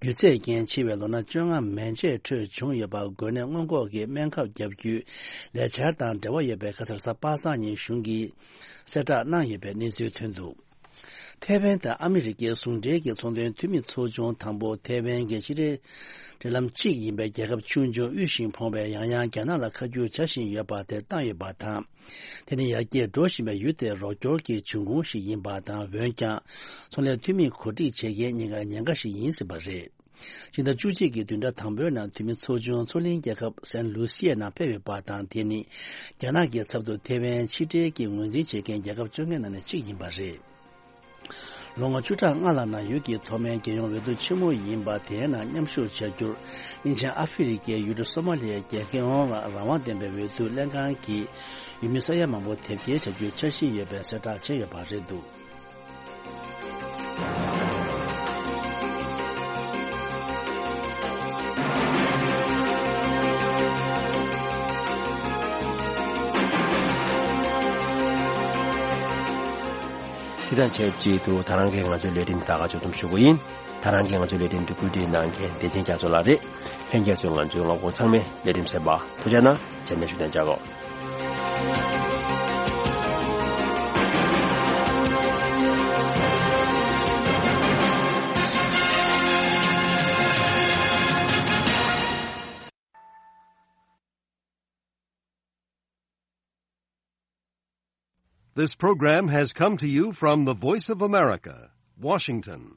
རྒྱུ་ཚད་རྐྱེན་འཆི་བའི་ལོ་ན་བཅོ་ལྔ་མན་ཆད་ཁྲོད་བྱུང་ཡོད་པ། འགོས་ནད་སྔོན་འགོག་གི་སྨན་ཁབ་བརྒྱབ་རྒྱུའི་ལས་འཆར་དང་འབྲེལ་བ་ཡོད་པའི་ཁ་སང་རེས་གཟའ་པ་སངས་ཉིན་གཞུང་གིས་གསལ་བསྒྲགས་གནང་ཡོད་པའི་གནས་ཚུལ་ཐོན་འདུག་ཐེ་ཝན་དང་ཨ་མི་རི་ཀའི་ཟུང་འབྲེལ་གྱི་ཚོང་དོན་འཐུས་མི་ཚོགས་ཆུང་དང་པོ་ཐེ་ཝན་གྱི་ཕྱི་འབྲེལ་འབྲེལ་ལམ་གཅིག་ཡིན་པའི་རྒྱལ་ཁབ་ཆུང་ཆུང་དབུལ་ཞིང་ཕོངས་པས་ཡང་ཡང་རྒྱ་ནག་ལ་ཁ་བསྒྱུར་བྱ་བཞིན་ཡོད་པ་དེ་བཏང་ཡོད་པ་དང་། དེ་ནི་ཡར་རྒྱས་འགྲོ་བཞིན་པའི་ཡུལ་དེར་རོགས་སྐྱོར་གྱི་འབྱུང་ཁུངས་ཤིག་ཡིན་པ་དང་། འོན་ཀྱང་ཚོང་ལས་འཐུས་མི་གོ་སྒྲིག་བྱེད་མཁན་གཉིས་ཀ་ཉེན་ཁ་ཞིག་ཡིན་སྲིད་པ་རེད། སྤྱི་ཟླ་བཅུ་གཅིག་གི་བདུན་ཕྲག་དང་པོའི་ནང་འཐུས་མི་ཚོགས་ཆུང་མཚོ་གླིང་རྒྱལ་ཁབ་སན་ལུ་སི་ཡའི་ནང་ཕེབས་ཡོད་པ་དང་། དེ་ནི་རྒྱ་ནག་གི་ཚབ་ཏུ་ཐེ་ཝན་ཕྱི་འབྲེལ་གྱི་ངོས་འཛིན་བྱེད་མཁན་རྒྱལ་ཁབ་བཅོ་ལྔའི་ནང་ནས་གཅིག་ཡིན་པ་རེད། ལོ་ངོ་བཅུ་ཕྲག་ལྔ་ལ་ནང་ཡུལ་གྱི་ཐོག་མའི་རྒྱལ་ཡོངས་འོས་བསྡུ་ཆེན་མོ་ཡིན་པ་དེའི་ནང་མཉམ་ཞུགས་བྱ་རྒྱུར། དབྱིན་ཇིའི་ཨ་ཧྥེ་རི་ཀའི་ཡུལ་གྲུ་སོ་མ་ལི་ཡའི་རྒྱལ་ཡོངས་རང་དབང་ལྡན་པའི་འོས་བསྡུ་ལྷན་ཁང་གིས་ཡུལ་མི་ས་ཡ་མང་པོ་དེབ་སྐྱེལ་བྱ་རྒྱུའི་འཆར་གཞི་ཡོད་པའི་གསལ་བསྒྲགས་བྱས་ཡོད་པ་རེད་འདུག། དེ་དང་ཆབས་ཅིག་ཏུ་ད་རང་གིས་ང་ཚོའི་ལས་རིམ་ད་ག་ཅོག་ཙམ་ཞུ་གི་ཡིན། ད་རང་གིས་ང་ཚོའི་ལས་རིམ་འདི་བཀོད་སྒྲིག་གནང་མཁན་བདེ་ཆེན་རྒྱ་མཚོ་ལགས་རེད། ལྷན་རྒྱས་ཚོས་ང་ཚོའི་ངག་དབང་ཚང་མའི་ལས་རིམ་གསན་པ་ཐུགས་རྗེ་གནང་། རྗེས་ནས་ཞུ་དན་བྱ་གོ། This program has come to you from the Voice of America, Washington.